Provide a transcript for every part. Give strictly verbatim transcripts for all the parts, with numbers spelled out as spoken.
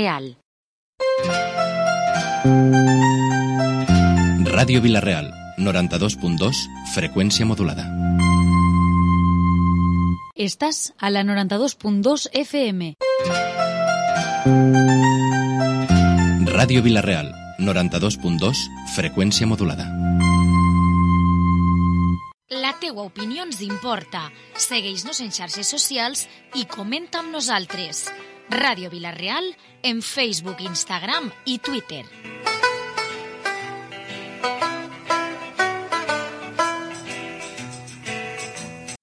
Real. Ràdio Vila-real, noranta-dos punt dos, freqüència modulada. Estàs a la noranta-dos punt dos F M. Ràdio Vila-real, noranta-dos punt dos, freqüència modulada. La teua opinió ens importa. Segueix-nos en xarxes socials i comenta amb nosaltres. Ràdio Vila-real en Facebook, Instagram i Twitter.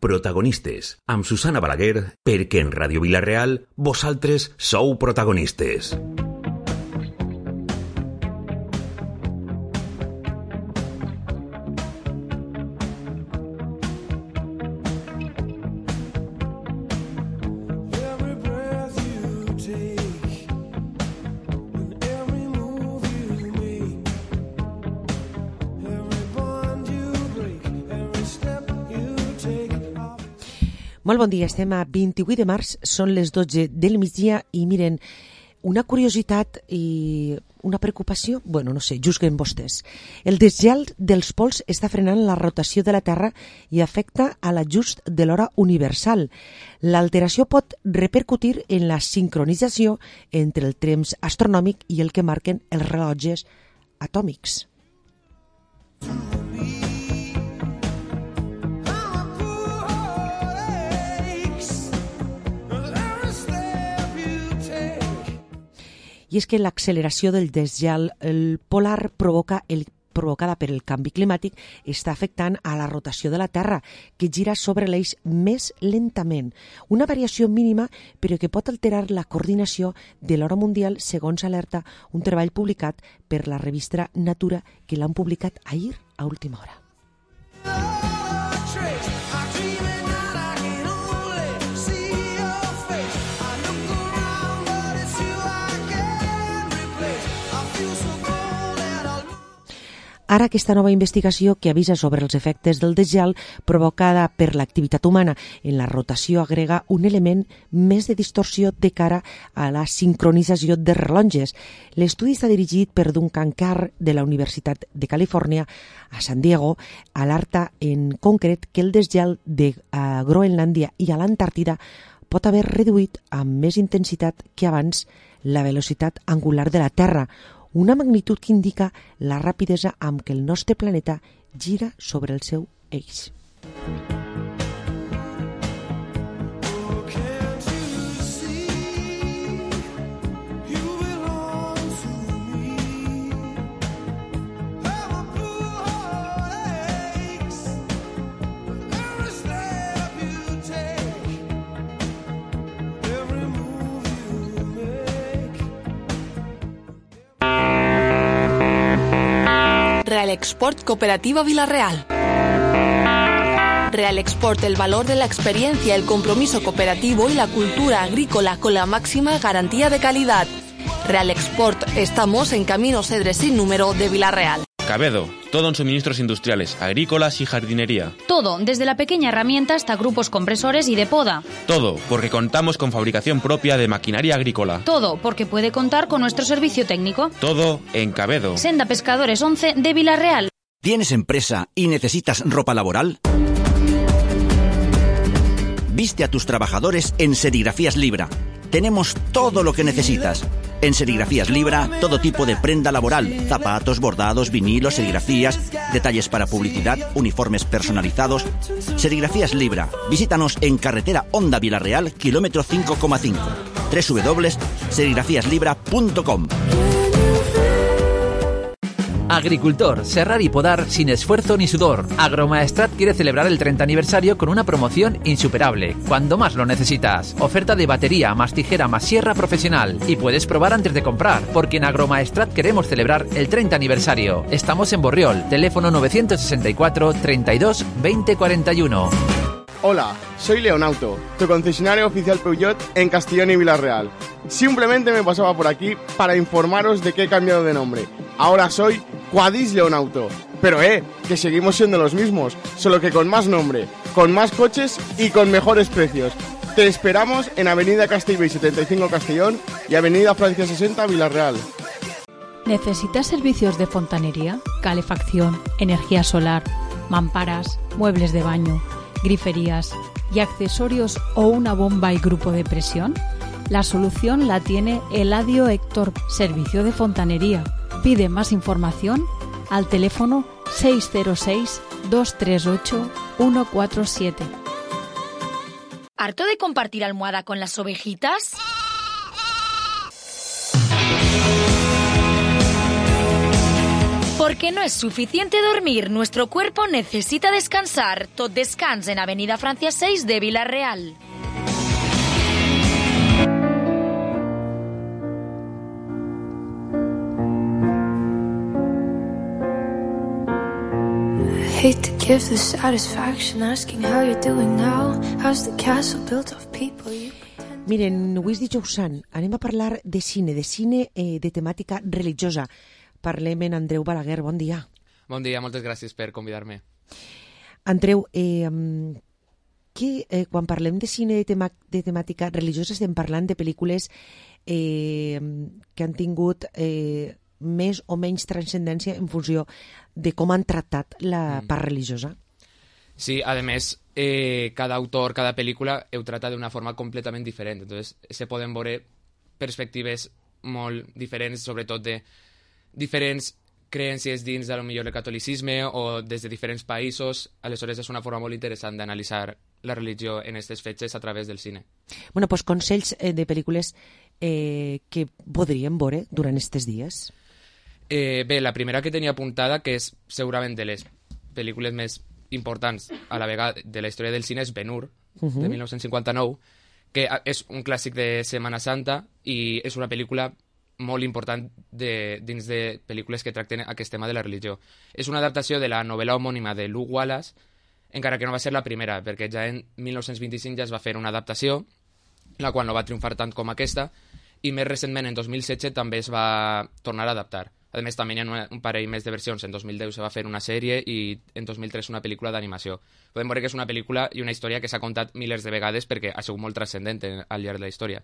Protagonistes, amb Susana Balaguer, perquè en Ràdio Vila-real vosaltres sou protagonistes. Molt bon dia, estem a vint-i-vuit de març, són les dotze del migdia i miren, una curiositat i una preocupació, bueno, no sé, juzguen vostès. El desgel dels pols està frenant la rotació de la Terra i afecta a l'ajust de l'hora universal. L'alteració pot repercutir en la sincronització entre el temps astronòmic i el que marquen els rellotges atòmics. I és que l'acceleració del desgel el polar provoca el, provocada per el canvi climàtic està afectant a la rotació de la Terra, que gira sobre l'eix més lentament. Una variació mínima, però que pot alterar la coordinació de l'hora mundial, segons alerta un treball publicat per la revista Natura, que l'han publicat ahir a última hora. Ara aquesta nova investigació que avisa sobre els efectes del desgel provocada per l'activitat humana en la rotació agrega un element més de distorsió de cara a la sincronització de rellotges. L'estudi està dirigit per Duncan Carr de la Universitat de Califòrnia a San Diego, alerta en concret que el desgel de uh, Groenlàndia i a l'Antàrtida pot haver reduït amb més intensitat que abans la velocitat angular de la Terra, una magnitud que indica la rapidesa amb què el nostre planeta gira sobre el seu eix. Realexport Cooperativa Vila-real. Realexport, el valor de la experiencia, el compromiso cooperativo y la cultura agrícola con la máxima garantía de calidad. Realexport, estamos en Camino Cedres sin número de Vila-real. Cabedo, todo en suministros industriales, agrícolas y jardinería. Todo, desde la pequeña herramienta hasta grupos compresores y de poda. Todo, porque contamos con fabricación propia de maquinaria agrícola. Todo, porque puede contar con nuestro servicio técnico. Todo en Cabedo. Senda Pescadores once de Vila-real. ¿Tienes empresa y necesitas ropa laboral? Viste a tus trabajadores en Serigrafías Libra. Tenemos todo lo que necesitas. En Serigrafías Libra, todo tipo de prenda laboral, zapatos, bordados, vinilos, serigrafías, detalles para publicidad, uniformes personalizados. Serigrafías Libra. Visítanos en carretera Honda Vila-real, kilómetro cinco coma cinco. doble u doble u doble u punto serigrafías libra punto com. Agricultor, serrar y podar sin esfuerzo ni sudor. Agromaestrat quiere celebrar el treinta aniversario con una promoción insuperable, cuando más lo necesitas. Oferta de batería, más tijera, más sierra profesional. Y puedes probar antes de comprar, porque en Agromaestrat queremos celebrar el treinta aniversario. Estamos en Borriol, teléfono novecientos sesenta y cuatro, treinta y dos, veinte cuarenta y uno. Hola, soy Leonauto, tu concesionario oficial Peugeot en Castellón y Vila-real. Simplemente me pasaba por aquí para informaros de que he cambiado de nombre. Ahora soy Quadis Leonauto. Pero eh, que seguimos siendo los mismos, solo que con más nombre, con más coches y con mejores precios. Te esperamos en Avenida Castellbell setenta y cinco Castellón y Avenida Francia sesenta Villarreal. ¿Necesitas servicios de fontanería, calefacción, energía solar, mamparas, muebles de baño, griferías y accesorios o una bomba y grupo de presión? La solución la tiene Eladio Héctor, Servicio de Fontanería. Pide más información al teléfono seis cero seis, dos tres ocho, uno cuatro siete. ¿Harto de compartir almohada con las ovejitas? Porque no es suficiente dormir, nuestro cuerpo necesita descansar. Tot descans en Avenida Francia seis de Villarreal. Hate to give the satisfaction asking how you're doing now. How's the castle built of people you pretend... Miren, avui és dijous sant. Anem a parlar de cine, de cine eh, de temàtica religiosa. Parlem amb Andreu Balaguer. Bon dia. Bon dia, moltes gràcies per convidar-me. Andreu, eh, que, eh, quan parlem de cine de, tema, de temàtica religiosa estem parlant de pel·lícules eh, que han tingut... Eh, més o menys transcendència en funció de com han tractat la part religiosa. Sí, a més, eh, cada autor, cada pel·lícula ho trata d'una forma completament diferent. Entonces, se poden veure perspectives molt diferents, sobretot de diferents creences dins de lo millor el catolicisme o des de diferents països. Aleshores, és una forma molt interessant d'analitzar la religió en aquestes fetges a través del cine. Bueno, doncs consells eh, de pel·lícules eh, que podríem veure durant aquests dies. Eh, bé, la primera que tenia apuntada, que és segurament de les pel·lícules més importants a la vegada de la història del cine, és Ben-Hur, uh-huh. de dinou cinquanta-nou, que és un clàssic de Setmana Santa i és una pel·lícula molt important de, dins de pel·lícules que tracten aquest tema de la religió. És una adaptació de la novel·la homònima de Luke Wallace, encara que no va ser la primera, perquè ja en dinou vint-i-cinc ja es va fer una adaptació, la qual no va triomfar tant com aquesta, i més recentment, en dos mil setze, també es va tornar a adaptar. A més, també hi ha un parell més de versions. En dos mil deu se va fer una sèrie i en dos mil tres una pel·lícula d'animació. Podem veure que és una pel·lícula i una història que s'ha contat milers de vegades perquè ha sigut molt transcendent al llarg de la història.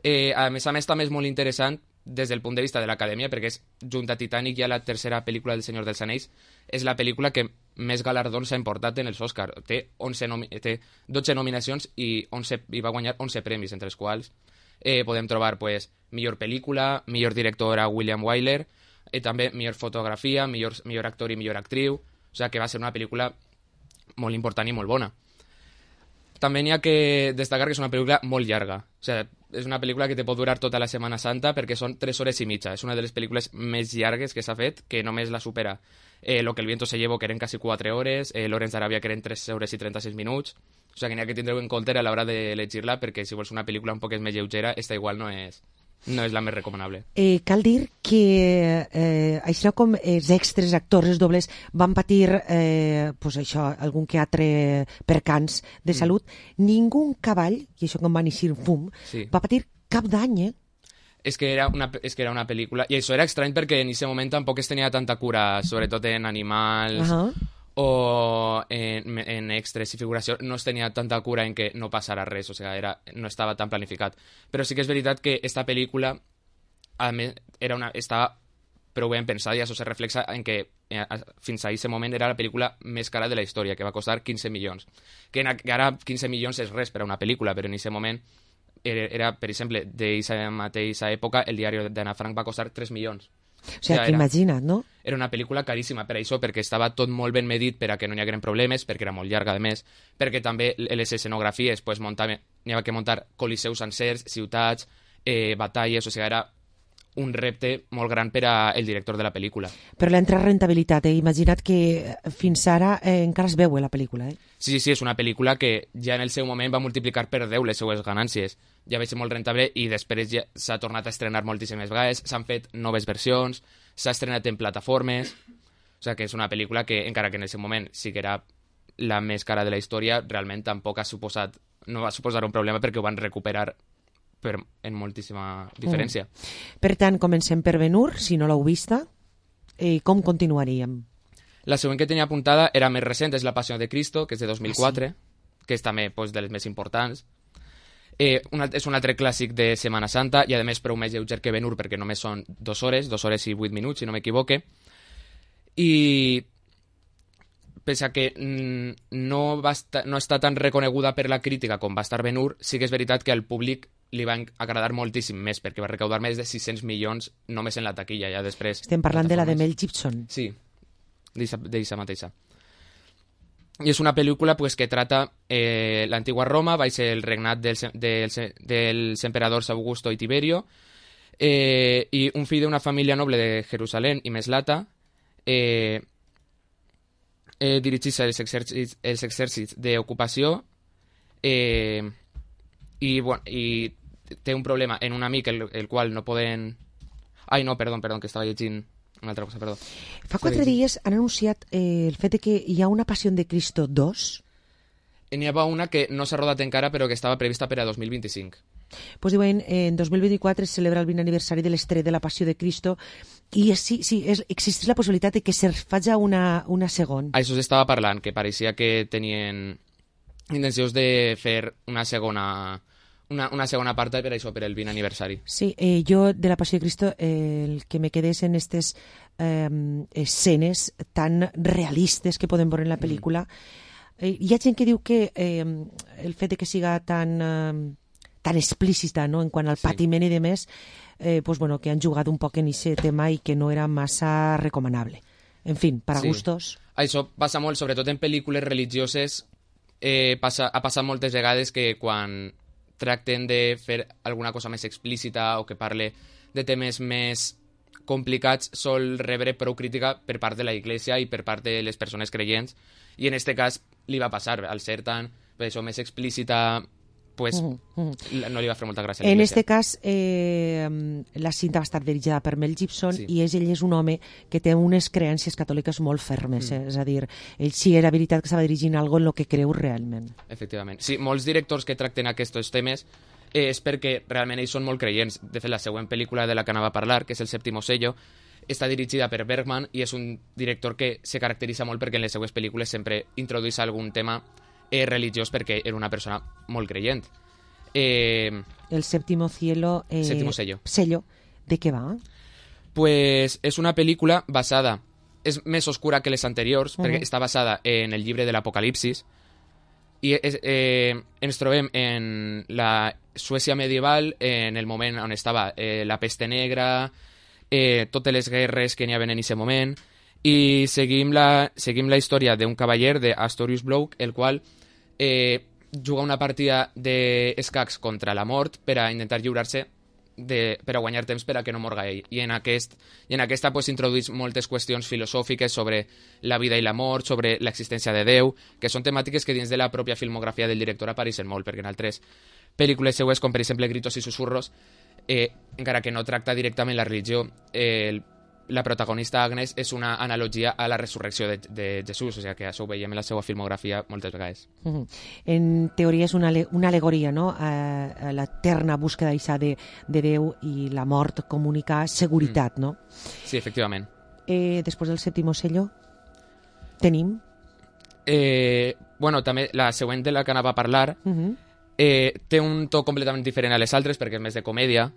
Eh, a més a més, també és molt interessant des del punt de vista de l'acadèmia, perquè és, junt a Titanic i a la tercera pel·lícula del Senyor dels Anells, és la pel·lícula que més galardons s'ha importat en els Oscar. Té, onze nomi- té dotze nominacions i, onze, i va guanyar onze premis, entre els quals eh, podem trobar pues, millor pel·lícula, millor director a William Wyler, i també millor fotografia, millor, millor actor i millor actriu. O sigui que va ser una pel·lícula molt important i molt bona. També n'hi ha que destacar que és una pel·lícula molt llarga. O sigui, és una pel·lícula que te pot durar tota la Setmana Santa perquè són tres hores i mitja. És una de les pel·lícules més llargues que s'ha fet, que només la supera eh, Lo que el viento se llevó, que eren quasi quatre hores, eh, Lawrence d'Aràbia, que eren tres hores i trenta-sis minuts. O sigui que n'hi ha que tindreu en compte a l'hora d'elegir-la, perquè si vols una pel·lícula un poc més lleugera, esta igual no és, no és la més recomanable. Eh, cal dir que eh, això com els extres, actors, els dobles van patir eh, pues això, algun que altre percans de salut, mm. ningú cavall, i això com van eixir fum, sí. va patir cap dany, eh? És que, era una, és que era una pel·lícula, i això era estrany perquè en aquest moment tampoc es tenia tanta cura, sobretot en animals, uh -huh. o en, en extras i figuració, no es tenia tanta cura en que no passara res, o sigui, era, no estava tan planificat. Però sí que és veritat que esta pel·lícula a més, era una, estava prou ben pensada i això se reflexa en que eh, fins a aquest moment era la pel·lícula més cara de la història, que va costar quinze milions. Que, en, que ara quinze milions és res per a una pel·lícula, però en aquest moment era, era per exemple, d'aquesta mateixa època, el diari d'Anna Frank va costar tres milions. O sigui, o sea, que imagina't, no? Era una pel·lícula caríssima per això, perquè estava tot molt ben medit per a que no hi hagueren problemes, perquè era molt llarga, a més, perquè també les escenografies, pues, muntava, n'hi havia que muntar coliseus sencers, ciutats, eh, batalles, o sigui, era un repte molt gran per al director de la pel·lícula. Però l'entra rentabilitat, eh? Imagina't que fins ara eh, encara es veu la pel·lícula, eh? Sí, sí, sí, és una pel·lícula que ja en el seu moment va multiplicar per deu les seues ganàncies. Ja va ser molt rentable i després ja s'ha tornat a estrenar moltíssimes vegades, s'han fet noves versions, s'ha estrenat en plataformes, o sigui que és una pel·lícula que, encara que en el seu moment sí que era la més cara de la història, realment tampoc ha suposat, no va suposar un problema perquè ho van recuperar per, en moltíssima diferència. Mm. Per tant, comencem per Ben-Hur, si no l'heu vista, i com continuaríem? La següent que tenia apuntada era més recent, és La Passió de Cristo, que és de dos mil quatre, ah, sí? que és també pues, de les més importants. Eh, una, és un altre clàssic de Setmana Santa i a més prou més lleuger que Ben-Hur perquè només són dues hores, dues hores i vuit minuts, si no m'equivoque. I pese a que mm, no, va estar, no està tan reconeguda per la crítica com va estar Ben-Hur, sí que és veritat que al públic li va agradar moltíssim més perquè va recaudar més de sis-cents milions només en la taquilla, ja després. Estem parlant de la de Mel Gibson. Sí, d'eixa mateixa. I és una pel·lícula pues, que trata eh, l'antigua Roma, va ser el regnat dels, dels, dels emperadors Augusto i Tiberio, eh, i un fill d'una família noble de Jerusalem i Meslata eh, eh, dirigís els exèrcits, els exèrcits d'ocupació eh, i, bueno, i té un problema en un amic el, el qual no poden... Ai, no, perdó, perdó, que estava llegint una altra cosa, perdó. Fa quatre dies han anunciat eh, el fet de que hi ha una Passió de Cristo dos. N'hi havia una que no s'ha rodat encara, però que estava prevista per a dos mil vint-i-cinc. Pues diuen, en dos mil vint-i-quatre es celebra el vint aniversari de l'estrè de la Passió de Cristo i és, sí, sí, és, existeix la possibilitat de que se faci una, una segona. Això s'estava parlant, que pareixia que tenien intencions de fer una segona... Una, una segona part per això, per el vint aniversari. Sí, eh, jo de la Passió de Cristo eh, el que me quedés en aquestes eh, escenes tan realistes que podem veure en la pel·lícula. Mm. Eh, hi ha gent que diu que eh, el fet de que siga tan, eh, tan explícita, no?, en quant al patiment sí. i demés, eh, pues, bueno, que han jugat un poc en aquest tema i que no era massa recomanable. En fi, per a sí. gustos. Això passa molt, sobretot en pel·lícules religioses, eh, passa, ha passat moltes vegades que quan tracten de fer alguna cosa més explícita o que parle de temes més complicats sol rebre prou crítica per part de la Iglesia i per part de les persones creients i en este cas li va passar, al ser tan per això, més explícita pues, uh -huh. no li va fer molta gràcia a en este cas eh, la cinta va estar dirigida per Mel Gibson sí. i és, ell és un home que té unes creences catòliques molt fermes, eh? mm. és a dir, ell sí era veritat que estava dirigint algo en lo que creu realment. Efectivament. Sí, molts directors que tracten aquests temes eh, és perquè realment ells són molt creients. De fet, la següent pel·lícula de la que anava a parlar, que és El séptimo sello, està dirigida per Bergman i és un director que se caracteritza molt perquè en les seues pel·lícules sempre introdueix algun tema eh, religiós perquè era una persona molt creient. Eh, el séptimo cielo eh, séptimo sello. sello ¿de què va? Pues és una pel·lícula basada, és més oscura que les anteriors uh -huh. perquè està basada en el llibre de l'Apocalipsis i és, eh, ens trobem en la Suècia medieval en el moment on estava eh, la peste negra, eh, totes les guerres que n'hi havia en aquest moment i seguim la, seguim la història d'un cavaller d'Astorius Bloke, el qual eh, juga una partida d'escacs contra la mort per a intentar lliurar-se de, per a guanyar temps per a que no morga ell. I en, aquest, i en aquesta pues, introduïs moltes qüestions filosòfiques sobre la vida i la mort, sobre l'existència de Déu, que són temàtiques que dins de la pròpia filmografia del director apareixen molt, perquè en altres pel·lícules seues, com per exemple Gritos i Susurros, eh, encara que no tracta directament la religió, eh, la protagonista Agnes és una analogia a la resurrecció de, de Jesús, o sigui que això ho veiem en la seva filmografia moltes vegades. Uh-huh. En teoria és una, una alegoria, no?, a, a l'eterna búsqueda de, de Déu i la mort comunica seguretat, mm. no? Sí, efectivament. Eh, després del séptimo sello, tenim? Eh, bueno, també la següent de la que anava a parlar uh-huh. eh, té un to completament diferent a les altres perquè és més de comèdia.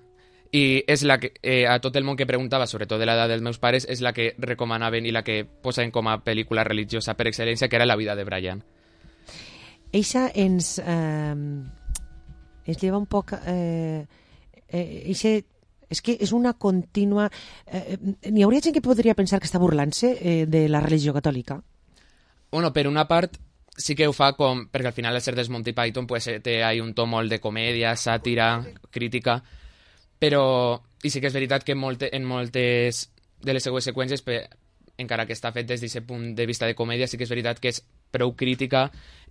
I és la que, eh, a tot el món que preguntava, sobretot de l'edat dels meus pares, és la que recomanaven i la que posaven com a pel·lícula religiosa per excel·lència, que era La vida de Brian. Eixa ens, eh, ens lleva un poc... Eh, eh, eixe, és que és una contínua... Eh, N'hi hauria gent que podria pensar que està burlant-se eh, de la religió catòlica? Bueno, per una part, sí que ho fa com... Perquè al final, al ser des Monty Python, pues, té ahí un to molt de comèdia, sàtira, crítica... Però, i sí que és veritat que en, molte, en moltes de les següents seqüències, per, encara que està fet des d'aquest punt de vista de comèdia, sí que és veritat que és prou crítica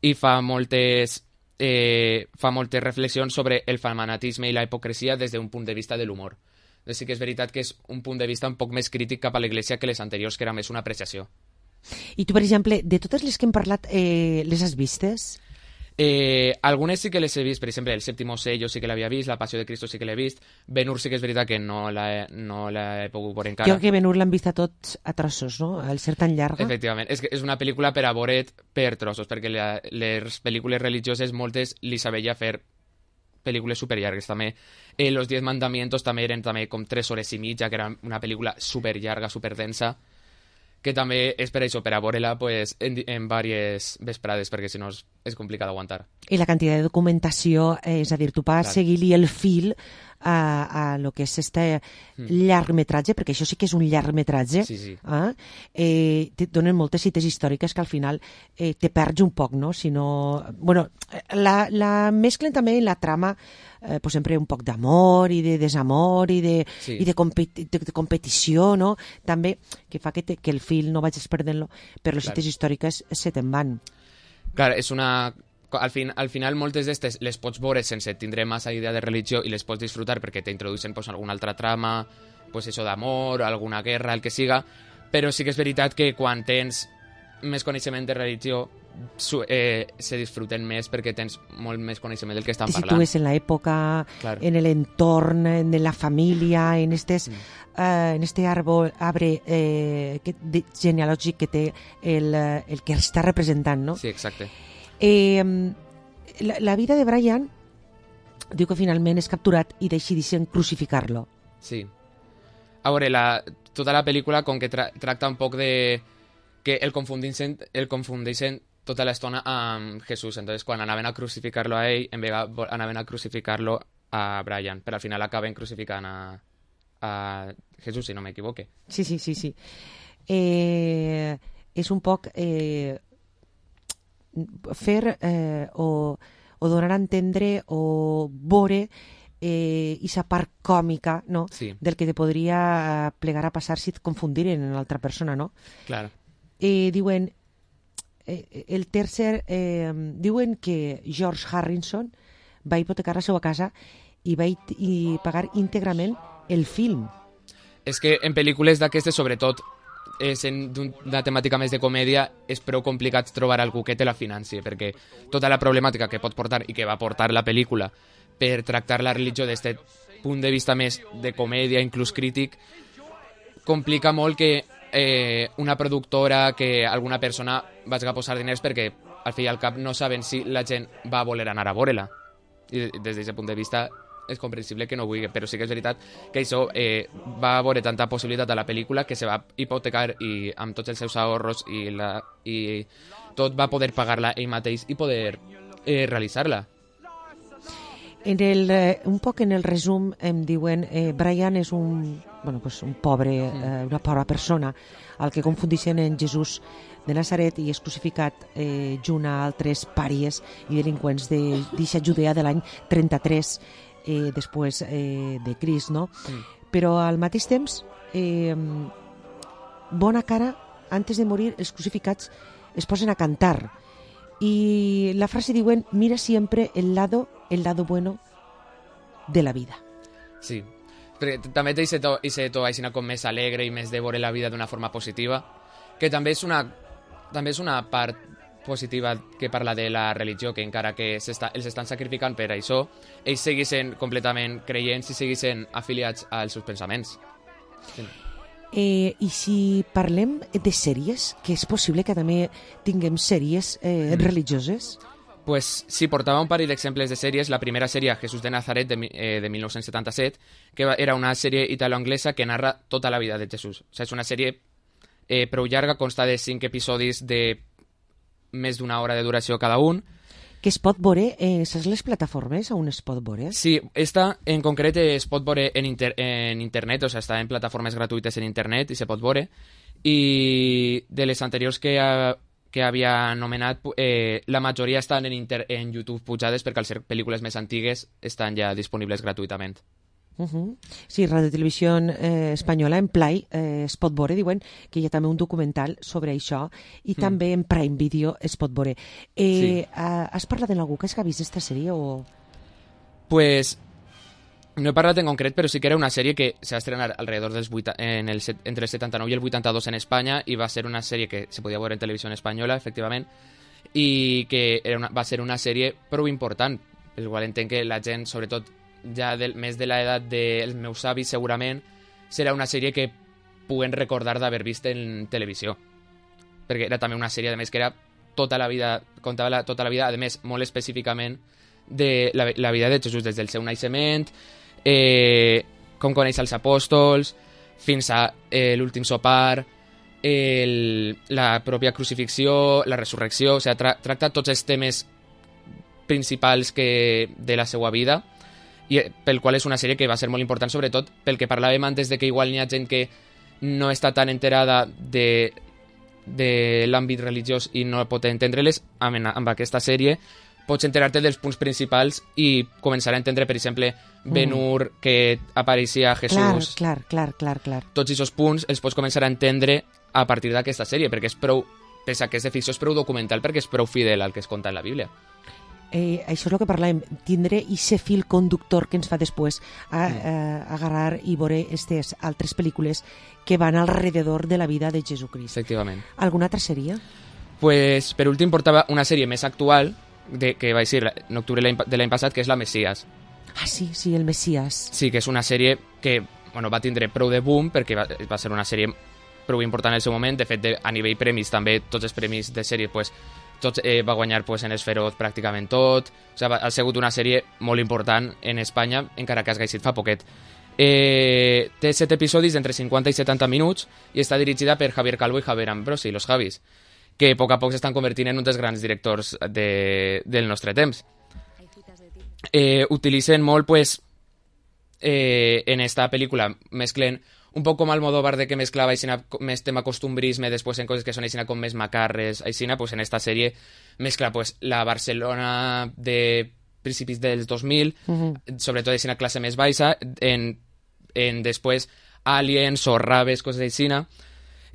i fa moltes, eh, fa moltes reflexions sobre el fanatisme i la hipocresia des d'un punt de vista de l'humor. Doncs sí que és veritat que és un punt de vista un poc més crític cap a l'Església que les anteriors, que era més una apreciació. I tu, per exemple, de totes les que hem parlat, eh, les has vistes? Eh, algunes sí que les he vist, per exemple, El séptimo sello sí que l'havia vist, La passió de Cristo sí que l'he vist, Ben-Hur sí que és veritat que no l'he no he pogut veure encara. Jo que Ben-Hur l'han vist a tots a trossos, no?, al ser tan llarga. Efectivament, és, que és una pel·lícula per a veure't per trossos, perquè la, les pel·lícules religioses moltes li sabia fer pel·lícules superllargues. També eh, Los Diez Mandamientos també eren també com tres hores i mitja, que era una pel·lícula superllarga, superdensa, que també és per això, per a veure-la pues, en, en diverses vesprades, perquè si no és, és complicat d'aguantar. I la quantitat de documentació, eh, és a dir, tu vas seguir-li el fil a, a lo que és este mm. llargmetratge, perquè això sí que és un llargmetratge, sí, sí. Eh? Eh, te donen moltes cites històriques que al final eh, te perds un poc, no? Si no... Bueno, la, la mesclen també en la trama eh, pues sempre un poc d'amor i de desamor i de, sí. i de, competi de, de competició, no? També, que fa que, te, que el fil no vagis perdent-lo, però les cites històriques se te'n van. Clar, és una... Al, fin, al final moltes d'estes les pots veure sense tindre massa idea de religió i les pots disfrutar perquè t'introducen pues, alguna altra trama, pues, això d'amor, alguna guerra, el que siga, però sí que és veritat que quan tens més coneixement de religió eh, se disfruten més perquè tens molt més coneixement del que estan parlant. Si tu és en l'època, claro. En l'entorn, en la família, en estes... Mm. Uh, en este árbol, arbre eh, que, de, genealògic que té el, el que està representant, no? Sí, exacte. Eh, la, la vida de Brian diu que finalment és capturat i decideixen crucificar-lo. Sí. A veure, la, tota la pel·lícula com que tra tracta un poc de que el confundeixen, el confundeixen tota l'estona amb Jesús. Entonces, quan anaven a crucificar-lo a ell, en vegada anaven a crucificar-lo a Brian, però al final acaben crucificant a, a Jesús, si no m'equivoque. Sí, sí, sí, sí. Eh, és un poc... Eh, fer eh, o, o donar a entendre o veure eh, esa part còmica, no? Sí. Del que te podria plegar a passar si et confundiren en l'altra persona, no? Claro. Eh, diuen eh, el tercer eh, diuen que George Harrison va hipotecar la seva casa i va i pagar íntegrament el film. És que en pel·lícules d'aquestes, sobretot sent d'una temàtica més de comèdia, és prou complicat trobar algú que te la financi, perquè tota la problemàtica que pot portar i que va portar la pel·lícula per tractar la religió des d'aquest punt de vista més de comèdia, inclús crític, complica molt que eh, una productora, que alguna persona vagi a posar diners perquè al fi i al cap no saben si la gent va voler anar a veure-la. I des d'aquest punt de vista és comprensible que no vulgui, però sí que és veritat que això eh, va veure tanta possibilitat a la pel·lícula que se va hipotecar i amb tots els seus ahorros i, la, i tot va poder pagar-la ell mateix i poder eh, realitzar-la. En el, eh, un poc en el resum em diuen eh, Brian és un, bueno, pues un pobre, eh, una pobra persona al que confundixen en Jesús de Nazaret i és crucificat eh, junt a altres pàries i delinqüents d'eixa Judea de l'any trenta-tres Eh, després eh, de Crist, no? Mm. Però al mateix temps, eh, bona cara, antes de morir, els crucificats es posen a cantar. I la frase diuen, mira siempre el lado, el lado bueno de la vida. Sí, perquè també té aquest to, to així com més alegre i més de veure la vida d'una forma positiva, que també és una, també és una part positiva que parla de la religió, que encara que s'està, els estan sacrificant per això, ells segueixen completament creients i segueixen afiliats als seus pensaments. Sí. Eh, I si parlem de sèries, que és possible que també tinguem sèries eh, mm. religioses? Pues sí, portava un parell d'exemples de sèries. La primera sèrie, Jesús de Nazaret, de, eh, de mil nou-cents setanta-set, que era una sèrie italo-anglesa que narra tota la vida de Jesús. O sigui, és una sèrie eh, prou llarga, consta de cinc episodis de més d'una hora de duració cada un. Que es pot veure, eh, saps les plataformes on es pot veure? Sí, esta en concret es pot veure en, inter en internet, o sigui, està en plataformes gratuïtes en internet i se pot veure. I de les anteriors que, ha, que havia anomenat, eh, la majoria estan en, inter en YouTube pujades perquè al ser pel·lícules més antigues estan ja disponibles gratuïtament. Uh -huh. Sí, Radio Televisió eh, Espanyola, en Play, eh, es pot veure, diuen que hi ha també un documental sobre això, i mm. també en Prime Video es pot veure. Eh, sí. Has parlat amb algú que has vist aquesta sèrie o...? Pues no he parlat en concret, però sí que era una sèrie que se va estrenar alrededor dels vuit, en el, entre el setanta-nou i el vuitanta-dos en Espanya, i va ser una sèrie que se podia veure en televisió espanyola, efectivament, i que era una, va ser una sèrie prou important, pel qual entenc que la gent, sobretot ja del, més de l'edat dels meus avis, segurament serà una sèrie que puguen recordar d'haver vist en televisió, perquè era també una sèrie, a més, que era tota la vida, contava la, tota la vida, a més, molt específicament de la, la vida de Jesús des del seu naixement, eh, com coneix els apòstols, fins a eh, l'últim sopar, el, la pròpia crucifixió, la resurrecció, o sigui, tra tracta tots els temes principals que, de la seva vida, i pel qual és una sèrie que va ser molt important, sobretot pel que parlàvem antes de que igual n'hi ha gent que no està tan enterada de, de l'àmbit religiós i no pot entendre-les. Amb, amb aquesta sèrie pots enterar-te dels punts principals i començar a entendre, per exemple, Ben-Hur, mm. que apareixia Jesús. Clar, clar, clar, clar. Tots aquests punts els pots començar a entendre a partir d'aquesta sèrie, perquè és prou, pese a que és de ficció, és prou documental, perquè és prou fidel al que es conta en la Bíblia. Eh, això és el que parlàvem, tindre aquest fil conductor que ens fa després a, mm. a, agarrar i veure aquestes altres pel·lícules que van alrededor de la vida de Jesucrist. Efectivament. Alguna altra sèrie? Pues, per últim, portava una sèrie més actual, de, que va ser en octubre de l'any passat, que és La Messias. Ah, sí, sí, el Messias. Sí, que és una sèrie que bueno, va tindre prou de boom, perquè va, va ser una sèrie prou important en el seu moment. De fet, de, a nivell premis, també, tots els premis de sèrie, pues, tots, eh, va guanyar pues, en Esferoz pràcticament tot. O sigui, ha sigut una sèrie molt important en Espanya, encara que has gaixit fa poquet. Eh, té set episodis d'entre cinquanta i setanta minuts i està dirigida per Javier Calvo i Javier Ambrosi, los Javis, que a poc a poc s'estan convertint en un dels grans directors de, del nostre temps. Eh, utilitzen molt, pues, eh, en esta pel·lícula, mesclen un poc com Almodóvar, de que mesclava aixina, més tema costumbrisme, després en coses que són aixina com més macarres, aixina, pues en esta sèrie mescla pues, la Barcelona de principis dels dos mil, uh-huh. sobretot aixina classe més baixa, en, en després Aliens o Raves, coses aixina,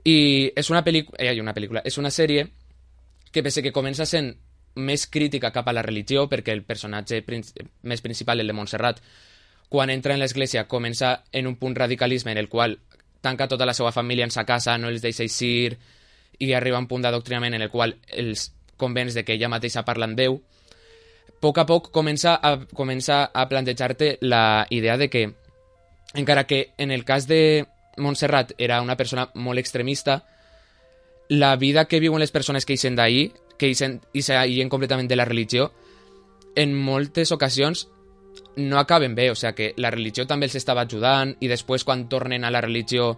i és una pel·lícula, eh, una pel·lícula, és una sèrie que pese que comença sent més crítica cap a la religió, perquè el personatge prin- més principal, el de Montserrat, quan entra en l'església comença en un punt radicalisme en el qual tanca tota la seva família en sa casa, no els deixa eixir i arriba a un punt d'adoctrinament en el qual els convenç de que ella mateixa parla amb Déu. A poc a poc comença a, comença a plantejar-te la idea de que, encara que en el cas de Montserrat era una persona molt extremista, la vida que viuen les persones que eixen d'ahir, que eixen, eixen completament de la religió, en moltes ocasions no acaben bé, o sigui que la religió també els estava ajudant i després quan tornen a la religió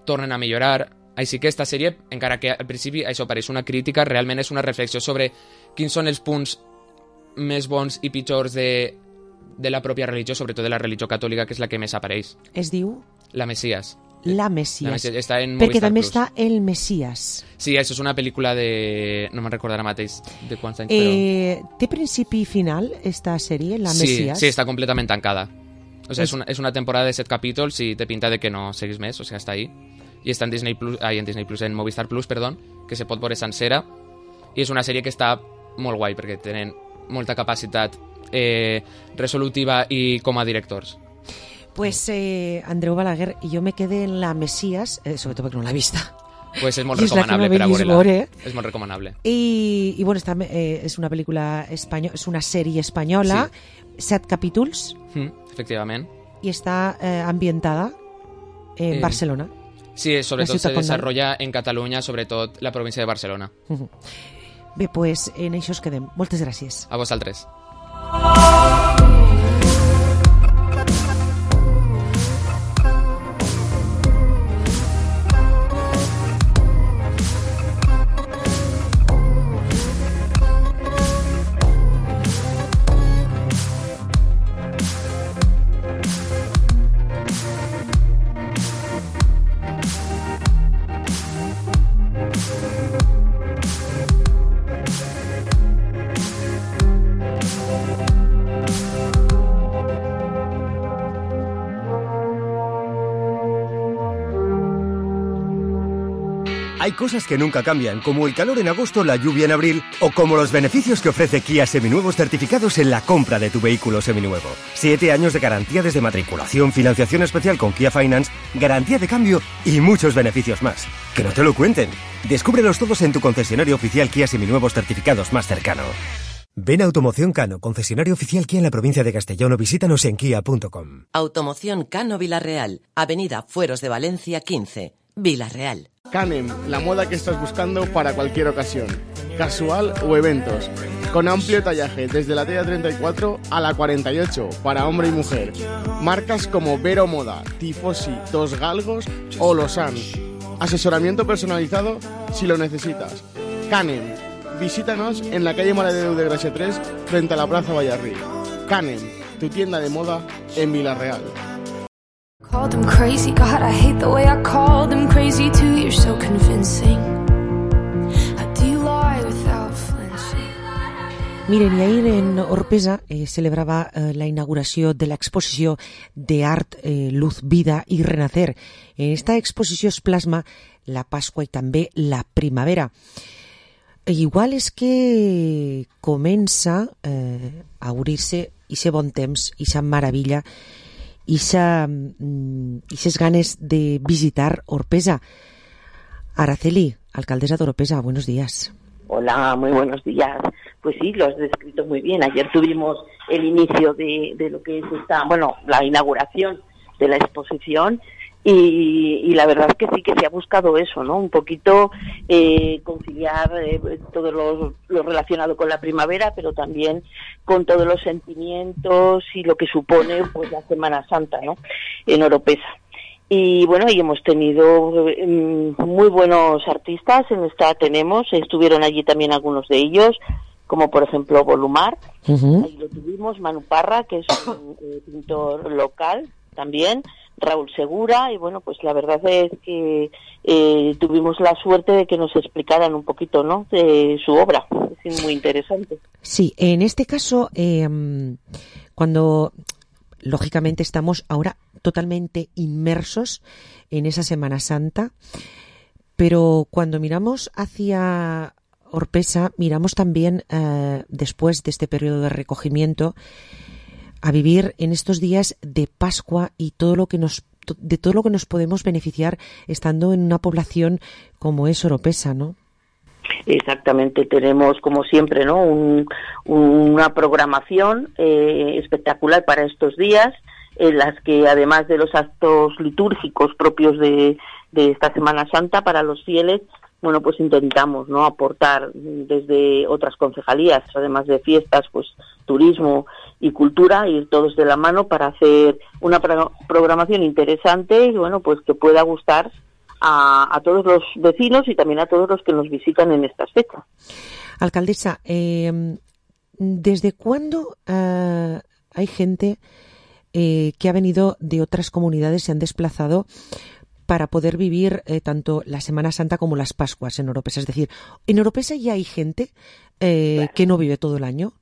tornen a millorar. Així que esta sèrie, encara que al principi això pareix una crítica, realment és una reflexió sobre quins són els punts més bons i pitjors de, de la pròpia religió, sobretot de la religió catòlica, que és la que més apareix. Es diu? La Messias. La Messias. La Messias. Està en Perquè Movistar també Plus. està El Messias. Sí, això és una pel·lícula de... no me'n recordarà mateix de quants anys, eh, però... Té principi i final, esta sèrie, La sí, Messias? Sí, està completament tancada. O sigui, és, una, és una temporada de set capítols i té pinta de que no seguís més, o sigui, està ahí. I està en Disney Plus, ai, en Disney Plus, en Movistar Plus, perdó, que se pot veure sencera. I és una sèrie que està molt guai, perquè tenen molta capacitat eh, resolutiva i com a directors. Pues eh, Andreu Balaguer, jo me quedé en La Messias, eh, sobretot perquè no l'he vista. Pues és molt I és recomanable no per a veure-la. veure. És molt recomanable. I, i bueno, està, eh, és una pel·lícula espanyola, és una sèrie espanyola, sí. set capítols. Mm, efectivament. I està eh, ambientada en eh, Barcelona. Sí, sobretot se desarrolla en Catalunya, sobretot la província de Barcelona. Uh-huh. Bé, pues en això us quedem. Moltes gràcies. A vosaltres. Hay cosas que nunca cambian, como el calor en agosto, la lluvia en abril, o como los beneficios que ofrece Kia Seminuevos certificados en la compra de tu vehículo seminuevo. Siete años de garantía desde matriculación, financiación especial con Kia Finance, garantía de cambio y muchos beneficios más. Que no te lo cuenten. Descúbrelos todos en tu concesionario oficial Kia Seminuevos certificados más cercano. Ven a Automoción Cano, concesionario oficial Kia en la provincia de Castellón, o visítanos en kia punto com. Automoción Cano Vilarreal, Avenida Fueros de Valencia quince, Vilarreal. Canem, la moda que estás buscando para cualquier ocasión, casual o eventos. con amplio tallaje desde la talla treinta y cuatro a la cuarenta y ocho para hombre y mujer. Marcas como Vero Moda, Tifosi, Dos Galgos o Losan. Asesoramiento personalizado si lo necesitas. Canem. Visítanos en la calle Maredeu de Gracia tres frente a la Plaza Vallarrí. Canem, tu tienda de moda en Vila-real. Called them crazy, God, I hate the way I called them crazy too. You're so convincing. How do you lie without flinching? Miren, i ahir en Orpesa eh, celebrava eh, la inauguració de l'exposició d'art eh, Luz, Vida i Renacer. En esta exposició es plasma la Pasqua i també la primavera. E igual és que comença eh, a obrir-se ixe bon temps, ixa maravilla, Ises ganes de visitar Orpesa. Araceli, alcaldesa de Orpesa, buenos días. Hola, muy buenos días. Pues sí, lo has descrito muy bien. Ayer tuvimos el inicio de, de lo que es esta, bueno, la inauguración de la exposición y, y la verdad es que sí que se ha buscado eso, ¿no? Un poquito eh, conciliar eh, todo lo, lo relacionado con la primavera, pero también con todos los sentimientos y lo que supone pues la Semana Santa, ¿no? En Oropesa. Y bueno, y hemos tenido eh, muy buenos artistas, en esta tenemos, estuvieron allí también algunos de ellos, como por ejemplo Volumar, uh-huh. Ahí lo tuvimos, Manu Parra, que es un eh, pintor local también, Raúl Segura, y bueno, pues la verdad es que eh, tuvimos la suerte de que nos explicaran un poquito, ¿no?, de su obra. Es muy interesante. Sí, en este caso, eh, cuando lógicamente estamos ahora totalmente inmersos en esa Semana Santa, pero cuando miramos hacia Orpesa, miramos también, eh, después de este periodo de recogimiento, a vivir en estos días de Pascua y todo lo que nos de todo lo que nos podemos beneficiar estando en una población como es Oropesa, ¿no? Exactamente, tenemos como siempre, ¿no?, Un, una programación eh, espectacular para estos días, en las que además de los actos litúrgicos propios de, de esta Semana Santa para los fieles, bueno, pues intentamos, ¿no?, aportar desde otras concejalías, además de fiestas, pues turismo y cultura, ir todos de la mano para hacer una pro- programación interesante y bueno, pues que pueda gustar a, a todos los vecinos y también a todos los que nos visitan en estas fechas. Alcaldesa, eh, ¿desde cuándo eh, hay gente eh, que ha venido de otras comunidades, se han desplazado para poder vivir eh, tanto la Semana Santa como las Pascuas en Oropesa? Es decir, ¿en Oropesa ya hay gente eh, claro. que no vive todo el año?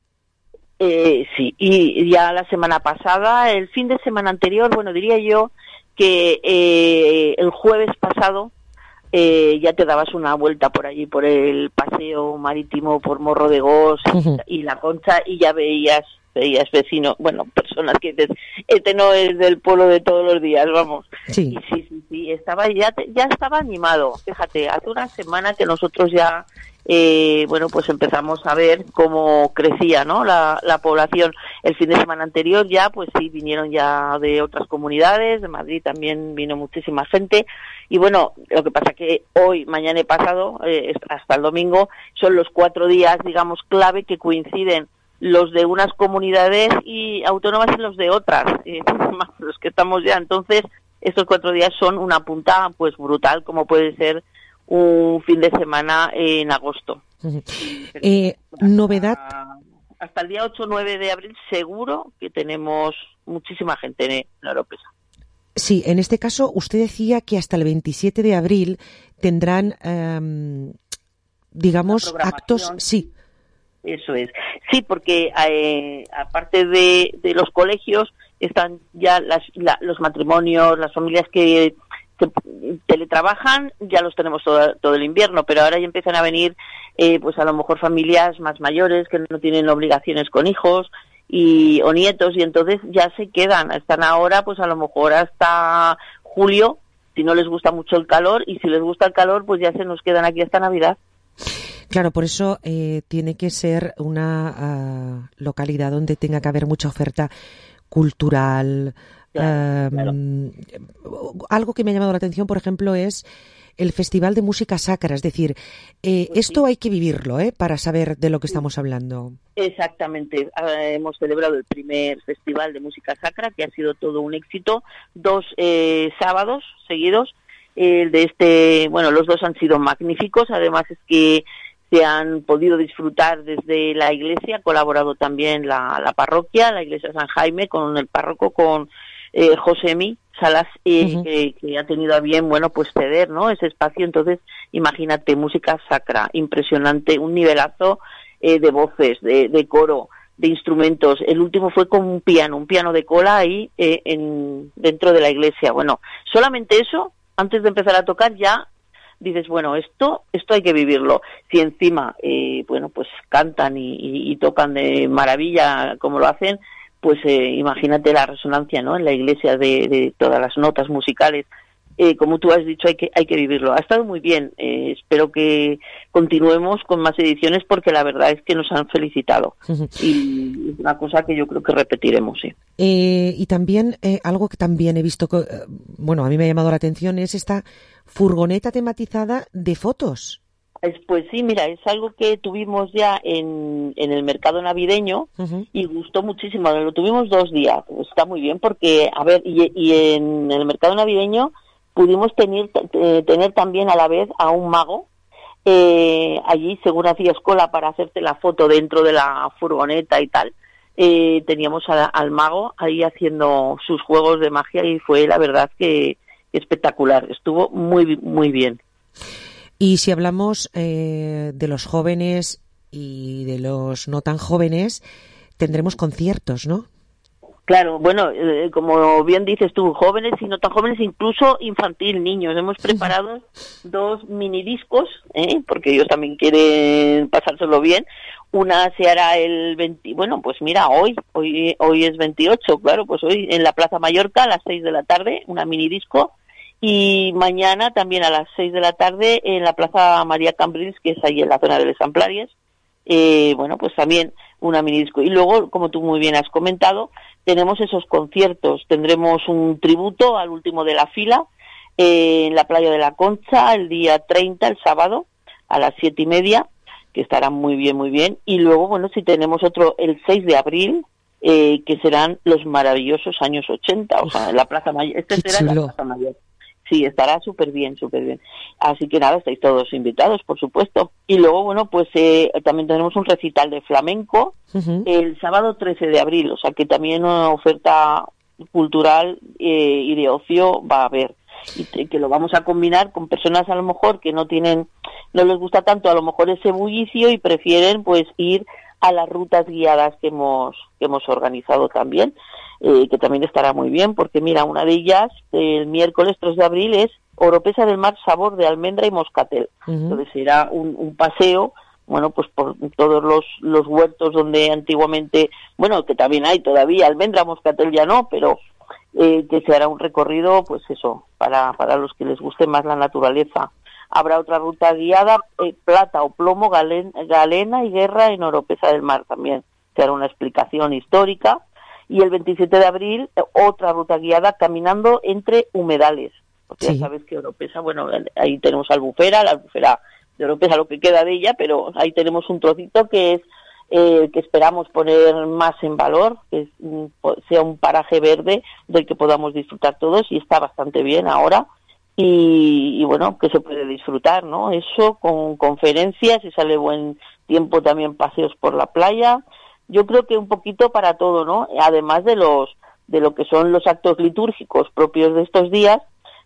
Eh, sí, y ya la semana pasada, el fin de semana anterior, bueno, diría yo que eh, el jueves pasado eh, ya te dabas una vuelta por allí, por el paseo marítimo, por Morro de Gos uh-huh. y La Concha, y ya veías veías vecinos, bueno, personas que dices, este no es del pueblo de todos los días, vamos. Sí. Y sí, sí, sí, estaba ya, ya estaba animado. Fíjate, hace una semana que nosotros ya, eh, bueno, pues empezamos a ver cómo crecía, ¿no?, la, la población. El fin de semana anterior ya, pues sí, vinieron ya de otras comunidades, de Madrid también vino muchísima gente. Y bueno, lo que pasa que hoy, mañana y pasado, eh, hasta el domingo, son los cuatro días, digamos, clave que coinciden los de unas comunidades y autónomas y los de otras, eh, los que estamos ya. Entonces, estos cuatro días son una punta pues brutal, como puede ser un fin de semana en agosto. Uh-huh. Eh, hasta, novedad. Hasta el día ocho o nueve de abril seguro que tenemos muchísima gente en Oropesa. Sí, en este caso usted decía que hasta el veintisiete de abril tendrán, eh, digamos, actos. Sí. Eso es. Sí, porque eh, aparte de, de los colegios están ya las, la, los matrimonios, las familias que, que teletrabajan, ya los tenemos todo, todo el invierno, pero ahora ya empiezan a venir eh, pues a lo mejor familias más mayores que no tienen obligaciones con hijos y o nietos, y entonces ya se quedan, están ahora pues a lo mejor hasta julio, si no les gusta mucho el calor, y si les gusta el calor pues ya se nos quedan aquí hasta Navidad. Claro, por eso eh, tiene que ser una uh, localidad donde tenga que haber mucha oferta cultural. Claro, uh, claro. Algo que me ha llamado la atención, por ejemplo, es el Festival de Música Sacra, es decir, eh, Pues esto sí. hay que vivirlo, ¿eh? Para saber de lo que estamos hablando. Exactamente. Eh, hemos celebrado el primer Festival de Música Sacra, que ha sido todo un éxito. Dos eh, sábados seguidos. El de este, bueno, los dos han sido magníficos. Además es que se han podido disfrutar desde la iglesia. Ha colaborado también la, la parroquia, la iglesia San Jaime, con el párroco, con eh, Josemi Salas, eh, uh-huh. que, que ha tenido a bien, bueno, pues ceder, ¿no?, ese espacio. Entonces, imagínate, música sacra, impresionante, un nivelazo eh, de voces, de, de coro, de instrumentos. El último fue con un piano, un piano de cola ahí eh, en, dentro de la iglesia. Bueno, solamente eso, antes de empezar a tocar ya dices, bueno, esto esto hay que vivirlo. Si encima, eh, bueno, pues cantan y, y, y tocan de maravilla como lo hacen, pues eh, imagínate la resonancia, ¿no?, en la iglesia de, de todas las notas musicales. Eh, como tú has dicho, hay que hay que vivirlo. Ha estado muy bien. Eh, espero que continuemos con más ediciones porque la verdad es que nos han felicitado. Uh-huh. Y es una cosa que yo creo que repetiremos, sí. Eh, y también, eh, algo que también he visto, que, eh, bueno, a mí me ha llamado la atención, es esta furgoneta tematizada de fotos. Pues sí, mira, es algo que tuvimos ya en, en el mercado navideño uh-huh. y gustó muchísimo. Lo tuvimos dos días. Está muy bien porque, a ver, y, y en el mercado navideño pudimos tener, t- tener también a la vez a un mago. Eh, allí, según hacías cola para hacerte la foto dentro de la furgoneta y tal, eh, teníamos a, al mago ahí haciendo sus juegos de magia y fue, la verdad, que espectacular. Estuvo muy, muy bien. Y si hablamos eh, de los jóvenes y de los no tan jóvenes, tendremos conciertos, ¿no? Claro, bueno, eh, como bien dices tú, jóvenes y no tan jóvenes, incluso infantil, niños. Hemos preparado dos minidiscos, ¿eh? Porque ellos también quieren pasárselo bien. Una se hará el veinte, bueno, pues mira, hoy, hoy, hoy es veintiocho, claro, pues hoy en la Plaza Mallorca a las seis de la tarde, una minidisco. Y mañana también a las seis de la tarde en la Plaza María Cambrils, que es ahí en la zona de Les Amplàries, eh, bueno, pues también una minidisco. Y luego, como tú muy bien has comentado, tenemos esos conciertos. Tendremos un tributo al último de la fila eh, en la Playa de la Concha el día treinta, el sábado, a las siete y media, que estará muy bien, muy bien. Y luego, bueno, si tenemos otro el seis de abril, eh, que serán los maravillosos años ochenta, o sea, en la Plaza Mayor. Este será en la Plaza Mayor. Sí, estará súper bien, súper bien. Así que nada, estáis todos invitados, por supuesto. Y luego, bueno, pues eh, también tenemos un recital de flamenco uh-huh. el sábado trece de abril, o sea que también una oferta cultural eh, y de ocio va a haber. Y te, que lo vamos a combinar con personas a lo mejor que no tienen, no les gusta tanto a lo mejor ese bullicio y prefieren pues ir a las rutas guiadas que hemos, que hemos organizado también. Eh, que también estará muy bien, porque mira, una de ellas, el miércoles tres de abril, es Oropesa del Mar, sabor de almendra y moscatel. Uh-huh. Entonces será un, un paseo, bueno, pues por todos los, los huertos donde antiguamente, bueno, que también hay todavía almendra, moscatel ya no, pero eh, que se hará un recorrido, pues eso, para, para los que les guste más la naturaleza. Habrá otra ruta guiada, eh, plata o plomo, galen, galena y guerra en Oropesa del Mar también. Se hará una explicación histórica. Y el veintisiete de abril, otra ruta guiada caminando entre humedales. Porque sí. Ya sabes que Oropesa, bueno, ahí tenemos Albufera, la Albufera de Oropesa, lo que queda de ella, pero ahí tenemos un trocito que es eh, que esperamos poner más en valor, que es, sea un paraje verde del que podamos disfrutar todos, y está bastante bien ahora. Y, y bueno, que se puede disfrutar, ¿no? Eso con conferencias, si sale buen tiempo también paseos por la playa. Yo creo que un poquito para todo, ¿no? Además de los de lo que son los actos litúrgicos propios de estos días,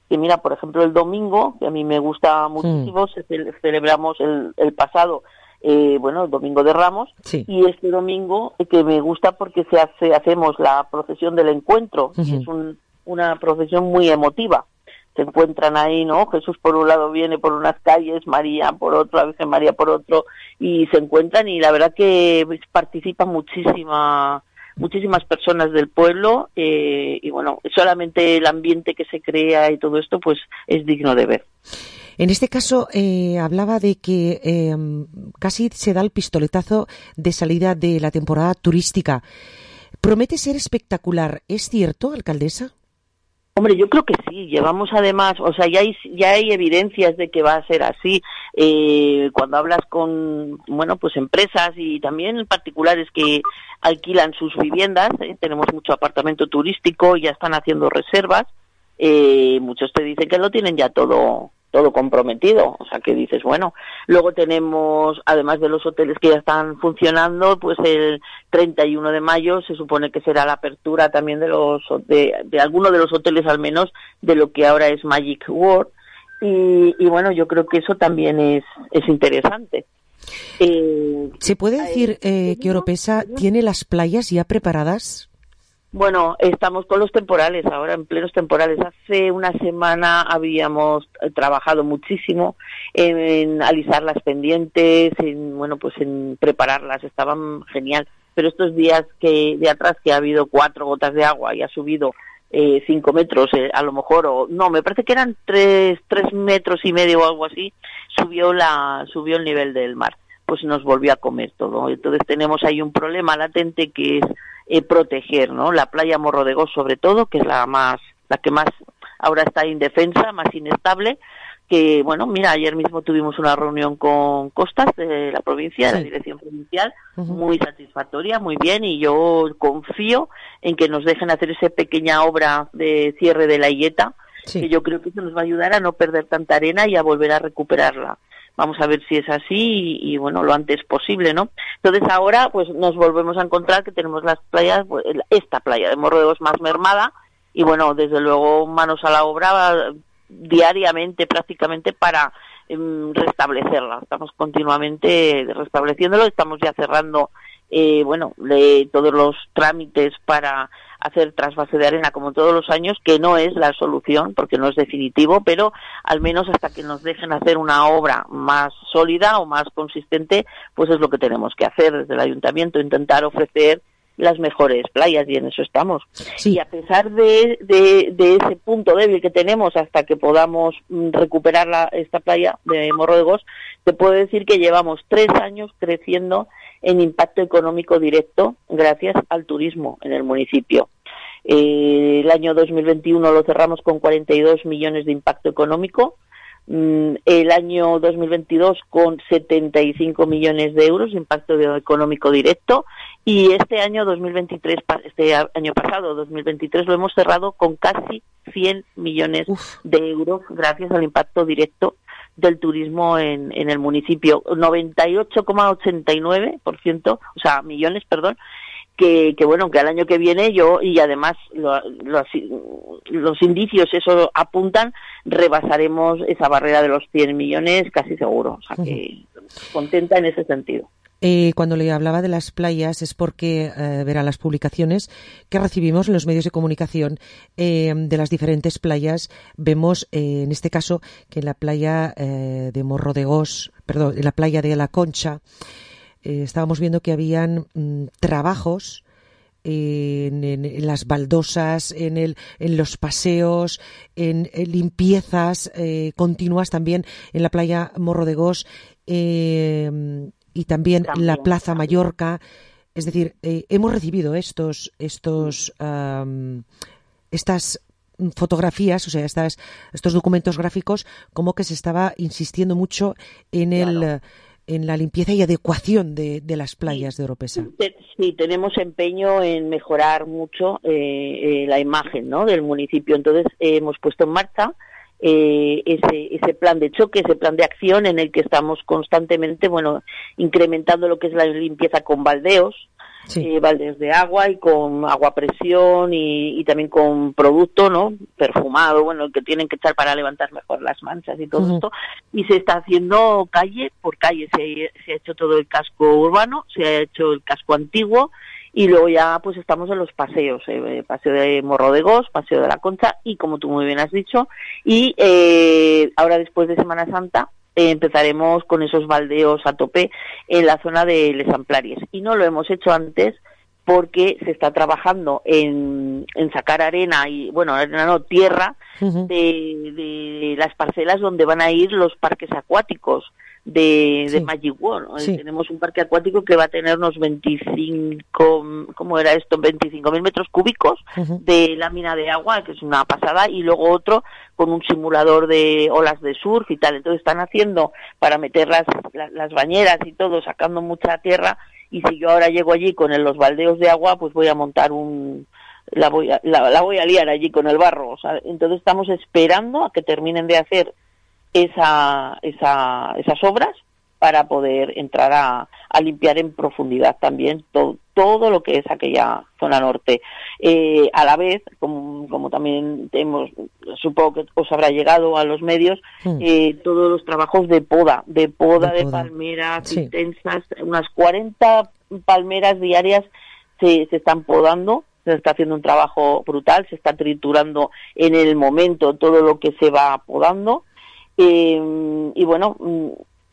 que mira, por ejemplo, el domingo, que a mí me gusta muchísimo, sí. se ce- celebramos el, el pasado, eh, bueno, el Domingo de Ramos, sí. Y este domingo eh, que me gusta porque se hace hacemos la procesión del encuentro, uh-huh. que es un, una procesión muy emotiva. Se encuentran ahí, ¿no? Jesús por un lado viene por unas calles, María por otro, la Virgen María por otro, y se encuentran, y la verdad que participan muchísima, muchísimas personas del pueblo, eh, y bueno, solamente el ambiente que se crea y todo esto, pues es digno de ver. En este caso, eh, hablaba de que eh, casi se da el pistoletazo de salida de la temporada turística. Promete ser espectacular, ¿es cierto, alcaldesa? Hombre, yo creo que sí. Llevamos además, o sea, ya hay ya hay evidencias de que va a ser así. Eh, cuando hablas con, bueno, pues empresas y también particulares que alquilan sus viviendas, eh, tenemos mucho apartamento turístico, ya están haciendo reservas. Eh, muchos te dicen que lo tienen ya todo todo comprometido, o sea que dices, bueno, luego tenemos, además de los hoteles que ya están funcionando, pues el treinta y uno de mayo se supone que será la apertura también de los de, de algunos de los hoteles, al menos de lo que ahora es Magic World, y, y bueno, yo creo que eso también es, es interesante. Eh, ¿Se puede decir eh, que Oropesa tiene las playas ya preparadas? Bueno, estamos con los temporales ahora, en plenos temporales. Hace una semana habíamos trabajado muchísimo en, en alisar las pendientes, en, bueno, pues en prepararlas, estaban genial. Pero estos días que de atrás que ha habido cuatro gotas de agua y ha subido eh, cinco metros, eh, a lo mejor, o no, me parece que eran tres, tres metros y medio o algo así, subió la, subió el nivel del mar. Pues nos volvió a comer todo. Entonces tenemos ahí un problema latente que es Eh, proteger, ¿no? La playa Morro de Gos, sobre todo, que es la más, la que más ahora está indefensa, más inestable, que, bueno, mira, ayer mismo tuvimos una reunión con Costas de la provincia, de la dirección provincial, uh-huh. muy satisfactoria, muy bien, y yo confío en que nos dejen hacer esa pequeña obra de cierre de la illeta, sí. que yo creo que eso nos va a ayudar a no perder tanta arena y a volver a recuperarla. Vamos a ver si es así y, y bueno, lo antes posible, ¿no? Entonces ahora pues nos volvemos a encontrar que tenemos las playas, pues, esta playa de Morro de Gos más mermada y bueno, desde luego manos a la obra diariamente prácticamente para eh, restablecerla. Estamos continuamente restableciéndolo, estamos ya cerrando eh, bueno, de todos los trámites para hacer trasvase de arena como todos los años, que no es la solución porque no es definitivo, pero al menos hasta que nos dejen hacer una obra más sólida o más consistente, pues es lo que tenemos que hacer desde el ayuntamiento, intentar ofrecer las mejores playas y en eso estamos. Sí. Y a pesar de, de, de ese punto débil que tenemos hasta que podamos recuperar la, esta playa de Morro de Gos, te puedo decir que llevamos tres años creciendo en impacto económico directo gracias al turismo en el municipio. Eh, el año dos mil veintiuno lo cerramos con cuarenta y dos millones de impacto económico, mm, el año dos mil veintidós con setenta y cinco millones de euros de impacto económico directo y este año dos mil veintitrés, este año pasado dos mil veintitrés lo hemos cerrado con casi cien millones Uf. de euros gracias al impacto directo del turismo en, en el municipio, noventa y ocho coma ochenta y nueve por ciento, o sea, millones, perdón, que, que bueno, que al año que viene yo, y además lo, lo, los indicios eso apuntan, rebasaremos esa barrera de los cien millones casi seguro, o sea que contenta en ese sentido. Eh, cuando le hablaba de las playas es porque eh, verá las publicaciones que recibimos en los medios de comunicación eh, de las diferentes playas. Vemos, eh, en este caso, que en la playa eh, de Morro de Gos, perdón, en la playa de La Concha, eh, estábamos viendo que habían mm, trabajos en, en, en las baldosas, en, el, en los paseos, en, en limpiezas eh, continuas también en la playa Morro de Gos. Eh, y también, también la Plaza también. Mallorca, es decir, eh, hemos recibido estos estos um, estas fotografías, o sea, estas estos documentos gráficos, como que se estaba insistiendo mucho en claro. el en la limpieza y adecuación de, de las playas de Oropesa. Sí, tenemos empeño en mejorar mucho eh, eh, la imagen, ¿no?, del municipio. Entonces eh, hemos puesto en marcha Eh, ese ese plan de choque, ese plan de acción en el que estamos constantemente, bueno, incrementando lo que es la limpieza con baldeos, sí. eh, baldeos de agua y con agua a presión y, y también con producto, ¿no?, perfumado, bueno, que tienen que echar para levantar mejor las manchas y todo uh-huh. esto, y se está haciendo calle por calle, se, se ha hecho todo el casco urbano, se ha hecho el casco antiguo, y luego ya pues estamos en los paseos, eh, paseo de Morro de Gos, paseo de La Concha y como tú muy bien has dicho, y eh, ahora después de Semana Santa eh, empezaremos con esos baldeos a tope en la zona de Les Amplaries. Y no lo hemos hecho antes porque se está trabajando en, en sacar arena y, bueno, arena no, tierra uh-huh. de, de las parcelas donde van a ir los parques acuáticos de, Sí. de Magic World. ¿no? Sí. Tenemos un parque acuático que va a tener unos veinticinco, ¿cómo era esto? veinticinco mil metros cúbicos Ujú. de lámina de agua, que es una pasada, y luego otro con un simulador de olas de surf y tal. Entonces están haciendo para meter las, las, las bañeras y todo, sacando mucha tierra, y si yo ahora llego allí con el- los baldeos de agua, pues voy a montar un... La voy, a, la, la voy a liar allí con el barro. O sea, entonces estamos esperando a que terminen de hacer esa, esa, esas obras para poder entrar a, a limpiar en profundidad también todo, todo lo que es aquella zona norte. Eh, a la vez, como, como también hemos, supongo que os habrá llegado a los medios, Mm. eh, todos los trabajos de poda, de poda De de, poda. palmeras Sí. intensas, unas cuarenta palmeras diarias se, se están podando. Se está haciendo un trabajo brutal, se está triturando en el momento todo lo que se va podando. Eh, y bueno, mm,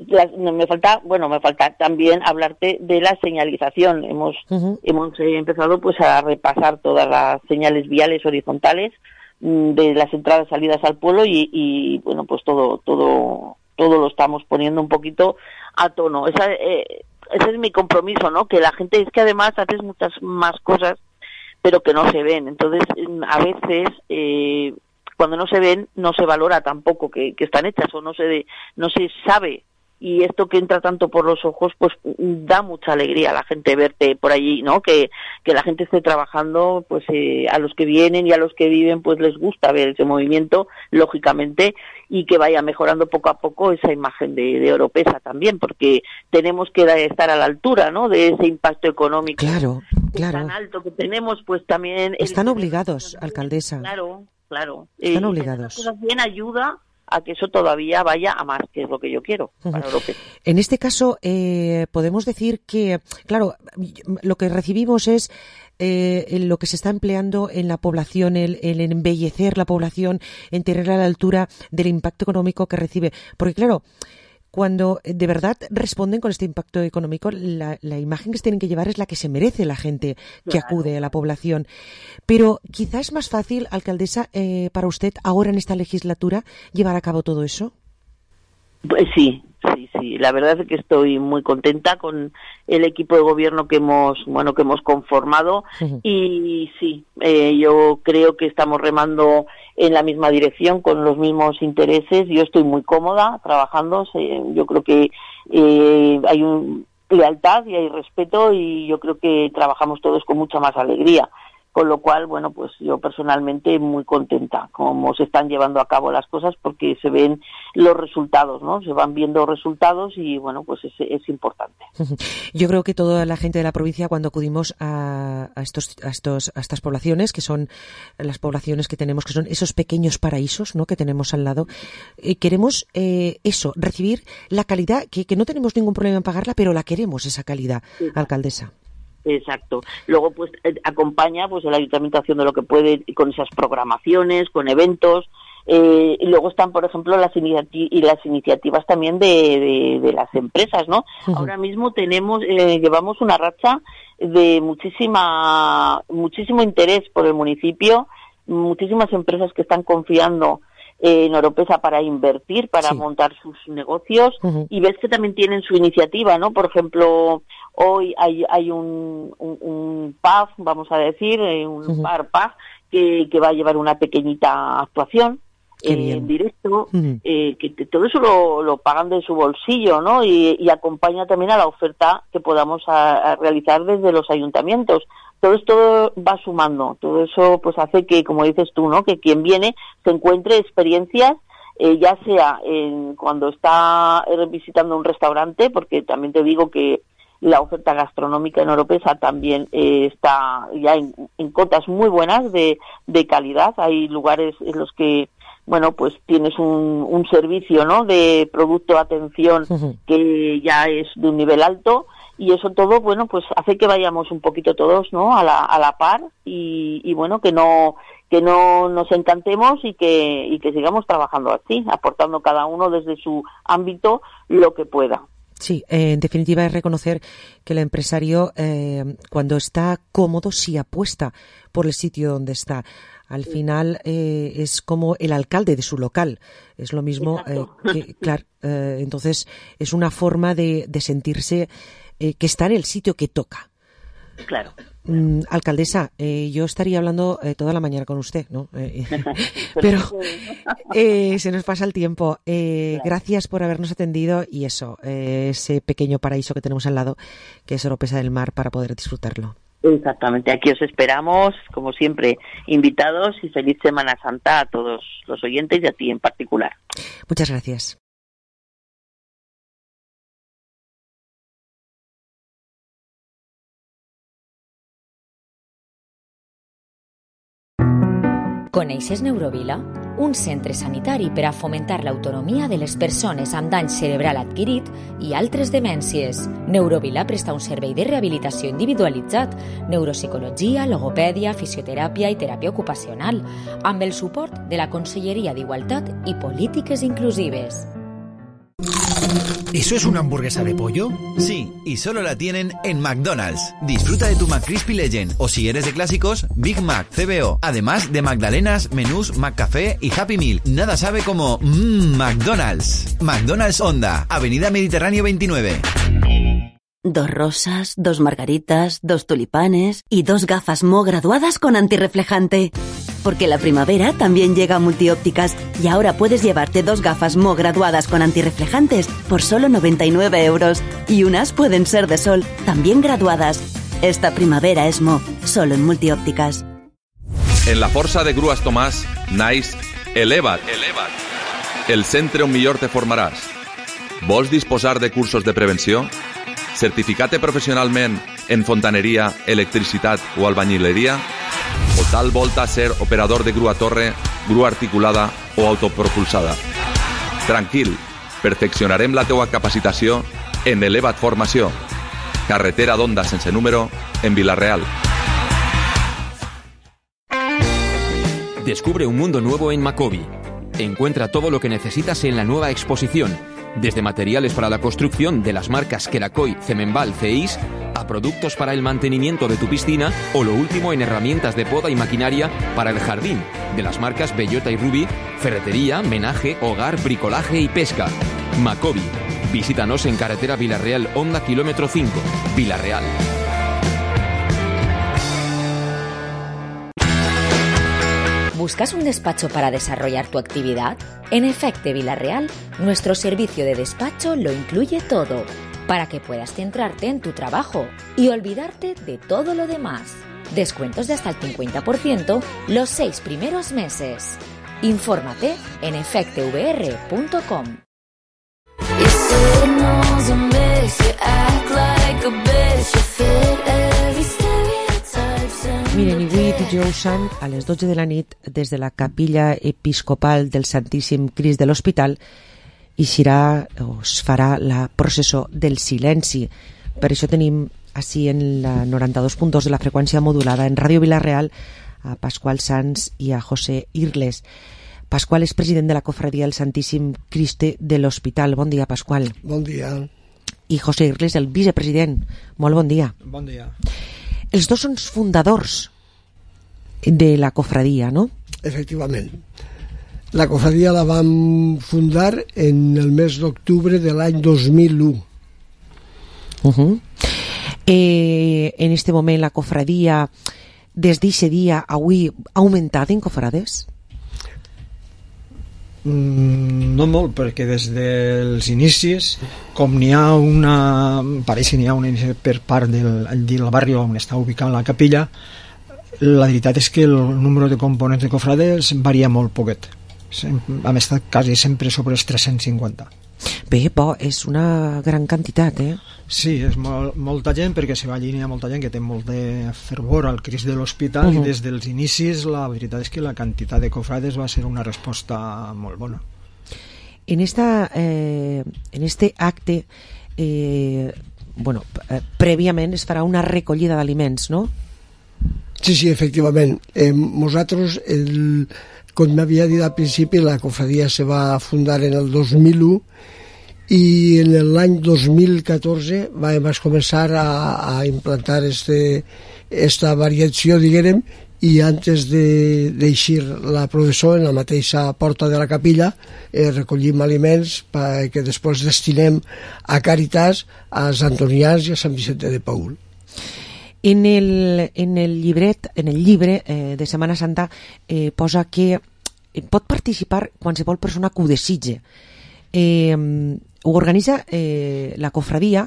las- no, me falta, bueno, me falta también hablarte de la señalización. Hemos Ujú. hemos eh, empezado pues a repasar todas las señales viales horizontales mm, de las entradas y salidas al pueblo y, y bueno, pues todo todo todo lo estamos poniendo un poquito a tono. Esa, eh, ese es mi compromiso, ¿no? Que la gente, es que además haces muchas más cosas pero que no se ven. Entonces, a veces, eh, cuando no se ven, no se valora tampoco que, que están hechas o no se no se sabe. Y esto que entra tanto por los ojos, pues da mucha alegría a la gente verte por allí, ¿no? Que, que la gente esté trabajando, pues eh, a los que vienen y a los que viven, pues les gusta ver ese movimiento, lógicamente, y que vaya mejorando poco a poco esa imagen de, de Oropesa también, porque tenemos que estar a la altura, ¿no? De ese impacto económico Claro, claro. tan alto que tenemos, pues también... el- Están obligados, alcaldesa. Claro, claro. Están Eh, obligados. y hacer las cosas bien ayuda a que eso todavía vaya a más, que es lo que yo quiero para Oropesa. En este caso, eh, podemos decir que, claro, lo que recibimos es eh, lo que se está empleando en la población, el, el embellecer la población, en tenerla a la altura del impacto económico que recibe. Porque, claro, cuando de verdad responden con este impacto económico, la, la imagen que se tienen que llevar es la que se merece la gente que Claro. acude a la población. Pero quizás es más fácil, alcaldesa, eh, para usted ahora en esta legislatura llevar a cabo todo eso. Pues sí, sí, sí. La verdad es que estoy muy contenta con el equipo de gobierno que hemos, bueno, que hemos conformado. Ujú. Y sí, eh, yo creo que estamos remando en la misma dirección, con los mismos intereses. Yo estoy muy cómoda trabajando. Se- Yo creo que eh, hay un lealtad y hay respeto, y yo creo que trabajamos todos con mucha más alegría. Con lo cual, bueno, pues yo personalmente muy contenta cómo se están llevando a cabo las cosas, porque se ven los resultados, ¿no? Se van viendo resultados y, bueno, pues es, es importante. Yo creo que toda la gente de la provincia, cuando acudimos a, a, estos, a, estos, a estas poblaciones, que son las poblaciones que tenemos, que son esos pequeños paraísos, ¿no?, que tenemos al lado, eh, queremos eh, eso, recibir la calidad, que, que no tenemos ningún problema en pagarla, pero la queremos, esa calidad, Sí. alcaldesa. Exacto. Luego, pues, eh, acompaña pues el ayuntamiento haciendo lo que puede con esas programaciones, con eventos. Eh, y luego están, por ejemplo, las, iniciati- y las iniciativas también de, de, de las empresas, ¿no? Ujú. Ahora mismo tenemos, eh, llevamos una racha de muchísima, muchísimo interés por el municipio, muchísimas empresas que están confiando en Oropesa para invertir, para Sí. montar sus negocios, Ujú. y ves que también tienen su iniciativa, ¿no? Por ejemplo, hoy hay, hay un, un, un pub, vamos a decir, eh, un Ujú. bar pub, que, que va a llevar una pequeñita actuación Qué eh, bien. en directo, Ujú. eh, que te- todo eso lo, lo pagan de su bolsillo, ¿no? Y, y acompaña también a la oferta que podamos a- a realizar desde los ayuntamientos. Todo esto va sumando, todo eso pues hace que, como dices tú, ¿no?, que quien viene se encuentre experiencias, eh, ya sea en, cuando está eh, visitando un restaurante, porque también te digo que la oferta gastronómica en Oropesa también eh, está ya en, en cotas muy buenas de, de calidad. Hay lugares en los que, bueno, pues tienes un, un servicio, ¿no?, de producto, atención, Ujú. que ya es de un nivel alto, y eso todo, bueno, pues hace que vayamos un poquito todos, ¿no?, a la, a la par, y, y bueno, que no que no nos encantemos y que y que sigamos trabajando así, aportando cada uno desde su ámbito lo que pueda. Sí, eh, en definitiva es reconocer que el empresario, eh, cuando está cómodo, sí apuesta por el sitio donde está. Al final eh, es como el alcalde de su local. Es lo mismo eh, que, claro, eh, entonces es una forma de, de sentirse eh, que está en el sitio que toca. Claro. Mm, alcaldesa, eh, yo estaría hablando eh, toda la mañana con usted, ¿no? Eh, pero eh, se nos pasa el tiempo. Eh, claro. Gracias por habernos atendido y eso, eh, ese pequeño paraíso que tenemos al lado, que es Oropesa del Mar, para poder disfrutarlo. Exactamente, aquí os esperamos, como siempre, invitados, y feliz Semana Santa a todos los oyentes y a ti en particular. Muchas gracias. Coneixes Neurovila? Un centre sanitari per a fomentar l'autonomia de les persones amb dany cerebral adquirit i altres demències. Neurovila presta un servei de rehabilitació individualitzat, neuropsicologia, logopèdia, fisioteràpia i teràpia ocupacional, amb el suport de la Conselleria d'Igualtat i Polítiques Inclusives. ¿Eso es una hamburguesa de pollo? Sí, y solo la tienen en McDonald's. Disfruta de tu McCrispy Legend, o si eres de clásicos, Big Mac, C B O, además de Magdalenas, menús, McCafé y Happy Meal. Nada sabe como mmm, McDonald's. McDonald's Honda, Avenida Mediterráneo veintinueve. Dos rosas, dos margaritas, dos tulipanes y dos gafas Mo graduadas con antirreflejante. Porque la primavera también llega a Multiópticas y ahora puedes llevarte dos gafas Mo graduadas con antirreflejantes por solo noventa y nueve euros. Y unas pueden ser de sol, también graduadas. Esta primavera es Mo, solo en Multiópticas. En la Força de Grues Tomàs, naix Eleva't. Eleva't. El centre on millor te formaràs. Vols disposar de cursos de prevenció? Certificate professionalment en fontaneria, electricitat o albañileria? O tal volta ser operador de grua torre, grua articulada o autopropulsada? Tranquil, perfeccionarem la teua capacitació en Eleva't Formació. Carretera d'Onda sense número, en Vila-real. Descubre un mundo nuevo en Macobi. Encuentra todo lo que necesitas en la nueva exposición, desde materiales para la construcción de las marcas Kerakoy, Cemenbal, Ceis, a productos para el mantenimiento de tu piscina o lo último en herramientas de poda y maquinaria para el jardín, de las marcas Bellota y Ruby, ferretería, menaje, hogar, bricolaje y pesca. Macobi. Visítanos en carretera Vila-real, Honda kilómetro cinco, Vila-real. ¿Buscas un despacho para desarrollar tu actividad? En Efecte Vila-real, nuestro servicio de despacho lo incluye todo, para que puedas centrarte en tu trabajo y olvidarte de todo lo demás. Descuentos de hasta el cincuenta por ciento los seis primeros meses. Infórmate en efecte v r punto com. Miren, i avui, dijous sant, a les dotze de la nit, des de la capilla episcopal del Santíssim Crist de l'Hospital, eixirà o es farà la processó del silenci. Per això tenim així en la noranta-dos punt dos de la freqüència modulada en Ràdio Vila-real a Pasqual Sanz i a José Irles. Pasqual és president de la cofradia del Santíssim Crist de l'Hospital. Bon dia, Pasqual. Bon dia. I José Irles, el vicepresident. Molt bon dia. Bon dia. Els dos són fundadors de la cofradia, no? Efectivament. La cofradia la vam fundar en el mes d'octubre de l'any dos mil u. Uh-huh. Eh, en este moment la cofradia, des d'aquest dia avui, ha augmentat en cofrades? Mm, no molt, perquè des dels inicis, com n'hi ha una, pareix que n'hi ha una inici per part del, del barri on està ubicada la capilla, la veritat és que el número de components de cofrades varia molt poquet. Hem estat quasi sempre sobre els tres-cents cinquanta. Bé, bo, és una gran quantitat, eh? Sí, és molt, molta gent, perquè se va alinear molta gent que té molt de fervor al Crist de l'Hospital, uh-huh. I des dels inicis la veritat és que la quantitat de cofrades va ser una resposta molt bona. En, esta, eh, en este acte, eh, bueno, eh, prèviament es farà una recollida d'aliments, no? Sí, sí, efectivament. Eh, nosaltres, el, com m'havia dit al principi, la cofradia se va fundar en el dos mil u i en l'any dos mil catorze vam començar a, a implantar este, esta variació, diguem, i antes d'eixir la processó en la mateixa porta de la capilla eh, recollim aliments que després destinem a Càritas, a Sant Antonians i a Sant Vicente de Paül. En el, en el llibret, en el llibre eh, de Setmana Santa eh, posa que pot participar qualsevol persona que ho desitge. Eh, ho organitza eh, la cofradia,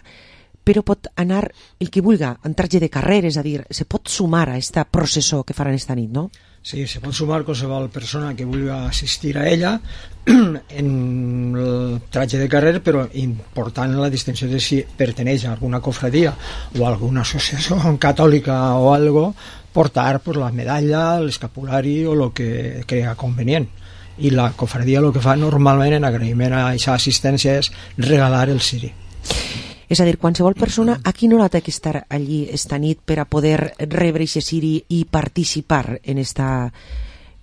però pot anar el que vulga en traje de carrer, és a dir, se pot sumar a esta processó que faran esta nit, no? Sí, se pot sumar qualsevol persona que vulgui assistir a ella en el traje de carrer, però important la distinció de si perteneix a alguna cofradia o a alguna associació catòlica o algo, portar pues, la medalla, l'escapulari o el que crea convenient. I la cofradia el que fa normalment en agraïment a aquesta assistència és regalar el ciri. És a dir, qualsevol persona a quina hora té que estar allí esta nit per a poder rebre aquest ciri i participar en esta,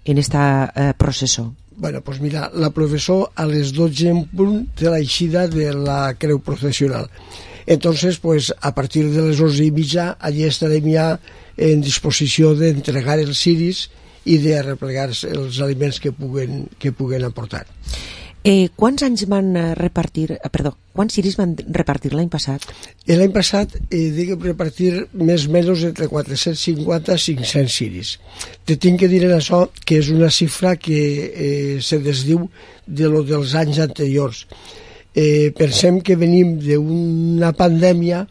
en esta eh, processó? Bueno, pues mira, la processó a les dotze en punt de l'eixida de la creu procesional. Entonces, pues a partir de les onze i mitja allí estarem ja en disposició d'entregar els ciris i de replegar els aliments que puguen, que puguen aportar. Eh, quants anys van repartir, perdó, quants ciris van repartir l'any passat? L'any passat eh, diguem repartir més o menys entre quatre-cents cinquanta i cinc-cents ciris. Te tinc que dir en això que és una xifra que eh, se desdiu de lo dels anys anteriors. Eh, pensem que venim d'una pandèmia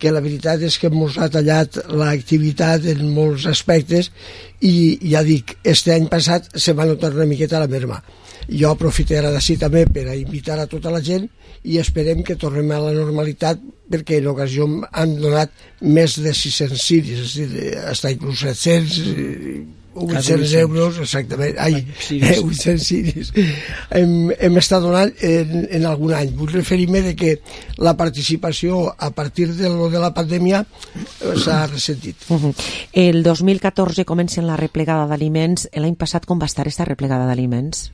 que la veritat és que ens ha tallat l'activitat en molts aspectes i ja dic, este any passat se va notar una miqueta la merma. Jo aprofitaré d'ací també per a invitar a tota la gent i esperem que tornem a la normalitat perquè en ocasió han donat més de sis-cents ciris, és a dir, fins inclús set-cents, vuit-cents euros, exactament, ai, eh, vuit-cents ciris hem, hem estat donant en, en algun any. Vull referir-me de que la participació a partir de, lo de la pandèmia s'ha ressentit. Uh-huh. El dos mil catorze comencen la replegada d'aliments. L'any passat com va estar aquesta replegada d'aliments?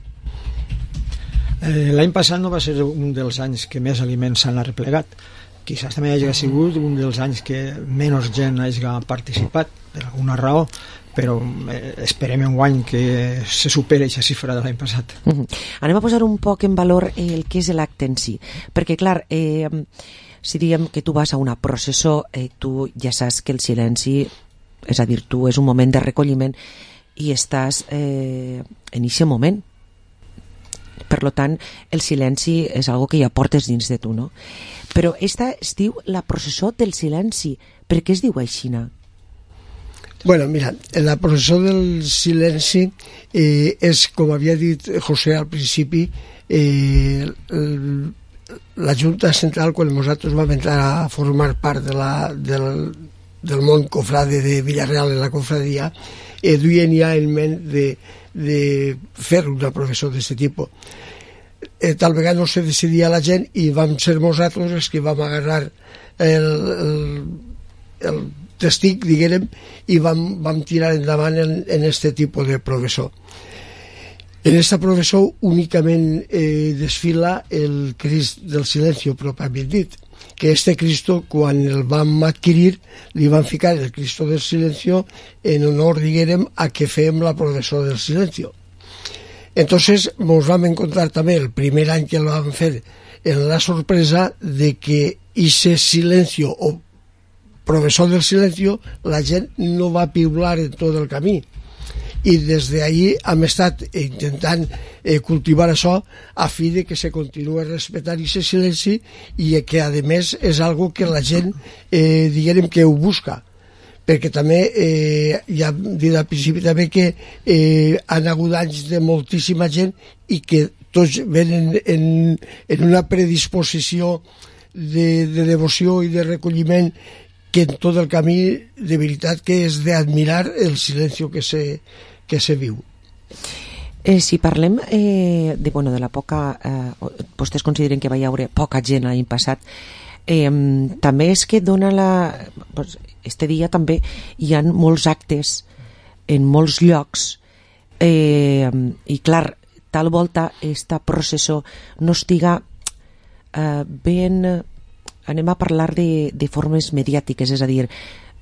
Eh, l'any passat no va ser un dels anys que més aliments s'han arreplegat. Quizás també hagi sigut un dels anys que menys gent hagi participat per alguna raó, però eh, esperem en guany que se superi aquesta xifra de l'any passat. Uh-huh. Anem a posar un poc en valor el que és l'acte en si, perquè clar, eh, si diem que tu vas a una processó, eh, tu ja saps que el silenci, és a dir, tu és un moment de recolliment i estàs eh, en aquest moment. Per tant, el silenci és algo que ja portes dins de tu, no? Però esta es diu la processó del silenci. Per què es diu aixina? Bueno, mira, la processó del silenci eh, és, com havia dit José al principi, eh, el, la Junta Central, quan nosaltres vam entrar a formar part de la, del, del món cofrade de Villarreal en la cofradia, eh, duien ja en ment de de fer una processó d'aquest tipus. Eh, tal vegada no se decidia la gent i vam ser nosaltres els que vam agarrar el, el, el testic, diguem, i vam, vam tirar endavant en, en este tipus de processó. En esta processó únicament eh, desfila el Crist del Silencio pròpiament dit, que este Cristo, quan el vam adquirir, li van ficar el Cristo del Silencio en honor, diguem, a que fem la processó del Silencio. Entonces, ens vam encontrar també el primer any que el vam fer en la sorpresa de que ese silencio o processó del Silencio la gent no va piular en tot el camí. I des d'ahir hem estat intentant eh, cultivar això a fi de que se continuï respectant aquest silenci i que a més és algo que la gent eh, diguem que ho busca, perquè també eh, ja hem dit al principi també que eh, han hagut anys de moltíssima gent i que tots venen en, en una predisposició de, de devoció i de recolliment que en tot el camí de veritat que és d'admirar el silenci que se que se viu. Eh, si parlem eh, de, bueno, de la poca... Eh, vostès consideren que va hi haure poca gent l'any passat, eh, també és que dona la... Pues, este dia també hi ha molts actes en molts llocs eh, i clar, tal volta esta processó no estiga eh, ben... Anem a parlar de, de formes mediàtiques, és a dir,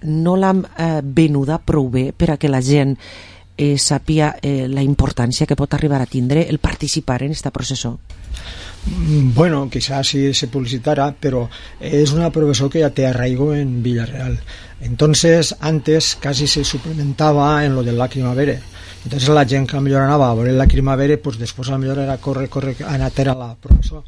no l'hem eh, venuda prou bé per a que la gent eh, sàpia eh, la importància que pot arribar a tindre el participar en este processó? Bueno, quizás sí se publicitara, pero es una profesión que ya te arraigó en Villarreal. Entonces, antes casi se suplementaba en lo del lacrimavere. Entonces la gent que millor anava a veure el lacrimavere, pues després a millor era córrer, córrer, anar a la professor.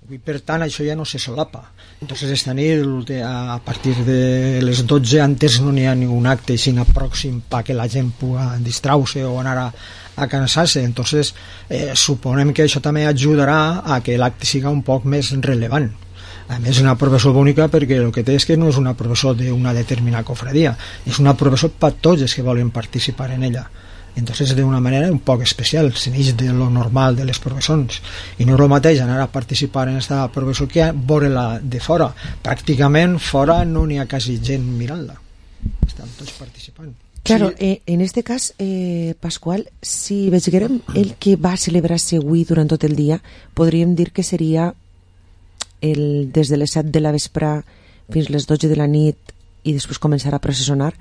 I per tant això ja no se solapa. Entonces esta nit a partir de les dotze antes no n'hi ha ningún acte sinó pròxim perquè la gent pugui distraure o anar a, a cansar-se. Entonces eh, suponem que això també ajudarà a que l'acte siga un poc més rellevant. A més, és una professor bonica perquè el que té és que no és una professor d'una determinada cofradia, és una professor per tots els que volen participar en ella. Entonces de una manera un poc especial, se n'eix de lo normal de les professons, i no és el mateix anar a participar en aquesta professó que veure-la de fora. Pràcticament fora no n'hi ha quasi gent mirant-la, estan tots participant. Claro, sí. eh, en este cas, eh, Pasqual, si vegérem el que va celebrar-se avui durant tot el dia, podríem dir que seria el, des de les set de la vespre fins les dotze de la nit i després començar a processionar.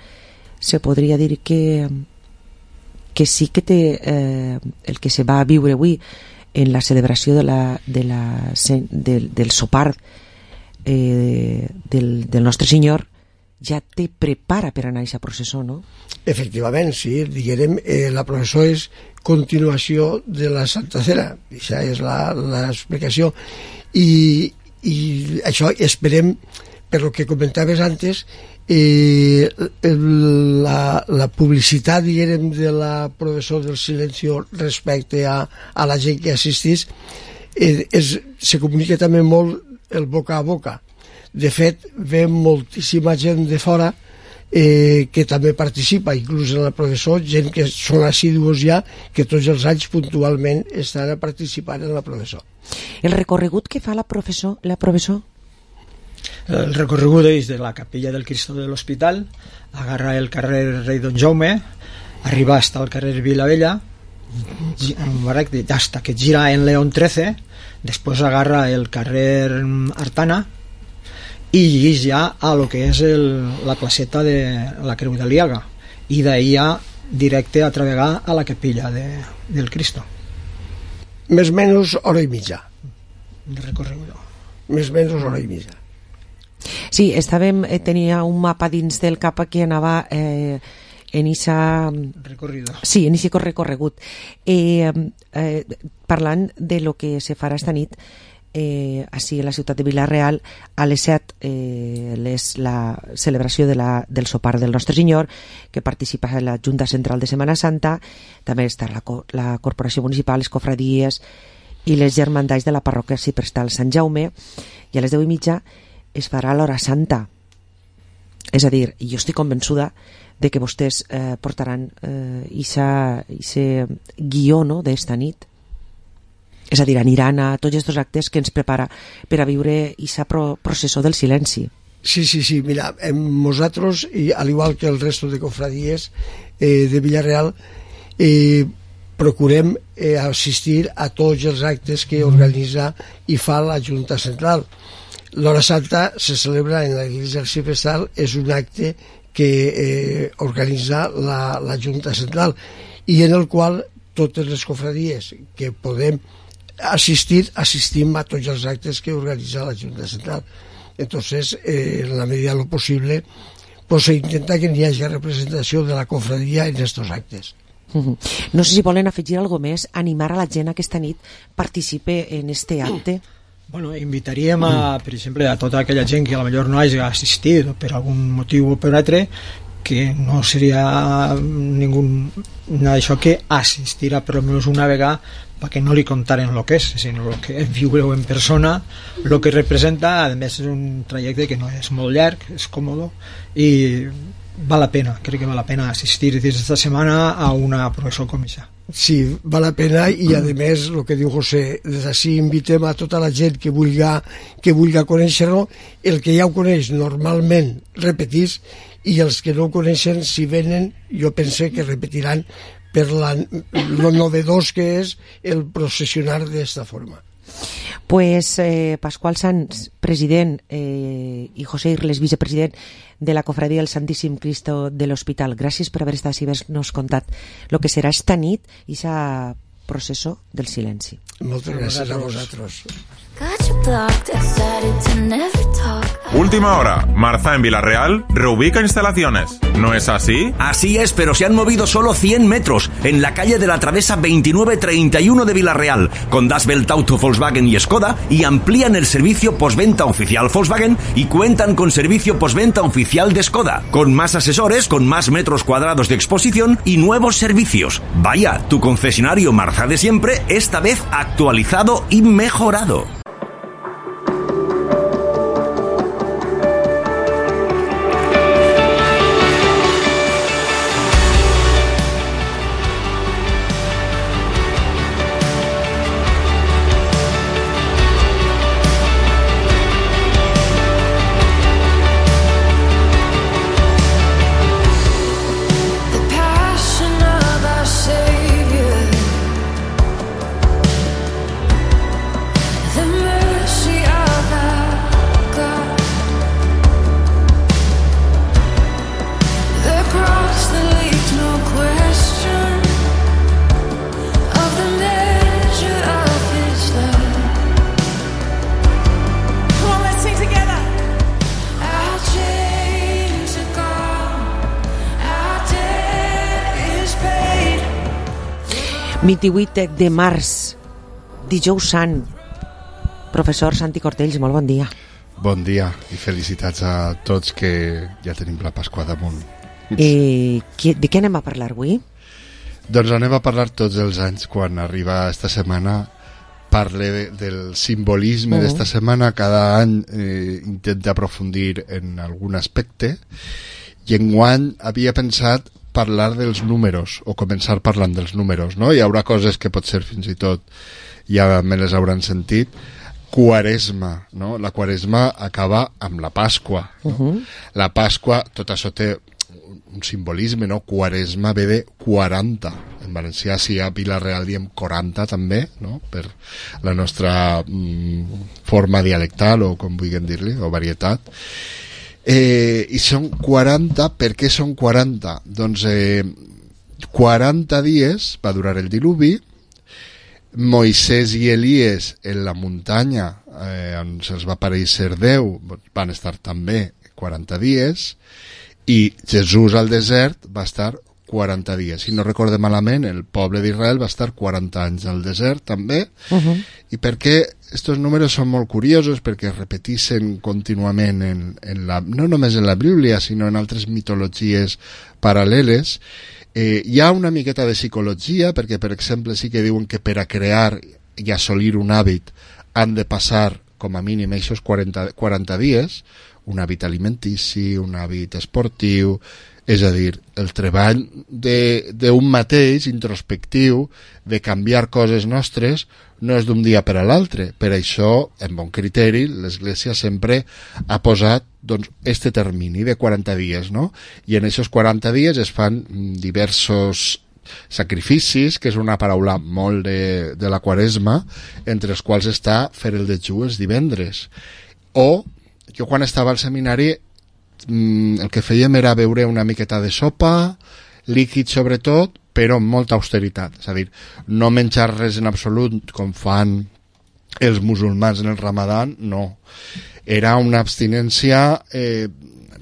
Se podria dir que que sí que té eh, el que se va a viure avui en la celebració de la, de la, del, del sopar eh, del, del Nostre Senyor ja te prepara per anar a aquesta processó, no? Efectivament, sí, diguem, eh, la processó és continuació de la Santa Cena, això és l'explicació, i, i això esperem, per lo que comentaves antes, eh, la, la publicitat, diguem, de la processó del silencio respecte a, a la gent que assistís, eh, és, se comunica també molt el boca a boca. De fet, ve moltíssima gent de fora eh, que també participa, inclús en la processó, gent que són assidus ja, que tots els anys puntualment estan a participar en la processó. El recorregut que fa la professó, la professó? El recorregut és de la capella del Cristo de l'Hospital, agarra el carrer Rei Don Jaume, arriba hasta el carrer Vilavella, hasta que gira en León trece, després agarra el carrer Artana i llegeix ja a lo que és el, la placeta de la Creu de Liaga, i d'ahí ja directe a travegar a la capella de, del Cristo. Més o menys hora i mitja. De recorregut. Més o menys hora i mitja. Sí, estàvem, eh, tenia un mapa dins del cap que anava eh, en esa... recorrido. Sí, en ese recorregut. Eh, eh, parlant de lo que se farà esta nit, eh, així a la ciutat de Vila-real, a les set eh, és la celebració de la, del sopar del Nostre Senyor, que participa en la Junta Central de Setmana Santa, també està la, la Corporació Municipal, les cofradies i les germandats de la parròquia Ciprestal Sant Jaume, i a les deu i mitja es farà l'hora santa. És a dir, jo estic convençuda de que vostès eh, portaran eh, ese guió, no?, d'esta nit. És a dir, aniran a tots aquests actes que ens prepara per a viure aquesta pro processó del silenci. Sí, sí, sí, mira, nosaltres, i al igual que el resto de cofradies eh, de Villarreal, eh, procurem eh, assistir a tots els actes que organitza i fa la Junta Central. L'Hora Santa se celebra en la Iglesia del Ciprestal, és un acte que eh, organitza la, la Junta Central i en el qual totes les cofradies que podem assistir, assistim a tots els actes que organitza la Junta Central. Entonces, eh, en la medida de lo posible, pues se intenta que n'hi hagi representació de la cofradia en estos actes. Uh-huh. No sé si volen afegir alguna cosa més, animar a la gent a aquesta nit participe en este acte. Bueno, invitaríem a, per exemple, a tota aquella gent que a lo millor no hagi assistit per algun motiu o per altre, que no seria ningú d'això que assistirà per almenys una vegada perquè no li contaren el que és, sinó el que viure-ho en persona, el que representa. A més és un trajecte que no és molt llarg, és còmode i val la pena, crec que val la pena assistir aquesta setmana a una processó com aquesta. Sí, val la pena, i a més el que diu José, des d'ací invitem a tota la gent que vulga, que vulga conèixer-lo, el que ja ho coneix normalment repetís, i els que no ho coneixen, si venen, jo pense que repetiran per la, lo novedós que és el processionar d'esta forma. Pues eh, Pasqual Sanz, president, eh, i José Irles, vicepresident de la Cofradía del Santíssim Cristo de l'Hospital. Gràcies per haver estat i haver-nos contat el que serà esta nit i esa processó del silenci. Moltes gràcies a vosaltres. Última hora. Marza en Villarreal reubica instalaciones. ¿No es así? Así es, pero se han movido solo cien metros en la calle de la Travesa veintinueve treinta y uno de Villarreal, con Das Welt Auto, Volkswagen y Skoda, y amplían el servicio postventa oficial Volkswagen y cuentan con servicio postventa oficial de Skoda, con más asesores, con más metros cuadrados de exposición y nuevos servicios. Vaya, tu concesionario Marza de siempre, esta vez actualizado y mejorado. vint-i-vuit de març, dijous sant. Professor Santi Cortells, molt bon dia. Bon dia i felicitats a tots que ja tenim la Pasqua damunt. Eh, de què anem a parlar avui? Doncs anem a parlar tots els anys, quan arriba esta setmana, parle de, del simbolisme uh -huh. d'esta setmana. Cada any eh, intenta aprofundir en algun aspecte, i enguany havia pensat parlar dels números, o començar parlant dels números, no? Hi haurà coses que potser fins i tot ja me les hauran sentit. Quaresma, no? La Quaresma acaba amb la Pasqua, no? Uh-huh. La Pasqua, tot això té un simbolisme, no? Quaresma ve de quaranta. En valencià, si a Vila-real diem quaranta també, no? Per la nostra mm, forma dialectal, o com vulguem dir-li, o varietat. Eh, i són quaranta. Per què són quaranta? Doncs eh, quaranta dies va durar el diluvi. Moisès i Elies en la muntanya eh, on se'ls va aparèixer Déu van estar també quaranta dies, i Jesús al desert va estar quaranta dies. Si no recorde malament, el poble d'Israel va estar quaranta anys al desert també. Uh-huh. I per què estos números són molt curiosos? Perquè es repeteixen contínuament en, en la, no només en la Bíblia, sinó en altres mitologies paral·leles. Eh, hi ha una miqueta de psicologia, perquè per exemple sí que diuen que per a crear i assolir un hàbit han de passar com a mínim aquests quaranta, quaranta dies, un hàbit alimentici, un hàbit esportiu, és a dir, el treball d'un mateix, introspectiu, de canviar coses nostres, no és d'un dia per a l'altre. Per això, en bon criteri, l'Església sempre ha posat doncs, este termini de quaranta dies, no? I en aquests quaranta dies es fan diversos sacrificis, que és una paraula molt de, de la Quaresma, entre els quals està fer el dejú els divendres. O, jo quan estava al seminari, el que fèiem era beure una miqueta de sopa, líquid sobretot, però amb molta austeritat. És a dir, no menjar res en absolut com fan els musulmans en el Ramadan, no. Era una abstinència, eh,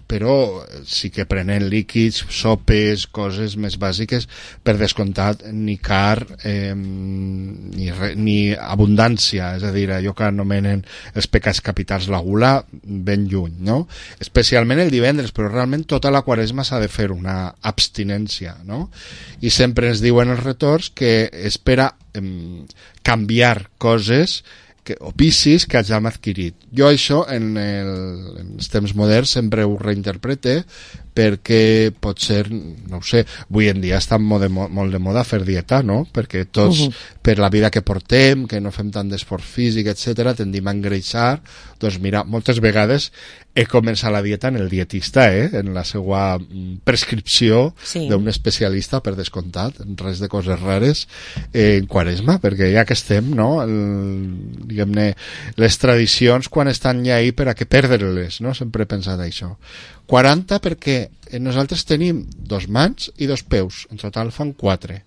però sí que prenent líquids, sopes, coses més bàsiques, per descomptat, ni car eh, ni, re, ni abundància, és a dir, allò que anomenen els pecats capitals, la gula, ben lluny, no? Especialment el divendres, però realment tota la Quaresma s'ha de fer una abstinència, no? I sempre ens diuen els retors que és per a eh, canviar coses que, o vicis que hàgim adquirit. Jo això en, el, en els temps moderns sempre ho reinterprete, perquè pot ser, no ho sé, avui en dia està molt de, molt de moda fer dieta, no? Perquè tots, uh-huh. per la vida que portem, que no fem tant d'esport físic, etcètera, tendim a engreixar. Doncs mira, moltes vegades he començat la dieta en el dietista, eh? En la seva prescripció sí. d'un especialista, per descomptat, res de coses rares, eh, en Quaresma, perquè ja que estem, no? El, diguem-ne, les tradicions quan estan ja ahí per a què perdre-les, no? Sempre he pensat això. quaranta perquè nosaltres tenim dos mans i dos peus, en total fan quatre.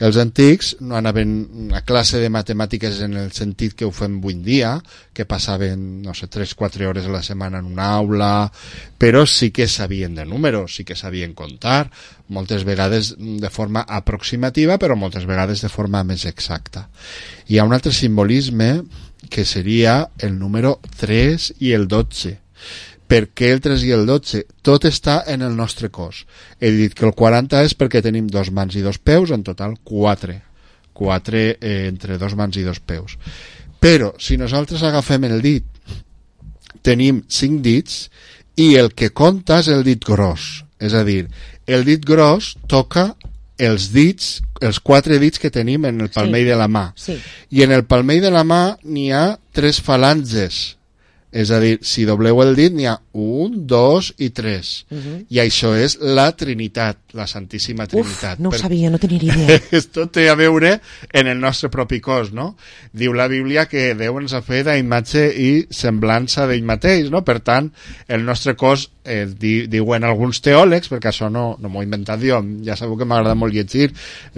Els antics no anaven a classe de matemàtiques en el sentit que ho fem avui en dia, que passaven, no sé, tres quatre hores a la setmana en una aula, però sí que sabien de números, sí que sabien comptar, moltes vegades de forma aproximativa, però moltes vegades de forma més exacta. Hi ha un altre simbolisme que seria el número tres i el dotze. Per què el tres i el dotze? Tot està en el nostre cos. He dit que el quaranta és perquè tenim dos mans i dos peus, en total quatre. Quatre eh, entre dos mans i dos peus. Però, si nosaltres agafem el dit, tenim cinc dits i el que compta és el dit gros. És a dir, el dit gros toca els dits, els quatre dits que tenim en el palmell sí. de la mà. Sí. I en el palmell de la mà n'hi ha tres falanges. És a dir, si dobleu el dit n'hi ha un, dos i tres. Uh-huh. I això és la Trinitat, la Santíssima Trinitat. Uf, no ho per... sabia, no tenia idea. Esto té a veure en el nostre propi cos, no? Diu la Bíblia que Déu ens ha fet a imatge i semblança d'ell mateix, no? Per tant, el nostre cos, eh, di, diuen alguns teòlegs, perquè això no, no m'ho he inventat jo, ja sabeu que m'agrada molt llegir,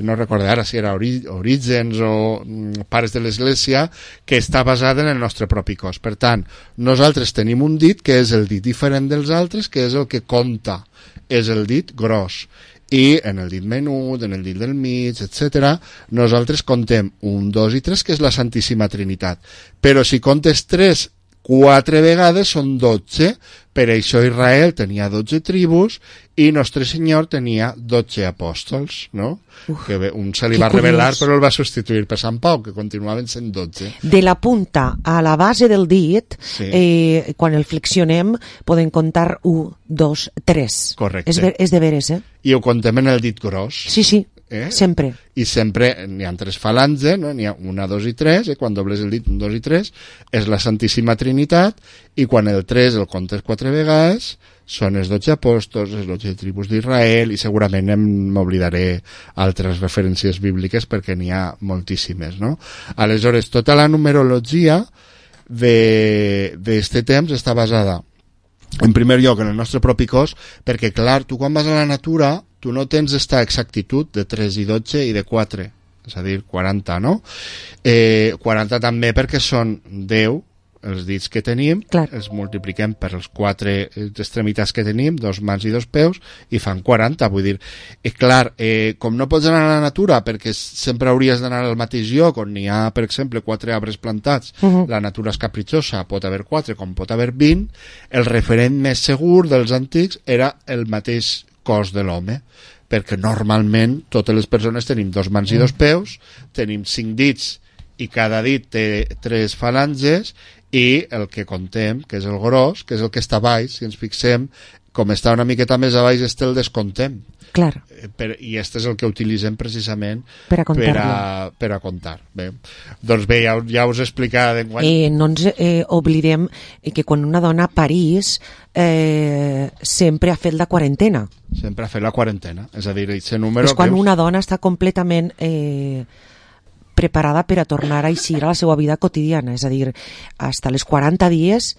no recordo ara si era ori, Orígens o mm, Pares de l'Església, que està basat en el nostre propi cos. Per tant, nosaltres tenim un dit que és el dit diferent dels altres, que és el que compta, és el dit gros. I en el dit menut, en el dit del mig, etcètera, nosaltres contem un, dos i tres, que és la Santíssima Trinitat. Però si comptes tres, quatre vegades són dotze, per això Israel tenia dotze tribus i Nostre Senyor tenia dotze apòstols, no? Uf, que un se li va revelar però el va substituir per Sant Pau, que continuaven sent dotze. De la punta a la base del dit, sí. eh, quan el flexionem, podem contar un, dos, tres. Correcte. És, ver, és de veres, eh? I ho contem en el dit gros. Sí, sí. Eh? Sempre. I sempre n'hi ha tres falanges, no? N'hi ha una, dos i tres, eh? Quan dobles el dit un, dos i tres, és la Santíssima Trinitat, i quan el tres el comptes quatre vegades, són els dotze apòstols, les dotze tribus d'Israel, i segurament m'oblidaré altres referències bíbliques perquè n'hi ha moltíssimes, no? Aleshores, tota la numerologia d'aquest temps està basada, en primer lloc, en el nostre propi cos, perquè, clar, tu quan vas a la natura, tu no tens esta exactitud de tres i dotze i de quatre, és a dir, quaranta, no? Eh, quaranta també perquè són deu els dits que tenim, clar. Els multipliquem per els quatre extremitats que tenim, dos mans i dos peus, i fan quaranta, vull dir, eh, clar, eh, com no pots anar a la natura, perquè sempre hauries d'anar al mateix lloc, on hi ha, per exemple, quatre arbres plantats, uh-huh. La natura és capritxosa, pot haver quatre, com pot haver vint, el referent més segur dels antics era el mateix cos de l'home, perquè normalment totes les persones tenim dos mans i dos peus, tenim cinc dits i cada dit té tres falanges, i el que contem, que és el gros, que és el que està a baix, si ens fixem, com està una miqueta més a baix, este el descontem. Clar. Per, I este és el que utilitzem precisament per a, per a, per a comptar. Bé. Doncs bé, ja, ja us he explicat d'enguany. Eh, no ens eh, oblidem que quan una dona parís eh, sempre ha fet la quarantena. Sempre ha fet la quarantena. És a dir, aquest número... És quan una dona està completament... Eh, preparada per a tornar a eixir a la seva vida quotidiana, és a dir, fins als quaranta dies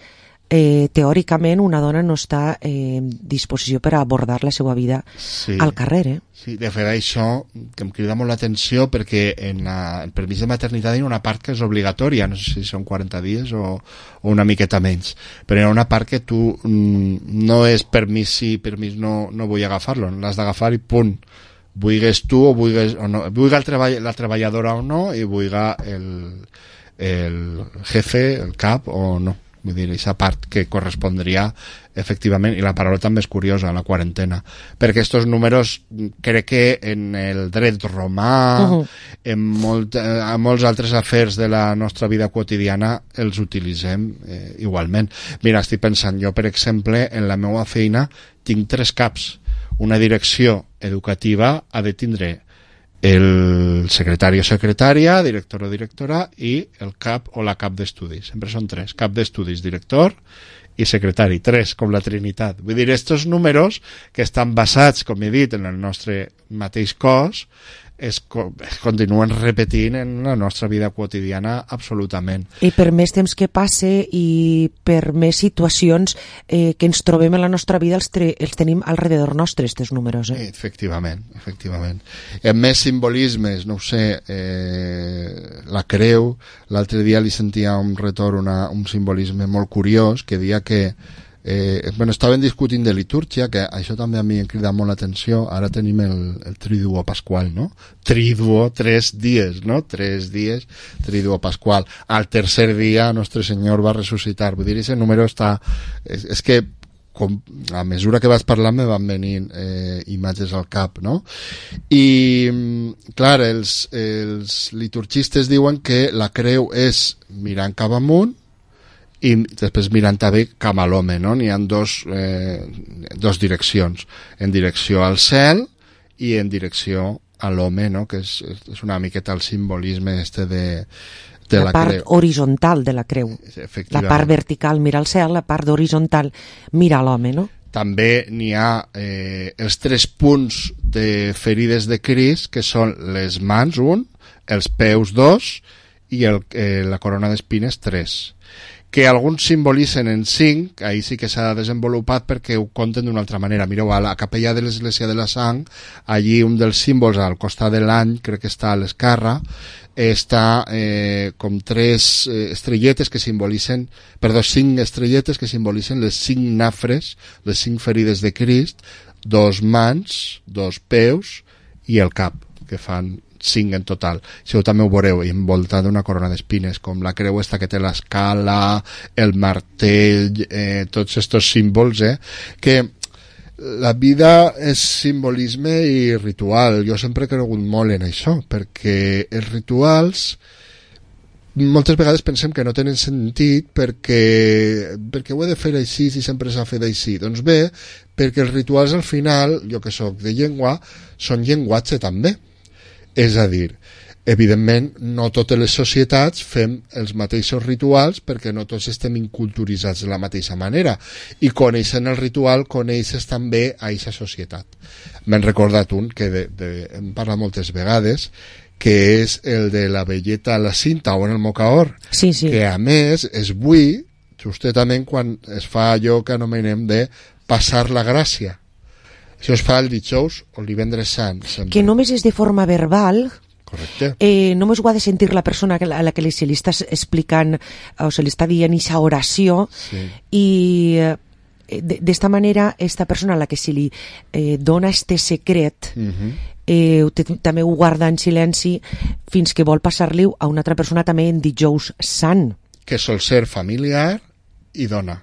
eh, teòricament una dona no està eh, en disposició per a abordar la seva vida sí. al carrer. Eh? Sí, de fet això que em crida molt l'atenció perquè en la, el permís de maternitat hi ha una part que és obligatòria, no sé si són quaranta dies o, o una miqueta menys, però hi ha una part que tu mm, no és permís sí, permís no, no vull agafar-lo, l'has d'agafar i punt. Vulgues tu o vulgues o no, vulga el treball, la treballadora o no i vulga el, el jefe, el cap o no. Vull dir, aquesta part que correspondria efectivament, i la paraula també és curiosa, la quarantena, perquè aquests números crec que en el dret romà, uh-huh. en, molt, en molts altres afers de la nostra vida quotidiana els utilitzem eh, igualment. Mira, estic pensant, jo per exemple en la meva feina tinc tres caps. Una direcció educativa ha de tindre el secretari o secretària, director o directora i el cap o la cap d'estudis. Sempre són tres. Cap d'estudis, director i secretari. Tres, com la Trinitat. Vull dir, estos números que estan basats, com he dit, en el nostre mateix cos, es, es continuen repetint en la nostra vida quotidiana absolutament. I per més temps que passe i per més situacions eh, que ens trobem en la nostra vida els, tre els tenim alrededor nostre, aquests números. Eh? Efectivament, efectivament. I amb més simbolismes, no ho sé, eh, la creu, l'altre dia li sentia un retorn, una, un simbolisme molt curiós que deia que Eh, bueno, estaven discutint de litúrgia, que això també a mi em crida molt l'atenció. Ara tenim el, el triduo pasqual, no? Triduo, tres dies, no? Tres dies, triduo pasqual. Al tercer dia Nostre Senyor va ressuscitar. Vull dir, ese número està... És, és que com, a mesura que vas parlant me van venir eh, imatges al cap, no? I, clar, els, els liturgistes diuen que la creu és mirant cap amunt i després mirant també cap a l'home, no? N'hi ha dos, eh, dos direccions, en direcció al cel i en direcció a l'home, no? Que és, és una miqueta el simbolisme este de, de la, la part creu. horitzontal de la creu. La part vertical mira al cel, la part horitzontal mira a l'home, no? També n'hi ha eh, els tres punts de ferides de Crist, que són les mans, un, els peus, dos, i el, eh, la corona d'espines, tres. Que alguns simbolitzen en cinc, ahí sí que s'ha desenvolupat perquè ho conten d'una altra manera. Mireu, a la capella de l'Església de la Sang, allí un dels símbols al costat de l'any, crec que està a l'esquerra, està eh, com tres eh, estrelletes que simbolitzen, perdó, cinc estrelletes que simbolitzen les cinc nafres, les cinc ferides de Crist, dos mans, dos peus i el cap, que fan cinc en total. Això també ho veureu envoltat d'una corona d'espines, com la creu esta que té l'escala, el martell, eh, tots estos símbols, eh, que la vida és simbolisme i ritual. Jo sempre he cregut molt en això, perquè els rituals moltes vegades pensem que no tenen sentit perquè, perquè ho he de fer així si sempre s'ha fet així. Doncs bé, perquè els rituals al final, jo que soc de llengua, són llenguatge també. És a dir, evidentment no totes les societats fem els mateixos rituals perquè no tots estem inculturitzats de la mateixa manera, i coneixent el ritual coneixes també a aquesta societat. M'he recordat un que de, de, hem parlat moltes vegades, que és el de la velleta a la cinta o en el mocaor, sí, sí. Que a més es vull justament quan es fa allò que anomenem de passar la gràcia. Això es fa el dijous o el divendres sant. Sempre. Que només és de forma verbal. Correcte. Eh, només ho ha de sentir la persona a la que se li està explicant o se li està dient aquesta oració, sí. I eh, d'esta manera esta persona a la que se li eh, dona este secret uh-huh. eh, també ho guarda en silenci fins que vol passar-li a una altra persona també en dijous sant. Que sol ser familiar i dona.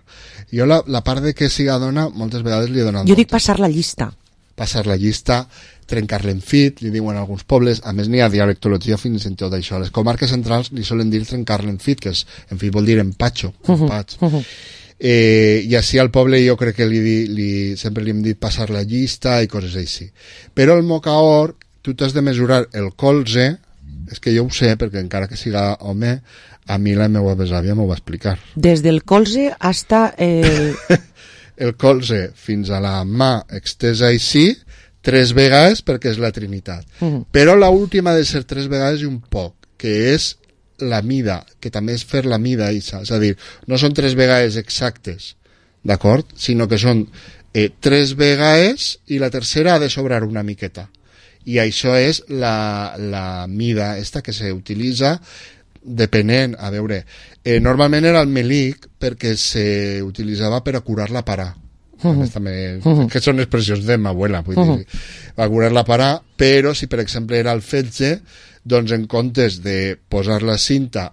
Jo la, la part de que siga dona moltes vegades li he donat... Jo dic passar la llista. Passar la llista, trencar-la en fit, li diuen alguns pobles, a més n'hi ha dialectologia fins en tot això. Les comarques centrals li solen dir trencar-la en fit, que és, en fit vol dir empatxo, empatx. Uh -huh. eh, I així al poble jo crec que li, li, sempre li hem dit passar la llista i coses així. Però el mocaor, tu t'has de mesurar el colze, és que jo ho sé, perquè encara que siga home, a mi la meva besàvia m'ho va explicar. Des del colze hasta el... el colze fins a la mà extesa així, tres vegades perquè és la Trinitat. Uh-huh. Però l'última ha de ser tres vegades i un poc, que és la mida, que també és fer la mida, Isa. És a dir, no són tres vegades exactes, d'acord? Sinó que són eh, tres vegades i la tercera ha de sobrar una miqueta. I això és la, la mida esta que s'utilitza depenent, a veure, eh, normalment era el melic perquè s'utilitzava per a curar la parà. Uh-huh. També, uh-huh. Que són expressions de ma abuela, vull uh-huh. dir, a curar la parà, però si per exemple era el fetge, doncs en comptes de posar la cinta,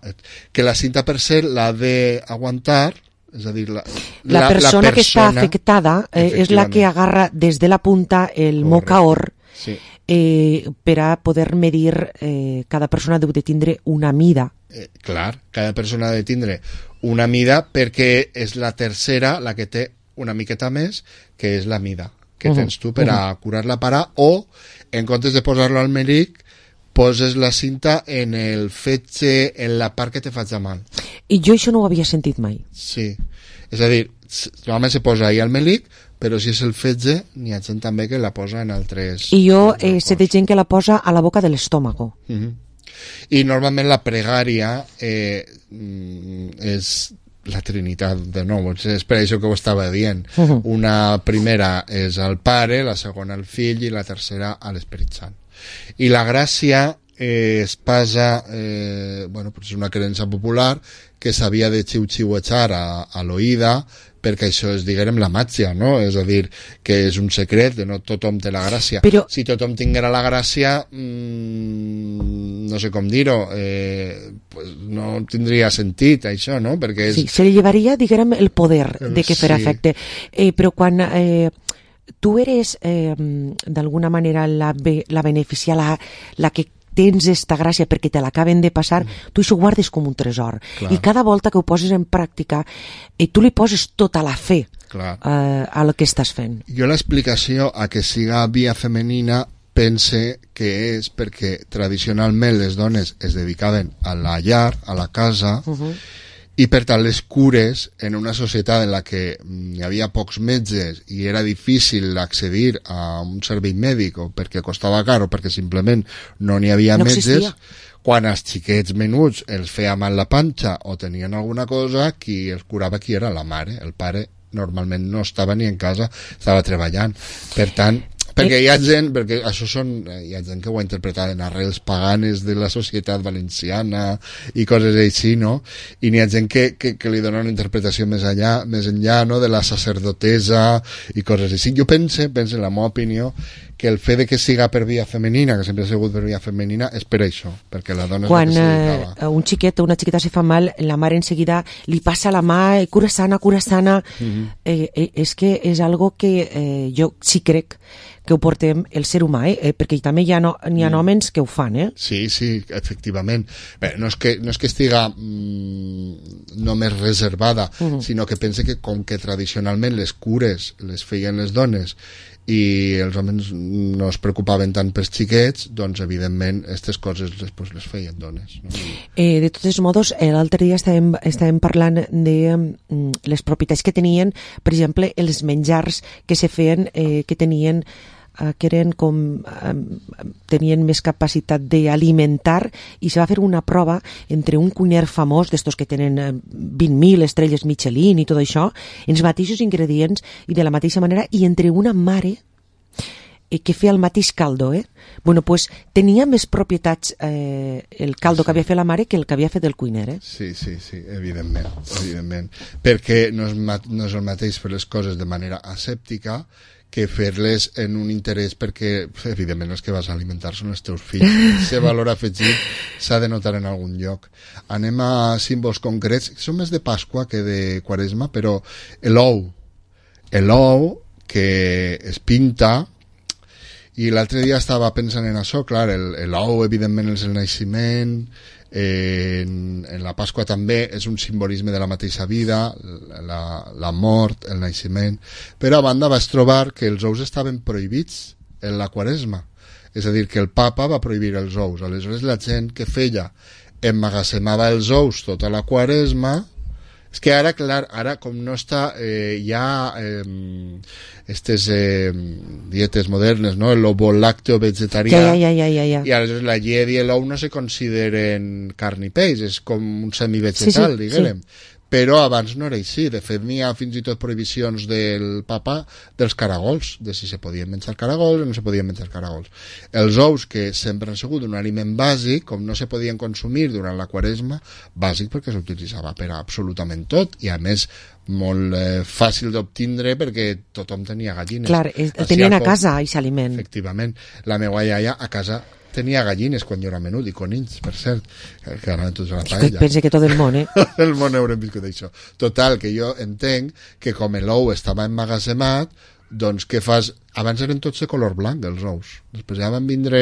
que la cinta per ser l'ha d'aguantar, és a dir, la, la, la, persona, la persona que està afectada eh, és la que agarra des de la punta el mocaor. Sí. Eh, per a poder medir eh, cada persona deu de tindre una mida. Eh, clar, cada persona ha de tindre una mida perquè és la tercera la que té una miqueta més, que és la mida que uh-huh. tens tu per a curar la parà, o en comptes de posar-lo al melic poses la cinta en el fetge, en la part que te faig mal. I jo això no ho havia sentit mai. Sí, és a dir, normalment se posa ahí al melic, però si és el fetge, n'hi ha gent també que la posa en altres... I jo eh, sé de gent que la posa a la boca de l'estómago. Uh-huh. I normalment la pregària eh, és la Trinitat, de nou, és per això que ho estava dient. Uh-huh. Una primera és al Pare, la segona al Fill i la tercera a l'Esperit Sant. I la gràcia eh, es passa, eh, bueno, pues és una creença popular que s'havia de xiu-xiuejar a, a l'oïda perquè això és, diguem, la màgia, no? És a dir, que és un secret, de no tothom té la gràcia. Però... si tothom tinguera la gràcia, mmm, no sé com dir-ho, eh, pues no tindria sentit això, no? Perquè és... Sí, se li llevaria, diguem, el poder de que fer sí. efecte. Eh, però quan eh, tu eres, eh, d'alguna manera, la, be la beneficiada, la, la que tens esta gràcia perquè te l'acaben de passar, mm. tu això ho guardes com un tresor. Clar. I cada volta que ho poses en pràctica, eh, tu li poses tota la fe eh, a lo que estàs fent. Jo l'explicació a que siga via femenina pense que és perquè tradicionalment les dones es dedicaven a la llar, a la casa, uh-huh. i per tant les cures en una societat en la que hi havia pocs metges i era difícil accedir a un servei mèdic o perquè costava car o perquè simplement no n'hi havia no metges existia. Quan els xiquets menuts els feia mal la panxa o tenien alguna cosa, qui els curava qui era la mare, el pare normalment no estava ni en casa, estava treballant. Per tant, perquè hi ha gent, perquè això són, hi ha gent que ho ha interpretat en arrels paganes de la societat valenciana i coses així, no? I n'hi ha gent que, que, que li dona una interpretació més allà, més enllà, no?, de la sacerdotesa i coses així. Jo pense, pense en la meva opinió, que el fet de que siga per via femenina, que sempre ha sigut per via femenina, és per això, perquè la dona és quan, la que se dedicava. Quan un xiquet o una xiqueta se fa mal, la mare en seguida li passa la mà, cura sana, cura sana. Uh-huh. eh, eh, és que és algo que eh, jo sí crec que ho portem el ser humà, eh? perquè també hi ha, no, hi ha mm. homes que ho fan, eh? Sí, sí, efectivament. Bé, no, és que, no és que estiga mm, només reservada, mm. sinó que pense que com que tradicionalment les cures les feien les dones i els homes no es preocupaven tant pels xiquets, doncs evidentment aquestes coses després les feien dones. No? Eh, de totes modos, l'altre dia estàvem, estàvem parlant de mm, les propietats que tenien, per exemple, els menjars que se feien, eh, que tenien que eren com eh, tenien més capacitat d'alimentar, i se va fer una prova entre un cuiner famós d'estos que tenen eh, vint mil estrelles Michelin i tot això, els mateixos ingredients i de la mateixa manera, i entre una mare eh, que feia el mateix caldo, eh? Bueno, pues tenia més propietats eh, el caldo sí. que havia fet la mare que el que havia fet el cuiner, eh? Sí, sí, sí, evidentment, evidentment. Perquè no és, no és el mateix fer les coses de manera asèptica que fer-les en un interès, perquè evidentment els que vas a alimentar són els teus fills. Aquest valor afegit s'ha de notar en algun lloc. Anem a símbols concrets, que són més de Pasqua que de Quaresma, però l'ou, l'ou que es pinta, i l'altre dia estava pensant en això, clar, l'ou evidentment és el naixement, Eh, en, en la Pasqua també és un simbolisme de la mateixa vida, la, la mort, el naixement, però a banda vas trobar que els ous estaven prohibits en la Quaresma, és a dir, que el papa va prohibir els ous. Aleshores la gent que feia emmagatzemava els ous tota la Quaresma. És que ara, clar, ara com no està, eh, hi ha eh, aquestes eh, dietes modernes, no? El ovo làcteo vegetarià, ja, ja, ja, ja, ja. i aleshores la llet i l'ou no se consideren carn i peix, és com un semivegetal, sí, sí, diguem. Sí. Però abans no era així. De fet, n'hi ha fins i tot prohibicions del papa dels caragols, de si se podien menjar caragols o no se podien menjar caragols. Els ous, que sempre han sigut un aliment bàsic, com no se podien consumir durant la Quaresma, bàsic perquè s'utilitzava per a absolutament tot, i a més molt eh, fàcil d'obtindre perquè tothom tenia gallines. Clar, el tenien a casa, aquest aliment. Efectivament. La meva iaia a casa tenia gallines quan jo era menut, i conills, per cert, que anaven tots a la paella. Pense que tot el món, eh? el món haurem viscut això. Total, que jo entenc que com l'ou estava emmagatzemat, doncs què fas abans eren tots de color blanc, els ous. Després ja van vindre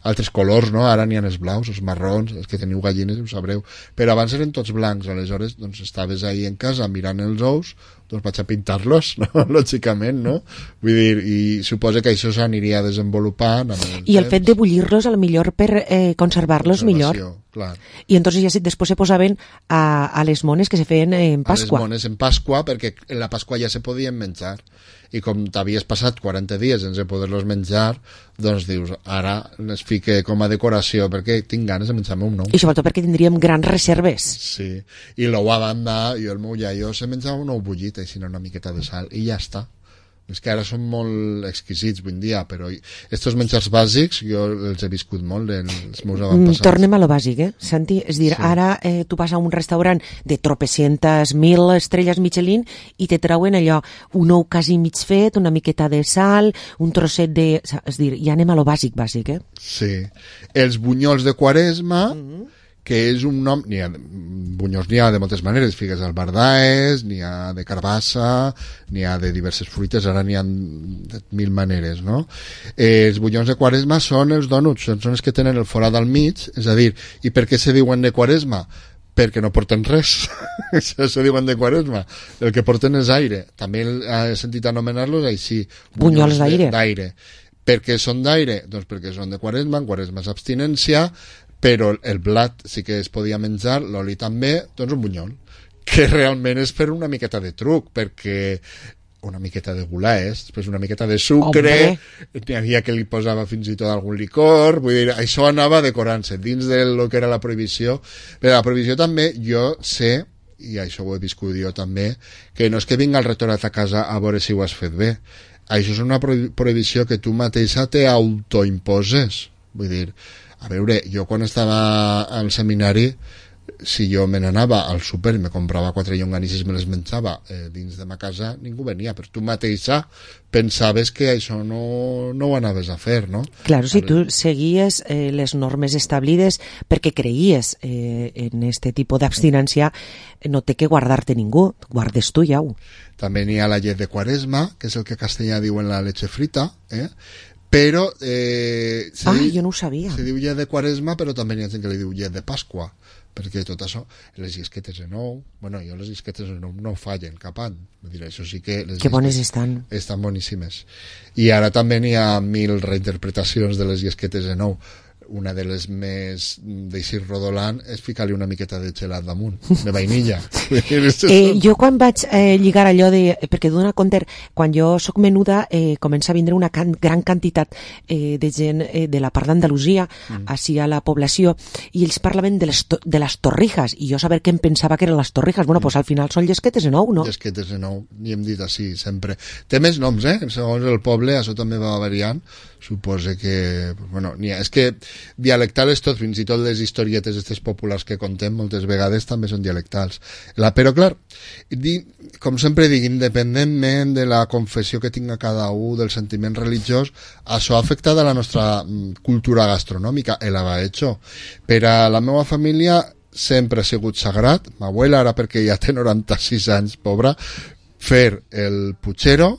altres colors, no? Ara n'hi ha els blaus, els marrons, els que teniu gallines ho sabreu. Però abans eren tots blancs, aleshores doncs, estaves ahí en casa mirant els ous, doncs vaig a pintar-los, no? Lògicament, no? Vull dir, i suposo que això s'aniria desenvolupant amb el I el temps. fet de bullir-los, a lo millor per eh, conservar-los millor. Clar. I entonces ja se, després se posaven a, a les mones que se feien en Pasqua. A les mones en Pasqua, perquè en la Pasqua ja se podien menjar. I com t'havies passat quaranta dies sense poder-los menjar, doncs dius, ara les fique com a decoració perquè tinc ganes de menjar-me un nou. I sobretot perquè tindríem grans reserves. Sí, i l'ou a banda, jo el meu iaio se menjava un ou bullit, així una miqueta de sal, i ja està. És que ara són molt exquisits avui en dia, però estos menjars bàsics jo els he viscut molt els meus avantpassats. Tornem a lo bàsic, eh, Santi? És dir, sí. Ara eh, tu vas a un restaurant de tropecientes mil estrelles Michelin i te trauen allò, un ou quasi mig fet, una miqueta de sal, un trosset de... És dir, ja anem a lo bàsic, bàsic, eh? Sí. Els bunyols de Quaresma... Mm-hmm. que és un nom, n'hi ha, bunyols n'hi ha de moltes maneres, figues albardaes, n'hi ha de carbassa, n'hi ha de diverses fruites, ara n'hi ha de mil maneres, no? Eh, els bunyols de Quaresma són els dònuts, són els que tenen el forat al mig, és a dir, i per què se diuen de Quaresma? Perquè no porten res, això se diuen de Quaresma, el que porten és aire, també he sentit anomenar-los així, bunyols d'aire. d'aire. Per què són d'aire? Doncs perquè són de Quaresma, en Quaresma és abstinència, però el blat sí que es podia menjar, l'oli també, doncs un bunyol, que realment és per una miqueta de truc, perquè una miqueta de gulaes, després una miqueta de sucre, n'hi havia que li posava fins i tot algun licor, vull dir, això anava decorant-se dins del que era la prohibició, però la prohibició també, jo sé, i això ho he viscut jo també, que no és que vinga el rectorat a casa a veure si ho has fet bé, això és una prohibició que tu mateixa te autoimposes, vull dir, a veure, jo quan estava al seminari, si jo me n'anava al súper i me comprava quatre llonganisses i me les menjava eh, dins de ma casa, ningú venia, però tu mateixa pensaves que això no, no ho anaves a fer, no? Claro, si tu seguies eh, les normes establides perquè creies eh, en este tipus d'abstinència, no té que guardar-te ningú, guardes tu ja. També n'hi ha la llet de Quaresma, que és el que a castellà diuen la leche frita, eh? Però eh, ah, diu, jo no ho sabia. Se diu llet de Quaresma, però també hi ha gent que li diu llet de Pasqua, perquè tot això, les llisquetes de nou, bueno, jo les llisquetes de nou no fallen cap any, vull dir, això sí que les que bones estan. Estan boníssimes. I ara també n'hi ha mil reinterpretacions de les llisquetes de nou. Una de les més d'eixir rodolant és ficar-li una miqueta de gelat damunt, de vainilla. eh, jo quan vaig eh, lligar allò de... Perquè d'una compte, quan jo sóc menuda, eh, comença a vindre una can, gran quantitat eh, de gent eh, de la part d'Andalusia, mm. així a la població, i ells parlaven de les, to, de les torrijas, i jo saber què em pensava que eren les torrijas. Bueno, mm. pues al final són llesquetes de nou, no? Llesquetes de nou, i hem dit així sempre. Té més noms, eh? Segons el poble, això també va variant. Suposo que... Bueno, n'hi ha, és que dialectal és tot, fins i tot les historietes aquestes populars que contem moltes vegades també són dialectals. La, però clar, di, com sempre dic, independentment de la confessió que tinga cada un, del sentiment religiós, això ha afectat a la nostra cultura gastronòmica, el ha hecho. Per a la meva família sempre ha sigut sagrat, ma abuela, ara perquè ja té noranta-sis anys, pobra, fer el puchero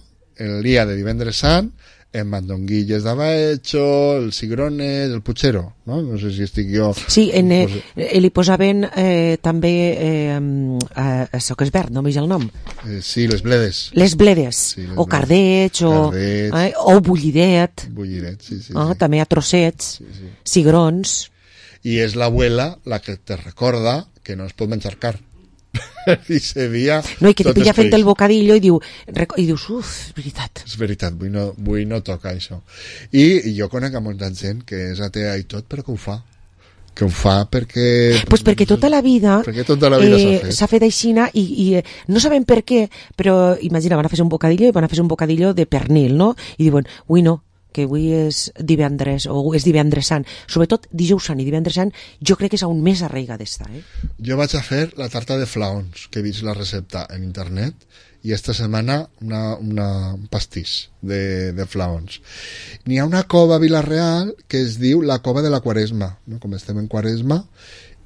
el dia de divendres sant, en mandonguilles d'abaetxo, els cigrones, el puchero, no? No sé si estic jo... Sí, en, eh, eh, li posaven eh, també eh, eh, això que és verd, no m'eix el nom. Eh, sí, les bledes. Les bledes, sí, les o cardets, o, eh, o bullidet. Bullidet, sí, sí. Ah, sí. També a trossets, sí, sí. Cigrons. I és l'abuela la que te recorda que no es pot menjar carn. I se dia no, i que te pilla fent el bocadillo i, diu, i dius, uf, és veritat és veritat, vull no, vull no tocar això i, i jo conec a molta gent que és atea i tot, però que ho fa que ho fa perquè pues perquè tota la vida, tota la vida eh, s'ha fet aixina i, i eh, no sabem per què, però imagina, van a fer un bocadillo i van a fer un bocadillo de pernil, no? I diuen, ui no, que avui és divendres o és divendres sant, sobretot dijous sant i divendres sant, jo crec que és aún més arraiga d'estar, eh? Jo vaig a fer la tarta de flaons, que he vist la recepta en internet, i esta setmana una, una un pastís de, de flaons. N'hi ha una cova a Vila-real que es diu la cova de la Quaresma, no? Com estem en Quaresma,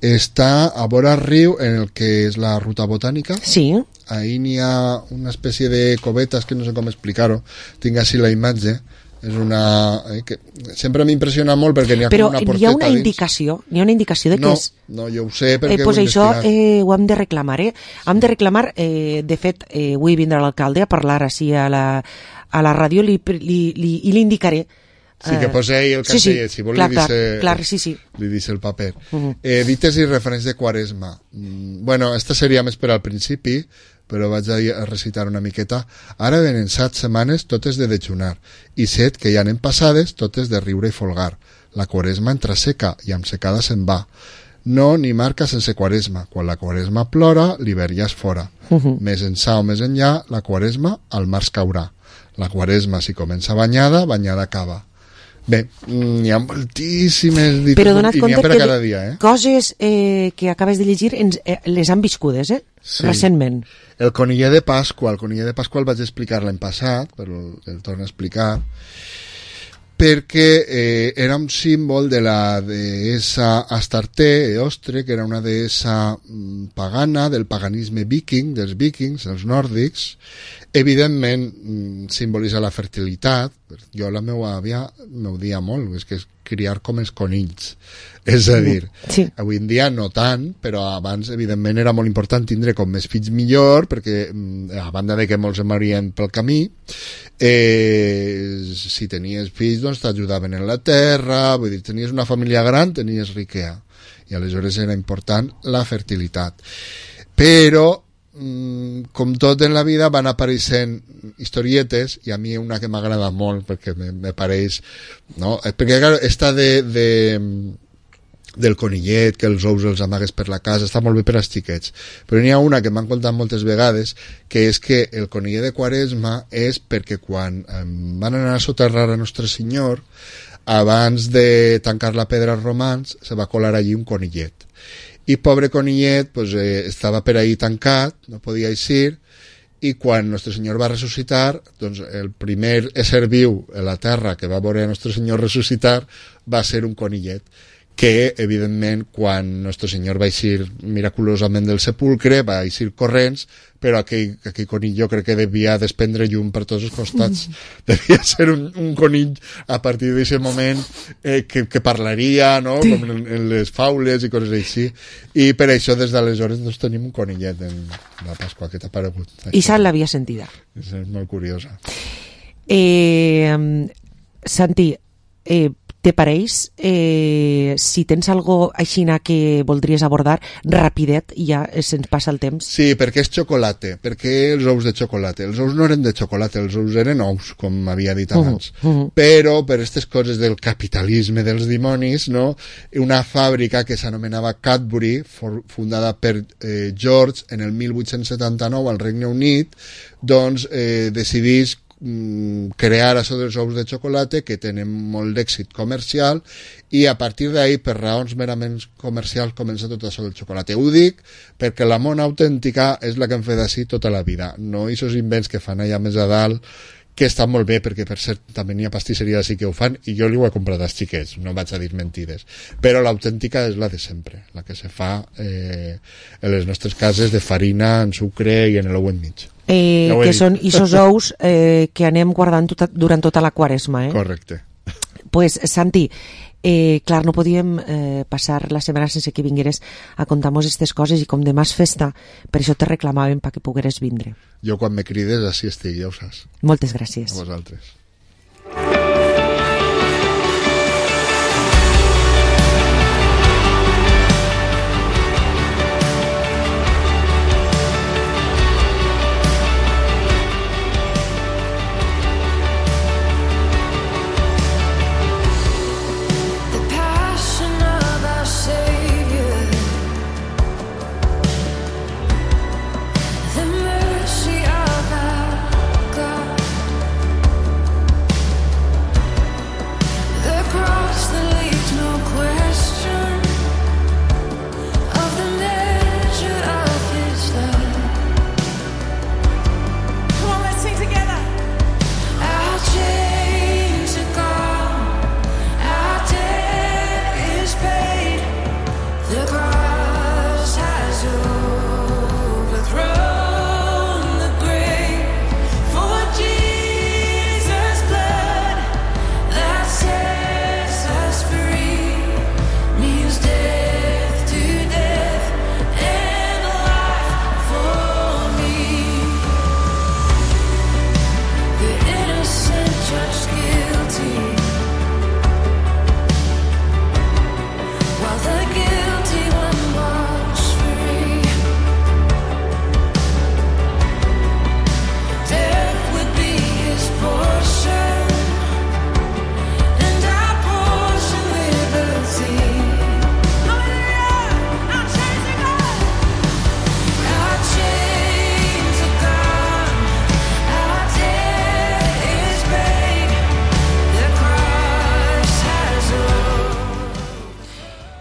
Està a vora riu en el que és la ruta botànica. Sí. Ahí n'hi ha una espècie de covetes que no sé com explicar-ho. Tinc així la imatge. És una... Eh, que sempre m'impressiona molt perquè n'hi ha Però com una porteta hi ha una dins. indicació, hi ha una indicació de no, què és... No, jo ho sé perquè eh, pues ho he això investigat. eh, ho hem de reclamar, eh? Hem de reclamar, eh, de fet, eh, avui vindrà l'alcalde a parlar així a la, a la ràdio li, li, li, i li indicaré. Sí, que posei el sí, sí, cartellet, si vol clar, li dice, clar, clar, sí, sí. li dice el paper. Uh -huh. eh, dites i referents de Quaresma. Mm, bueno, esta seria més per al principi, però vaig a recitar una miqueta. Ara venen set setmanes totes de dejunar, i set que ja anem passades totes de riure i folgar. La Quaresma entra seca i amb secada se'n va. No ni marca sense Quaresma. Quan la Quaresma plora, l'hivern ja és fora. Uh -huh. Més ençà o més enllà, la Quaresma al març caurà. La Quaresma, si comença banyada, banyada acaba. Bé, hi ha moltíssimes dites Però dona't i n'hi compte ha per a que cada dia, eh? coses eh, que acabes de llegir ens, eh, les han viscudes, eh? Sí. Recentment. El coniller de Pasqua, el coniller de Pasqua el vaig explicar l'any passat, però el torno a explicar, perquè eh, era un símbol de la deessa Astarte, Eostre, que era una deessa pagana, del paganisme viking, dels vikings, els nòrdics. Evidentment simbolitza la fertilitat. Jo la meva àvia m'ho dia molt, és que és criar com els conills, és a dir, sí. Avui en dia no tant, però abans evidentment era molt important tindre com més fills millor, perquè a banda de que molts em morien pel camí, eh, si tenies fills doncs t'ajudaven en la terra, vull dir, tenies una família gran, tenies riquea, i aleshores era important la fertilitat. Però com tot en la vida van apareixent historietes, i a mi una que m'agrada molt perquè me, me pareix, no? Perquè claro, esta de, de del conillet, que els ous els amagues per la casa, està molt bé per als xiquets, però n'hi ha una que m'han contat moltes vegades, que és que el conillet de Quaresma és perquè quan eh, van anar a soterrar a Nostre Senyor, abans de tancar la pedra als romans, se va colar allí un conillet. I pobre conillet pues, eh, estava per ahí tancat, no podia eixir, i quan Nostre Senyor va ressuscitar, doncs el primer ésser viu a la terra que va veure a Nostre Senyor ressuscitar va ser un conillet, que evidentment quan Nostre Senyor va eixir miraculosament del sepulcre va eixir corrents, però aquell, aquell conill jo crec que devia desprendre llum per tots els costats. Devia ser un, un conill a partir d'aquest moment eh, que, que parlaria, no? Sí. Com en, en les faules i coses així, i per això des d'aleshores doncs, tenim un conillet en la Pasqua que t'ha aparegut. I Sal l'havia sentida. És molt curiosa. Eh, Santi, eh, te pareix, eh, si tens algo aixina que voldries abordar, rapidet, i ja se'ns passa el temps. Sí, perquè és xocolate, perquè els ous de xocolate. Els ous no eren de xocolate, els ous eren ous, com havia dit abans. Uh -huh, uh -huh. Però per aquestes coses del capitalisme dels dimonis, no? Una fàbrica que s'anomenava Cadbury, fundada per eh, George en el mil vuit-cents setanta-nou al Regne Unit, doncs eh, decidís crear això dels ous de xocolate, que tenen molt d'èxit comercial, i a partir d'ahí, per raons merament comercials, comença tot això del xocolate. Ho dic perquè la mona autèntica és la que hem fet així tota la vida, no aquests invents que fan allà més a dalt, que estan molt bé, perquè per cert també n'hi ha pastisseries així que ho fan, i jo li ho he comprat als xiquets, no vaig a dir mentides, però l'autèntica és la de sempre, la que se fa eh, en les nostres cases, de farina, en sucre i en l'ou enmig. Eh, que són aquests ous eh, que anem guardant tota, durant tota la Quaresma, eh? Correcte. Pues, Santi, eh, clar, no podíem eh, passar la setmana sense que vingueres a contar-nos aquestes coses, i com demà és festa, per això te reclamàvem perquè pogueres vindre. Jo quan me crides així estic, ja ho saps. Moltes gràcies. A vosaltres.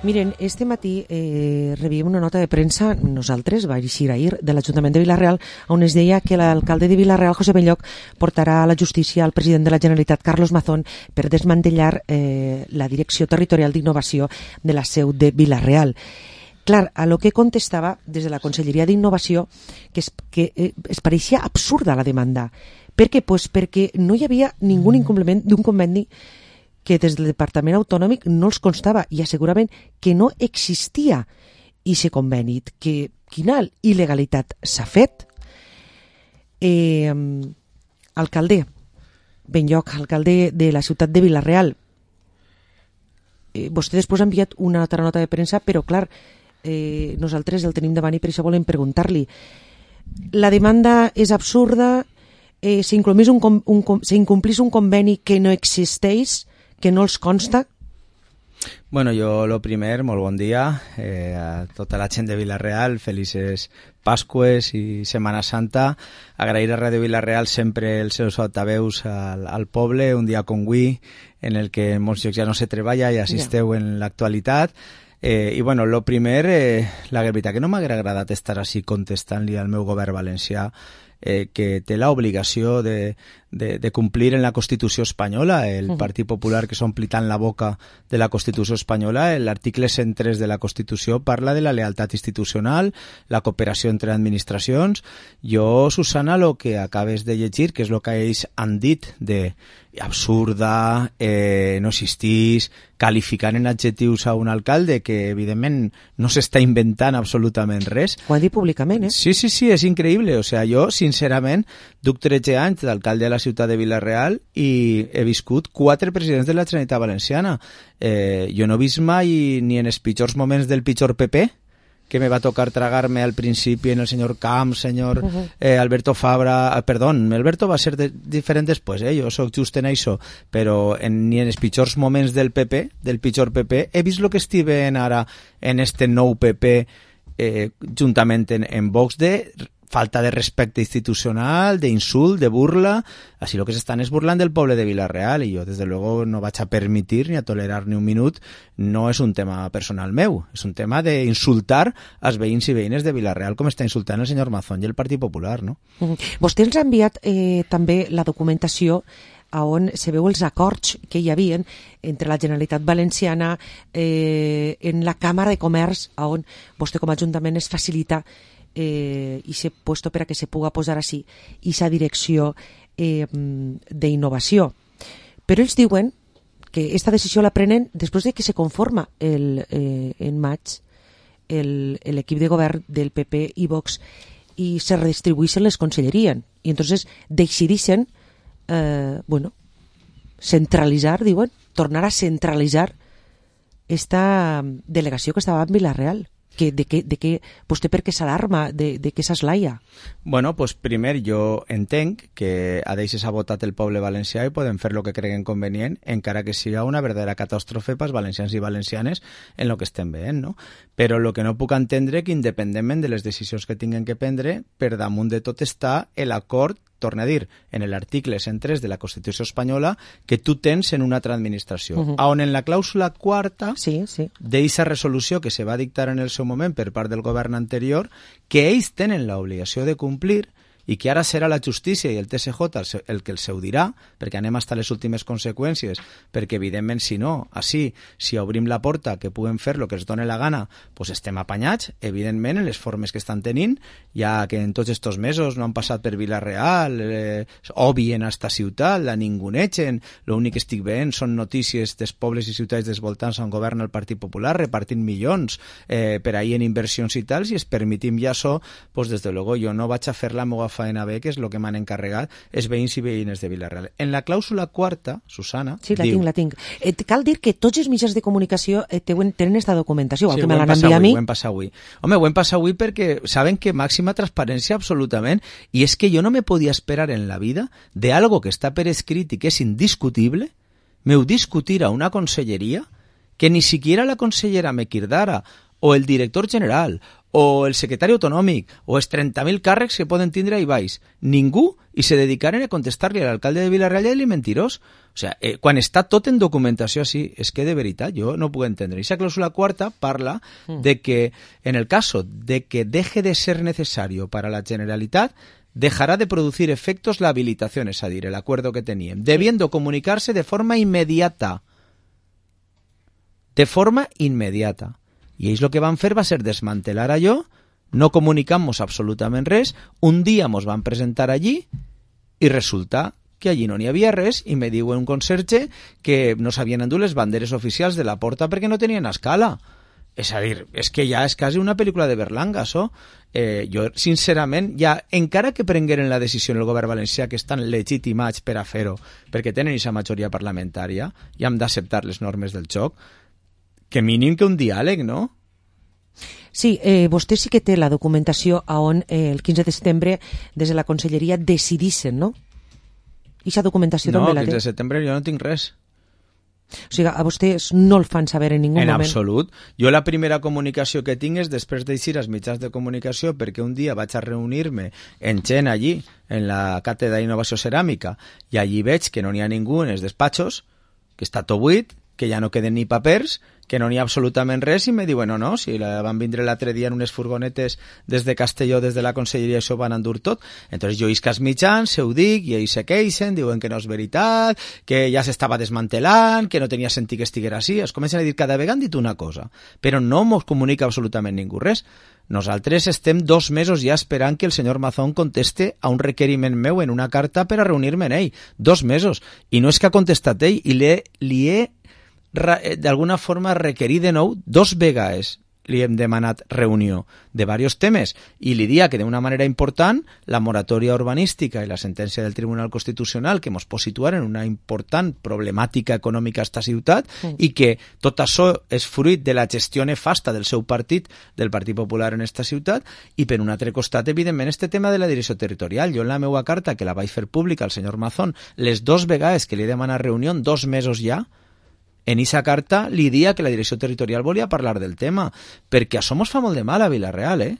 Miren, este matí eh, rebíem una nota de premsa, nosaltres, va eixir ahir, de l'Ajuntament de Vila-real, on es deia que l'alcalde de Vila-real, José Belloc, portarà a la justícia al president de la Generalitat, Carlos Mazón, per desmantellar eh, la Direcció Territorial d'Innovació de la seu de Vila-real. Clar, a lo que contestava des de la Conselleria d'Innovació que, es, que eh, es pareixia absurda la demanda. Per què? Pues perquè no hi havia ningú incompliment d'un conveni que des del Departament Autonòmic no els constava i asseguraven que no existia ixe conveni, que quina il·legalitat s'ha fet. Eh, alcalde, Benlloc, alcalde de la ciutat de Vila-real, eh, vostè després ha enviat una altra nota de premsa, però clar, eh, nosaltres el tenim davant i per això volem preguntar-li. La demanda és absurda, eh, s'incomplís un, un, s'incomplís un conveni que no existeix, que no els consta? Bueno, jo lo primer, molt bon dia eh, a tota la gent de Vila-real, felices Pasques i Setmana Santa. Agrair a Ràdio Vila-real sempre els seus altaveus al, al poble, un dia com avui, en el que en molts llocs ja no se treballa i assisteu ja en l'actualitat. Eh, I bueno, lo primer, eh, la veritat que no m'haguera agradat estar així contestant-li al meu govern valencià, eh, que té l'obligació de, de, de complir en la Constitució espanyola. El uh-huh. Partit Popular, que s'ompli tant la boca de la Constitució espanyola, l'article cent tres de la Constitució parla de la lealtat institucional, la cooperació entre administracions. Jo, Susana, el que acabes de llegir, que és el que ells han dit de absurda, eh, no existís, qualificant en adjectius a un alcalde que evidentment no s'està inventant absolutament res. Ho ha dit públicament, eh? Sí, sí, sí, és increïble. O sea, jo, sincerament, duc tretze anys d'alcalde de la ciutat de Vila-real i he viscut quatre presidents de la Generalitat Valenciana. Eh, jo no he vist mai ni en els pitjors moments del pitjor P P, que me va tocar tragar-me al principi en el senyor Camps, senyor eh, Alberto Fabra, eh, perdón, Alberto va ser de, diferent després, eh? Jo soc just en això, però en, ni en els pitjors moments del P P, del pitjor P P, he vist el que estive ara en este nou P P eh, juntament en, en Vox de falta de respecte institucional, de insult, de burla. Així el que s'estan és burlant del poble de Vila-real i jo, des de luego, no vaig a permitir ni a tolerar ni un minut. No és un tema personal meu, és un tema d'insultar als veïns i veïnes de Vila-real com està insultant el senyor Mazón i el Partit Popular, no? Uh-huh. Vostè ens ha enviat eh, també la documentació on se veu els acords que hi havia entre la Generalitat Valenciana eh, en la Càmera de Comerç, on vostè com a Ajuntament es facilita eh, i s'ha puesto per a que se puga posar així i sa direcció eh, d'innovació. Però ells diuen que aquesta decisió la prenen després de que se conforma el, eh, en maig l'equip de govern del P P i Vox i se redistribueixen les conselleries i entonces decideixen eh, bueno, centralitzar, diuen, tornar a centralitzar esta delegació que estava en Vila-real. Que, de, que, de que vostè per què s'alarma, de, de què s'eslaia? Bueno, pues primer jo entenc que a d'ells s'ha votat el poble valencià i poden fer el que creguen convenient, encara que siga una verdadera catàstrofe pels valencians i valencianes en el que estem veient, no? Però el que no puc entendre que independentment de les decisions que tinguen que prendre, per damunt de tot està l'acord, torna a dir, en l'article cent tres de la Constitució espanyola, que tu tens en una altra administració. Uh-huh. On en la clàusula quarta sí, sí. d'eixa resolució que se va dictar en el seu moment per part del govern anterior, que ells tenen l'obligació de complir i que ara serà la justícia i el T S J el que els ho dirà, perquè anem fins a les últimes conseqüències, perquè evidentment si no, així, si obrim la porta que puguen fer el que els doni la gana, doncs estem apanyats, evidentment, en les formes que estan tenint, ja que en tots estos mesos no han passat per Vila-real, eh, obvien a esta ciutat, la ningunegen, l'únic que estic veient són notícies dels pobles i ciutats dels voltants on governa el Partit Popular, repartint milions eh, per ahir en inversions i tals, i es permitim ja això, doncs des de luego jo no vaig a fer la meva faena bé, que és el que m'han encarregat els veïns i veïnes de Vila-real. En la clàusula quarta, Susana, sí, la diu... tinc, la tinc. Eh, cal dir que tots els mitjans de comunicació eh, tenen aquesta documentació, igual sí, que me l'han enviat a mi. Ho hem passat avui. Home, ho hem passat avui perquè saben que màxima transparència absolutament, i és que jo no me podia esperar en la vida de algo que està per escrit i que és indiscutible, m'heu discutir a una conselleria que ni siquiera la consellera Mequirdara o el director general o el secretari autonòmic, o els trenta mil càrrecs que poden tindre ahí baix. Ningú, i se dedicaren a contestar-li a l'alcalde de Vila-real i a dir mentirós. O sea, eh, quan està tot en documentació així, és que de veritat jo no puc entendre. I esa clàusula cuarta parla mm. de que en el caso de que deje de ser necesario para la Generalitat, dejará de producir efectos la habilitación, es a dir, el acuerdo que tenían, debiendo comunicarse de forma inmediata. De forma inmediata. I ells el que van fer va ser desmantelar allò, no comunicamos absolutament res, un dia mos van presentar allí i resulta que allí no n'hi havia res i me diu un conserge que no s'havien endut les banderes oficials de la porta perquè no tenien escala. És a dir, és que ja és quasi una pel·lícula de Berlanga, això. Eh, jo, sincerament, ja, encara que prengueren la decisió en el govern valencià, que estan legitimats per a fer-ho, perquè tenen aquesta majoria parlamentària, i hem d'acceptar les normes del joc, que mínim que un diàleg, no? Sí, eh, vostè sí que té la documentació on eh, el quinze de setembre des de la Conselleria decidissin, no? I aquesta documentació no, també la té? No, el quinze de setembre jo no tinc res. O sigui, a vostès no el fan saber en ningú en moment? En absolut. Jo la primera comunicació que tinc és després d'eixir als mitjans de comunicació perquè un dia vaig a reunir-me en gent allí, en la càtedra d'Innovació Ceràmica, i allí veig que no n'hi ha ningú en els despatxos, que està tot buit, que ja no queden ni papers, que no n'hi ha absolutament res, i me diuen, no, no, si la van vindre l'altre dia en unes furgonetes des de Castelló, des de la Conselleria, això van endur tot. Entonces jo isc als mitjans, se ho dic, i ells se queixen, diuen que no és veritat, que ja s'estava desmantelant, que no tenia sentit que estiguera així. Es comencen a dir cada vegada han dit una cosa, però no mos comunica absolutament ningú res. Nosaltres estem dos mesos ja esperant que el senyor Mazón conteste a un requeriment meu en una carta per a reunir-me en ell. Dos mesos. I no és que ha contestat ell, i li he, li he d'alguna forma requerir de nou dos vegades li hem demanat reunió de diversos temes i li dia que d'una manera important la moratòria urbanística i la sentència del Tribunal Constitucional que ens pot situar en una important problemàtica econòmica a esta ciutat sí. I que tot això és fruit de la gestió nefasta del seu partit, del Partit Popular en esta ciutat i per un altre costat, evidentment, este tema de la direcció territorial. Jo en la meva carta, que la vaig fer pública al senyor Mazón, les dos vegades que li he demanat reunió, dos mesos ja, en aquesta carta li dia que la direcció territorial volia parlar del tema, perquè això mos fa molt de mal a Vila-real, eh?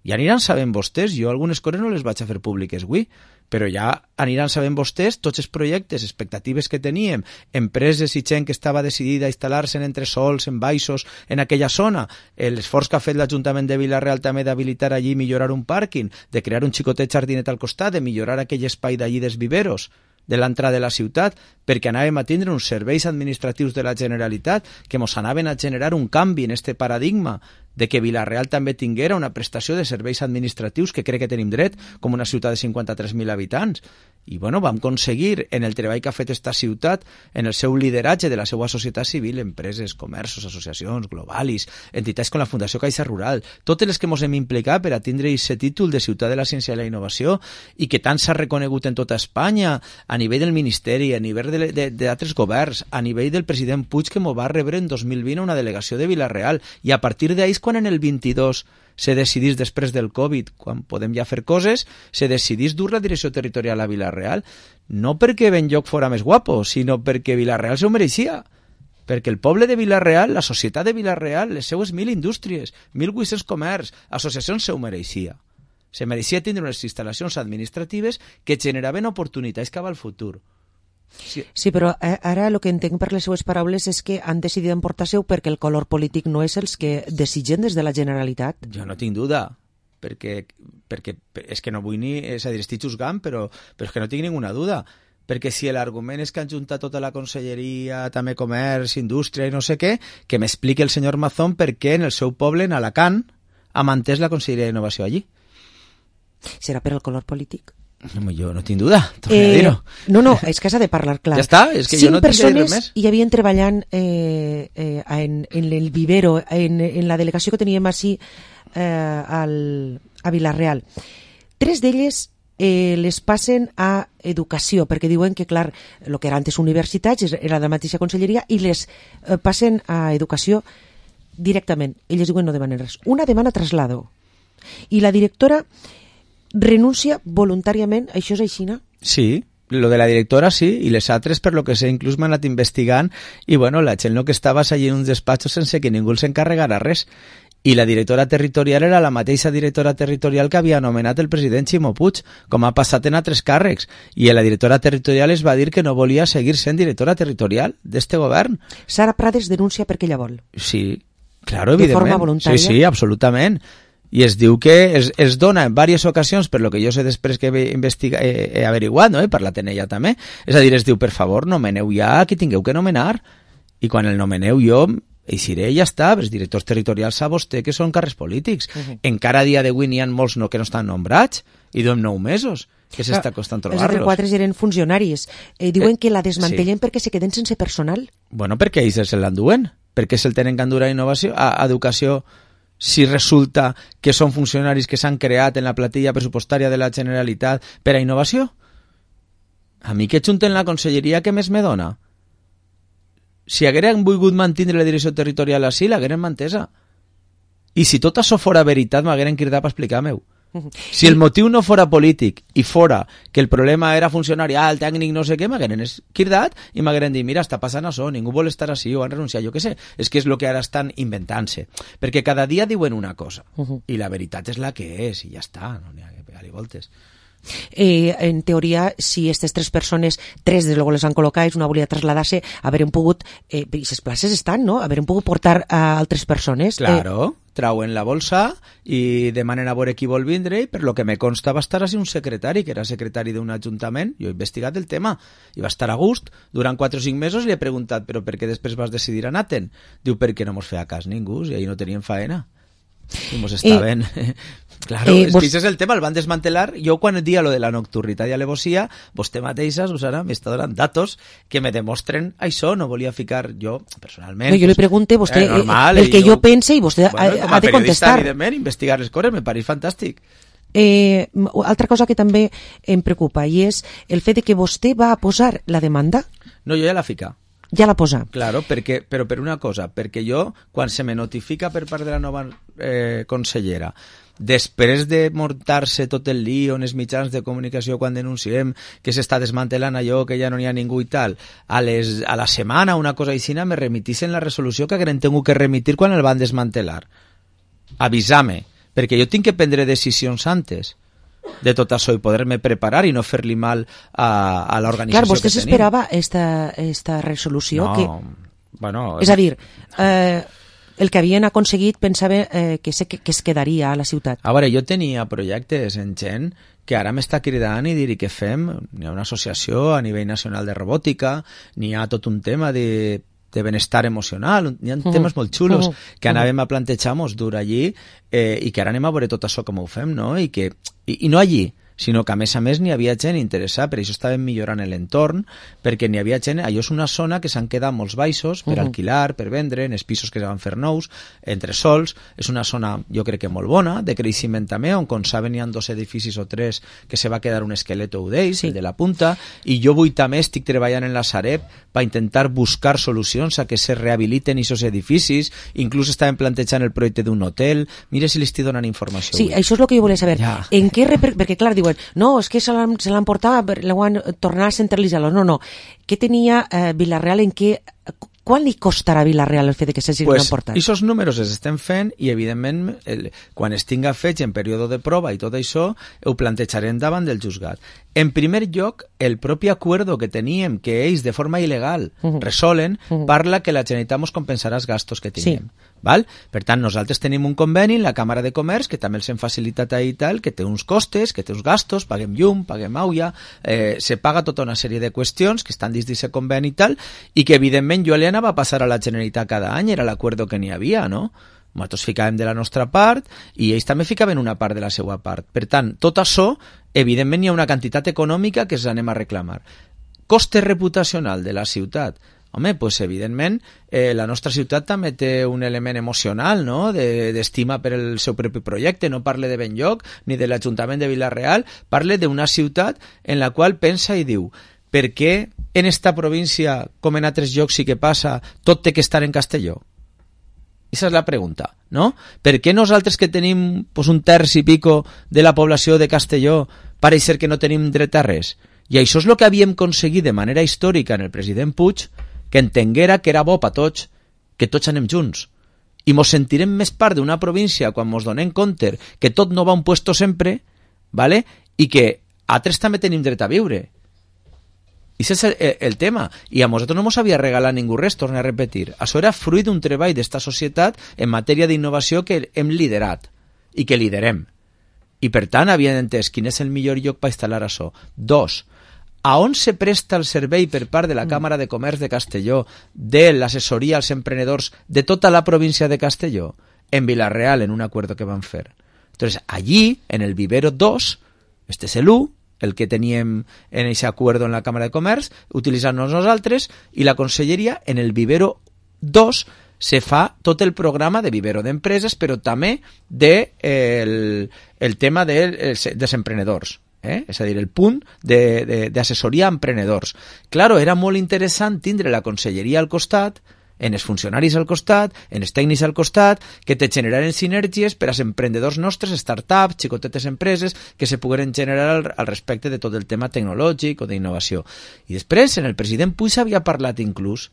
Ja aniran sabent vostès, jo algunes coses no les vaig a fer públiques avui, però ja aniran sabent vostès tots els projectes, expectatives que teníem, empreses i gent que estava decidida a instal·lar-se en entresols, en baixos, en aquella zona, l'esforç que ha fet l'Ajuntament de Vila-real també d'habilitar allí millorar un pàrquing, de crear un xicotet jardinet al costat, de millorar aquell espai d'allí dels viveros, de l'entrada de la ciutat, perquè anàvem a tindre uns serveis administratius de la Generalitat que mos anaven a generar un canvi en este paradigma de que Vila-real també tinguera una prestació de serveis administratius que crec que tenim dret, com una ciutat de cinquanta-tres mil habitants. I bueno, vam aconseguir, en el treball que ha fet esta ciutat, en el seu lideratge de la seva societat civil, empreses, comerços, associacions, globalis, entitats com la Fundació Caixa Rural, totes les que ens hem implicat per a tindre aquest títol de ciutat de la ciència i la innovació i que tant s'ha reconegut en tota Espanya, a nivell del Ministeri, a nivell d'altres governs, a nivell del president Puig, que m'ho va rebre en dos mil vint a una delegació de Vila-real, i a partir d'ahí quan en el vint-i-dos se decidís després del Covid, quan podem ja fer coses, se decidís dur la direcció territorial a Vila-real, no perquè Benlloc fora més guapo, sinó perquè Vila-real se ho mereixia. Perquè el poble de Vila-real, la societat de Vila-real, les seues mil indústries, mil vuit-cents comerç, associacions se ho mereixia. Se mereixia tindre unes instal·lacions administratives que generaven oportunitats cap al futur. Sí. sí, però ara el que entenc per les seues paraules és que han decidit emportar-se-ho perquè el color polític no és els que desitgen des de la Generalitat. Jo no tinc duda, perquè, perquè és que no vull ni, és a dir, estic juzgant, però, però és que no tinc ninguna duda, perquè si l'argument és que han juntat tota la conselleria, també comerç, indústria i no sé què, que m'expliqui el senyor Mazón per què en el seu poble, en Alacant, ha mantès la conselleria d'innovació allí. Serà per el color polític? No, jo no tinc duda, torna eh, a dir-ho. No, no, és que s'ha de parlar clar. Ja està, és que Cinc jo no tinc que dir res més. Cinc persones hi havien treballant eh, eh, en, en el vivero, en, en la delegació que teníem així eh, al, a Vila-real. Tres d'elles eh, les passen a educació, perquè diuen que, clar, el que era antes universitats era la mateixa conselleria i les eh, passen a educació directament. Elles diuen no demanen res. Una demana traslado. I la directora renuncia voluntàriament, això és així, no? Sí, lo de la directora sí, i les altres per lo que sé inclús m'han anat investigant i bueno, la gent no que estaves allí en un despatx sense que ningú els encarregara res i la directora territorial era la mateixa directora territorial que havia anomenat el president Ximo Puig, com ha passat en altres càrrecs, i la directora territorial es va dir que no volia seguir sent directora territorial d'este govern. Sara Prades denuncia perquè ella vol. Sí, claro, de evidentment. forma voluntària. Sí, sí, absolutament. I es diu que es, es dona en diverses ocasions, per lo que jo sé després que he, investiga, he, he averiguat, no? He parlat en ella també, és a dir, es diu, per favor, nomeneu ja qui tingueu que nomenar, i quan el nomeneu jo eixiré i ja està, els directors territorials sap vostè que són càrrecs polítics. Uh-huh. Encara a dia d'avui n'hi ha molts no, que no estan nombrats, i duem nou mesos, que s'està costant trobar-los. Els altres quatre eren funcionaris. Eh, diuen eh, que la desmantellen sí. perquè se queden sense personal. Bueno, perquè ells se l'enduen, perquè se'l tenen que endur a innovació, a educació, si resulta que són funcionaris que s'han creat en la platilla pressupostària de la Generalitat per a innovació. A mi que junten la conselleria, què més me dona? Si hagueren volgut mantenir la direcció territorial així, l'hagueren mantesa. I si tot això fora veritat, m'hagueren cridat per explicar-m'ho. Si el motiu no fora polític i fora que el problema era funcionari, ah, el tècnic no sé què, m'hagueren cridat i m'hagueren dit, mira, està passant això, ningú vol estar així o han renunciat, jo què sé. És que és el que ara estan inventant-se. Perquè cada dia diuen una cosa i la veritat és la que és i ja està, no n'hi ha que pegar-li voltes. Eh, en teoria, si aquestes tres persones, tres des luego les han col·locat, una volia traslladar-se, haurem pogut, eh, i les places estan, no? Haurem pogut portar a altres persones. Claro, eh... trauen la bolsa i demanen a veure qui vol vindre, i per lo que me consta va estar així un secretari, que era secretari d'un ajuntament, jo he investigat el tema, i va estar a gust, durant quatre o cinc mesos li he preguntat, però per què després vas decidir anar-te'n? Diu, perquè no mos feia cas ningú, i ahir no tenien faena. I mos estaven... Eh... Claro, eh, és vos... que és el tema, el van desmantelar. Jo quan el dia lo de la nocturnitat i alevosia, vostè mateixa, Susana, m'està donant datos que me demostren això, no volia ficar jo, personalment... No, jo li pregunte, vostè, eh, normal, el que jo, jo pense i vostè bueno, ha, ha de contestar. Evidentment, investigar les coses me pareix fantàstic. Eh, altra cosa que també em preocupa i és el fet de que vostè va a posar la demanda. No, jo ja la fica. Ja la posa. Claro, perquè, però per una cosa, perquè jo, quan se me notifica per part de la nova eh, consellera, després de muntar-se tot el lío en els mitjans de comunicació quan denunciem que s'està desmantelant allò, que ja no n'hi ha ningú i tal, a, les, a la setmana una cosa així me remitissin la resolució que hagueren tingut que remitir quan el van desmantelar. Avisar-me, perquè jo tinc que prendre decisions antes de tot això i poder-me preparar i no fer-li mal a, a l'organització que tenim. Clar, vostè s'esperava esta, esta resolució? No, que... bueno... És a dir, eh, el que havien aconseguit pensava eh, que, se, que es quedaria a la ciutat. A veure, jo tenia projectes en gent que ara m'està cridant i dir què fem. N'hi ha una associació a nivell nacional de robòtica, n'hi ha tot un tema de de benestar emocional, hi ha uh -huh. temes molt xulos uh -huh. que anàvem a plantejar-nos dur allí eh, i que ara anem a veure tot això com ho fem, no? I, que, i, i no allí, sinó que a més a més n'hi havia gent interessada, per això estàvem millorant l'entorn, perquè n'hi havia gent, allò és una zona que s'han quedat molts baixos per uh -huh. alquilar, per vendre, en els pisos que es van fer nous, entre sols, és una zona jo crec que molt bona, de creixement també, on com saben hi ha dos edificis o tres que se va quedar un esqueleto d'ells, sí. el de la punta, i jo avui també estic treballant en la Sareb per intentar buscar solucions a que se rehabiliten aquests edificis, inclús estàvem plantejant el projecte d'un hotel, mira si li estic donant informació. Sí, avui. Això és el que jo volia saber. Ja. En què reper... Perquè clar, diuen, no, és que se l'han, se l'han portat, l'ho han tornat a centralitzar-lo. No, no. Què tenia eh, Vila-real en què... Quan li costarà a Vila-real el fet de que s'hagi pues, emportat? Aquests números els estem fent i, evidentment, el, quan es tinga fets en període de prova i tot això, ho plantejarem davant del juzgat. En primer lloc, el propi acuerdo que teníem, que ells, de forma il·legal, uh-huh. resolen, uh-huh. parla que la Generalitat ens compensarà els gastos que tinguem. Sí. Val? Per tant, nosaltres tenim un conveni en la Càmera de Comerç, que també els hem facilitat ahir i tal, que té uns costes, que té uns gastos, paguem llum, paguem aigua, eh, se paga tota una sèrie de qüestions que estan dins d'aquest conveni i tal, i que, evidentment, jo li anava a passar a la Generalitat cada any, era l'acuerdo que n'hi havia, no? Nosaltres ficàvem de la nostra part i ells també ficaven una part de la seva part. Per tant, tot això, evidentment, hi ha una quantitat econòmica que ens anem a reclamar. Coste reputacional de la ciutat. Home, pues evidentment eh, la nostra ciutat també té un element emocional, no?, de, d'estima per el seu propi projecte. No parle de Benlloc ni de l'Ajuntament de Vila-real, parle d'una ciutat en la qual pensa i diu, per què en esta província, com en altres llocs sí que passa, tot té que estar en castelló? Esa és la pregunta, no? Per què nosaltres que tenim pues, un terç i pico de la població de Castelló pareix ser que no tenim dret a res? I això és el que havíem aconseguit de manera històrica en el president Puig, que entenguera que era bo per tots, que tots anem junts. i mos sentirem més part d'una província quan mos donem compte que tot no va a un puesto sempre, ¿vale? I que altres també tenim dret a viure. I això és el, el, el tema. I a nosaltres no ens havia regalat ningú res, torno a repetir. Això era fruit d'un treball d'esta societat en matèria d'innovació que hem liderat i que liderem. I per tant havien entès quin és el millor lloc per instal·lar això. Dos, a on se presta el servei per part de la Càmera de Comerç de Castelló de l'assessoria als emprenedors de tota la província de Castelló? En Vila-real, en un acuerdo que van fer. Entonces, allí, en el Vivero dos, este és el u, el que teníem en aquest acuerdo en la Càmera de Comerç, utilitzant-nos nosaltres, i la Conselleria, en el Vivero dos, se fa tot el programa de Vivero d'empreses, però també de, eh, el, el tema de, dels emprenedors. Eh? És a dir, el punt d'assessoria a emprenedors. Claro, era molt interessant tindre la Conselleria al costat, en els funcionaris al costat, en els tècnics al costat, que te generaren sinergies per als emprenedors nostres, startups, xicotetes empreses, que se pogueren generar al, al respecte de tot el tema tecnològic o d'innovació. I després, en el president Puig havia parlat inclús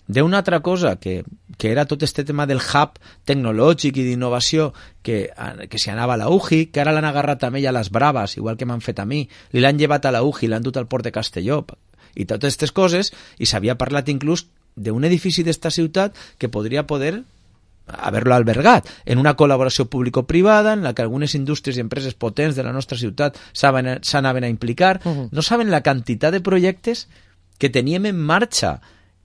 d'una altra cosa, que, que era tot este tema del hub tecnològic i d'innovació que, que s'hi anava a la U J I, que ara l'han agarrat també ja a les braves, igual que m'han fet a mi, li l'han llevat a la U J I, l'han dut al port de Castelló, i totes aquestes coses, i s'havia parlat inclús d'un edifici d'esta ciutat que podria poder haver-lo albergat en una col·laboració público-privada en la que algunes indústries i empreses potents de la nostra ciutat s'anaven a implicar. Uh-huh. No saben la quantitat de projectes que teníem en marxa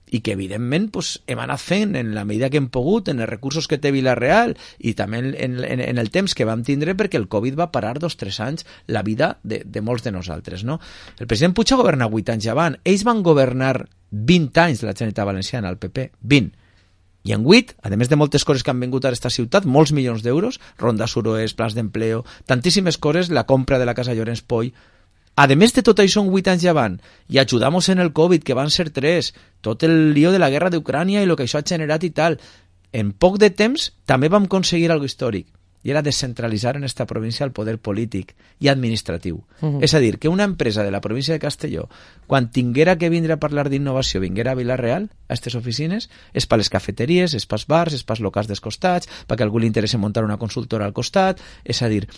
i que evidentment pues, hem anat fent en la medida que hem pogut, en els recursos que té Vila-real i també en, en, en el temps que vam tindre, perquè el Covid va parar dos o tres anys la vida de, de molts de nosaltres. No? El president Puig ha governat vuit anys avant. Ells van governar vint anys de la Generalitat Valenciana, el P P, vint. I en vuit, a més de moltes coses que han vingut a aquesta ciutat, molts milions d'euros, ronda suroest, plans d'empleo, tantíssimes coses, la compra de la Casa Llorenç Poll. A més de tot això, en vuit anys avant, i ajudamos en el Covid, que van ser tres, tot el lío de la guerra d'Ucrània i el que això ha generat i tal, en poc de temps també vam aconseguir algo històric, i era descentralitzar en esta província el poder polític i administratiu. Uh-huh. És a dir, que una empresa de la província de Castelló, quan tinguera que vindre a parlar d'innovació, vinguera a Vila-real, a aquestes oficines, és per les cafeteries, és pels bars, és pels locals dels costats, perquè a algú li interessa muntar una consultora al costat, és a dir,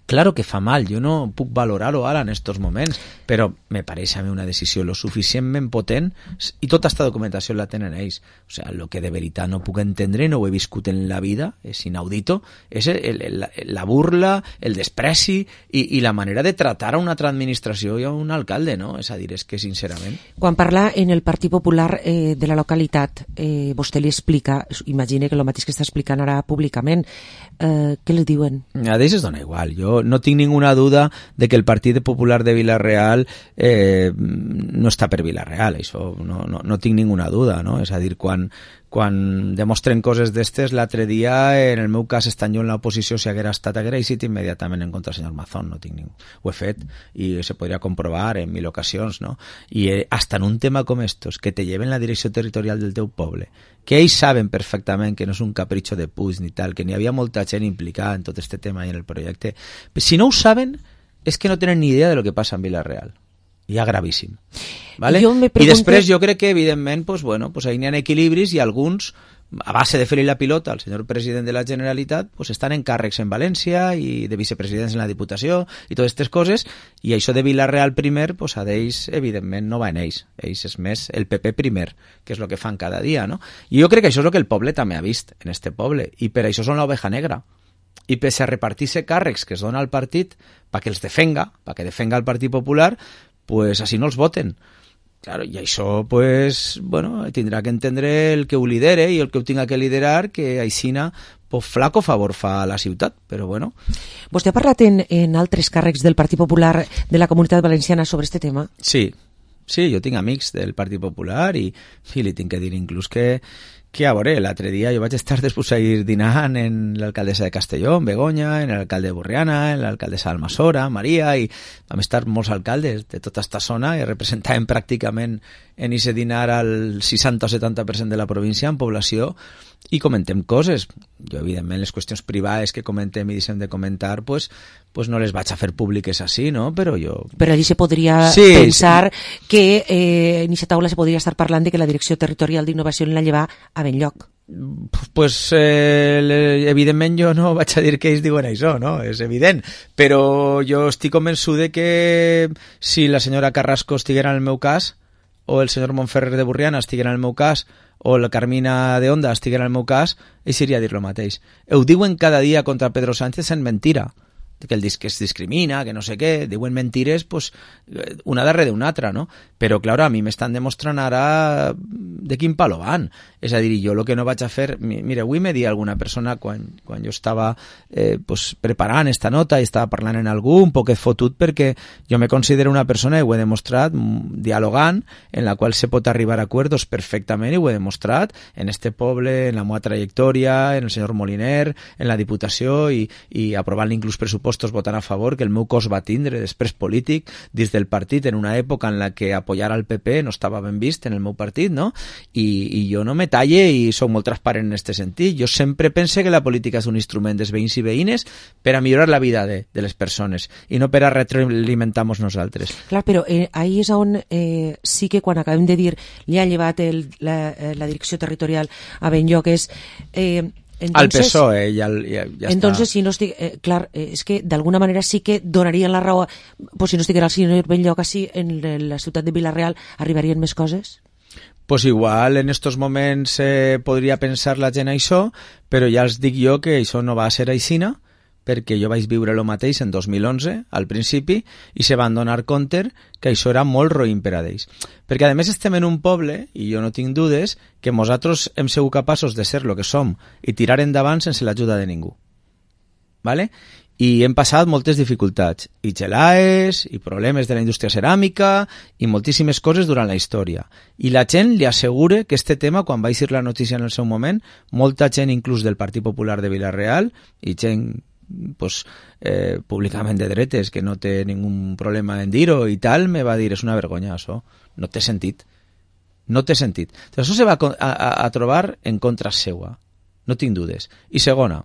claro que fa mal, jo no puc valorar-ho ara en estos moments, però me pareix a mi una decisió lo suficientment potent i tota aquesta documentació la tenen ells. O sigui, el que de veritat no puc entendre, no ho he viscut en la vida, és inaudito, és el, el, la burla, el despreci i, i la manera de tratar a una altra administració i a un alcalde, no? És a dir, és que sincerament... Quan parla en el Partit Popular eh, de la localitat, eh, vostè li explica, imagina que el mateix que està explicant ara públicament, eh, què li diuen? A ells es dona igual, jo no tinc ninguna duda de que el Partit Popular de Vila-real eh, no està per Vila-real, això no, no, no tinc ninguna duda, no? És a dir, quan, quan demostren coses d'estes, l'altre dia, en el meu cas, estant jo en l'oposició, si haguera estat, haguera eixit immediatament en contra del senyor Mazón, no tinc ningú. Ho he fet i se podria comprovar en mil ocasions, no? I eh, hasta en un tema com estos, que te lleven la direcció territorial del teu poble, que ells saben perfectament que no és un capritxo de Puig ni tal, que n'hi havia molta gent implicada en tot este tema i en el projecte. Si no ho saben, és que no tenen ni idea de lo que passa en Vila-real. Ja gravíssim. ¿Vale? Pregunto... I després jo crec que, evidentment, pues, bueno, pues, ahí n'hi ha equilibris i alguns, a base de fer-li la pilota al senyor president de la Generalitat, pues, estan en càrrecs en València i de vicepresidents en la Diputació i totes aquestes coses, i això de Vila-real primer, pues, a d'ells, evidentment, no va en ells. Ells és més el P P primer, que és el que fan cada dia, no? I jo crec que això és el que el poble també ha vist en este poble, i per això són l'oveja negra. I pese a repartir-se càrrecs que es dona al partit perquè els defenga, perquè defenga el Partit Popular, pues així no els voten. Claro, i això, pues, bueno, tindrà que entendre el que ho lidere i el que ho tinga que liderar, que aixina, pues, flaco favor fa a la ciutat, però bueno. Vostè ha parlat en, en altres càrrecs del Partit Popular de la Comunitat Valenciana sobre este tema? Sí, sí, jo tinc amics del Partit Popular i, i li tinc que dir inclús que que a veure, l'altre dia jo vaig estar després a ir dinant en l'alcaldessa de Castelló, en Begoña, en l'alcalde de Borriana, en l'alcaldessa d'Almassora, Maria, i vam estar molts alcaldes de tota aquesta zona i representàvem pràcticament en ese dinar al seixanta o setanta per cent de la província en població i comentem coses. Jo, evidentment, les qüestions privades que comentem i deixem de comentar, pues, pues no les vaig a fer públiques així, no? Però jo... Però allí se podria sí, pensar sí. que eh, en aquesta taula se podria estar parlant de que la Direcció Territorial d'Innovació en la lleva a ben lloc. Pues eh, evidentment jo no vaig a dir que ells diuen això, no? És evident, però jo estic convençut de que si la senyora Carrasco estiguera en el meu cas, o el senyor Montferrer de Burriana estiguera en el meu cas, o la Carmina de Onda estiguera en el meu cas, ells iria a dir lo mateix. Ho diuen cada dia contra Pedro Sánchez en mentira, que el disc que es discrimina, que no sé què, diuen mentires pues, una darrere d'una altra, no? Però, clar, a mi m'estan demostrant ara de quin palo van. És a dir, jo el que no vaig a fer... Mira, avui me dia alguna persona, quan, quan jo estava eh, pues, preparant esta nota i estava parlant en algú, un poquet fotut, perquè jo me considero una persona, i ho he demostrat, dialogant, en la qual se pot arribar a acuerdos perfectament, i ho he demostrat en este poble, en la meva trajectòria, en el senyor Moliner, en la Diputació, i, i aprovant inclús pressupostos votant a favor, que el meu cos va tindre després polític dins del partit en una època en la que apoyar al P P no estava ben vist en el meu partit, no? I, i jo no me talle i soc molt transparent en aquest sentit. Jo sempre pense que la política és un instrument dels veïns i veïnes per a millorar la vida de, de les persones i no per a retroalimentar-nos nosaltres. Clar, però eh, ahí és on eh, sí que quan acabem de dir li ha llevat el, la, la direcció territorial a Benlloc és... Eh, Entonces, al P S O E ja, ja, ja entonces, està. si no estic, eh, clar, eh, és que d'alguna manera sí que donarien la raó, pues si no estiguera el senyor Benlloc així en la ciutat de Vila-real, arribarien més coses? Pues igual en estos moments eh, podria pensar la gent això, però ja els dic jo que això no va ser aixina, perquè jo vaig viure el mateix en dos mil onze, al principi, i se van donar compte que això era molt roïn per a ells. Perquè, a més, estem en un poble, i jo no tinc dudes, que nosaltres hem sigut capaços de ser el que som i tirar endavant sense l'ajuda de ningú. ¿Vale? I hem passat moltes dificultats, i gelaes, i problemes de la indústria ceràmica, i moltíssimes coses durant la història. I la gent li assegura que este tema, quan va eixir la notícia en el seu moment, molta gent inclús del Partit Popular de Vila-real, i gent pues, eh, públicament de dretes, que no té ningú problema en dir-ho i tal, me va dir, és una vergonya, això. No té sentit. No té sentit. Això se va a, a, a trobar en contra seua. No tinc dudes. I segona,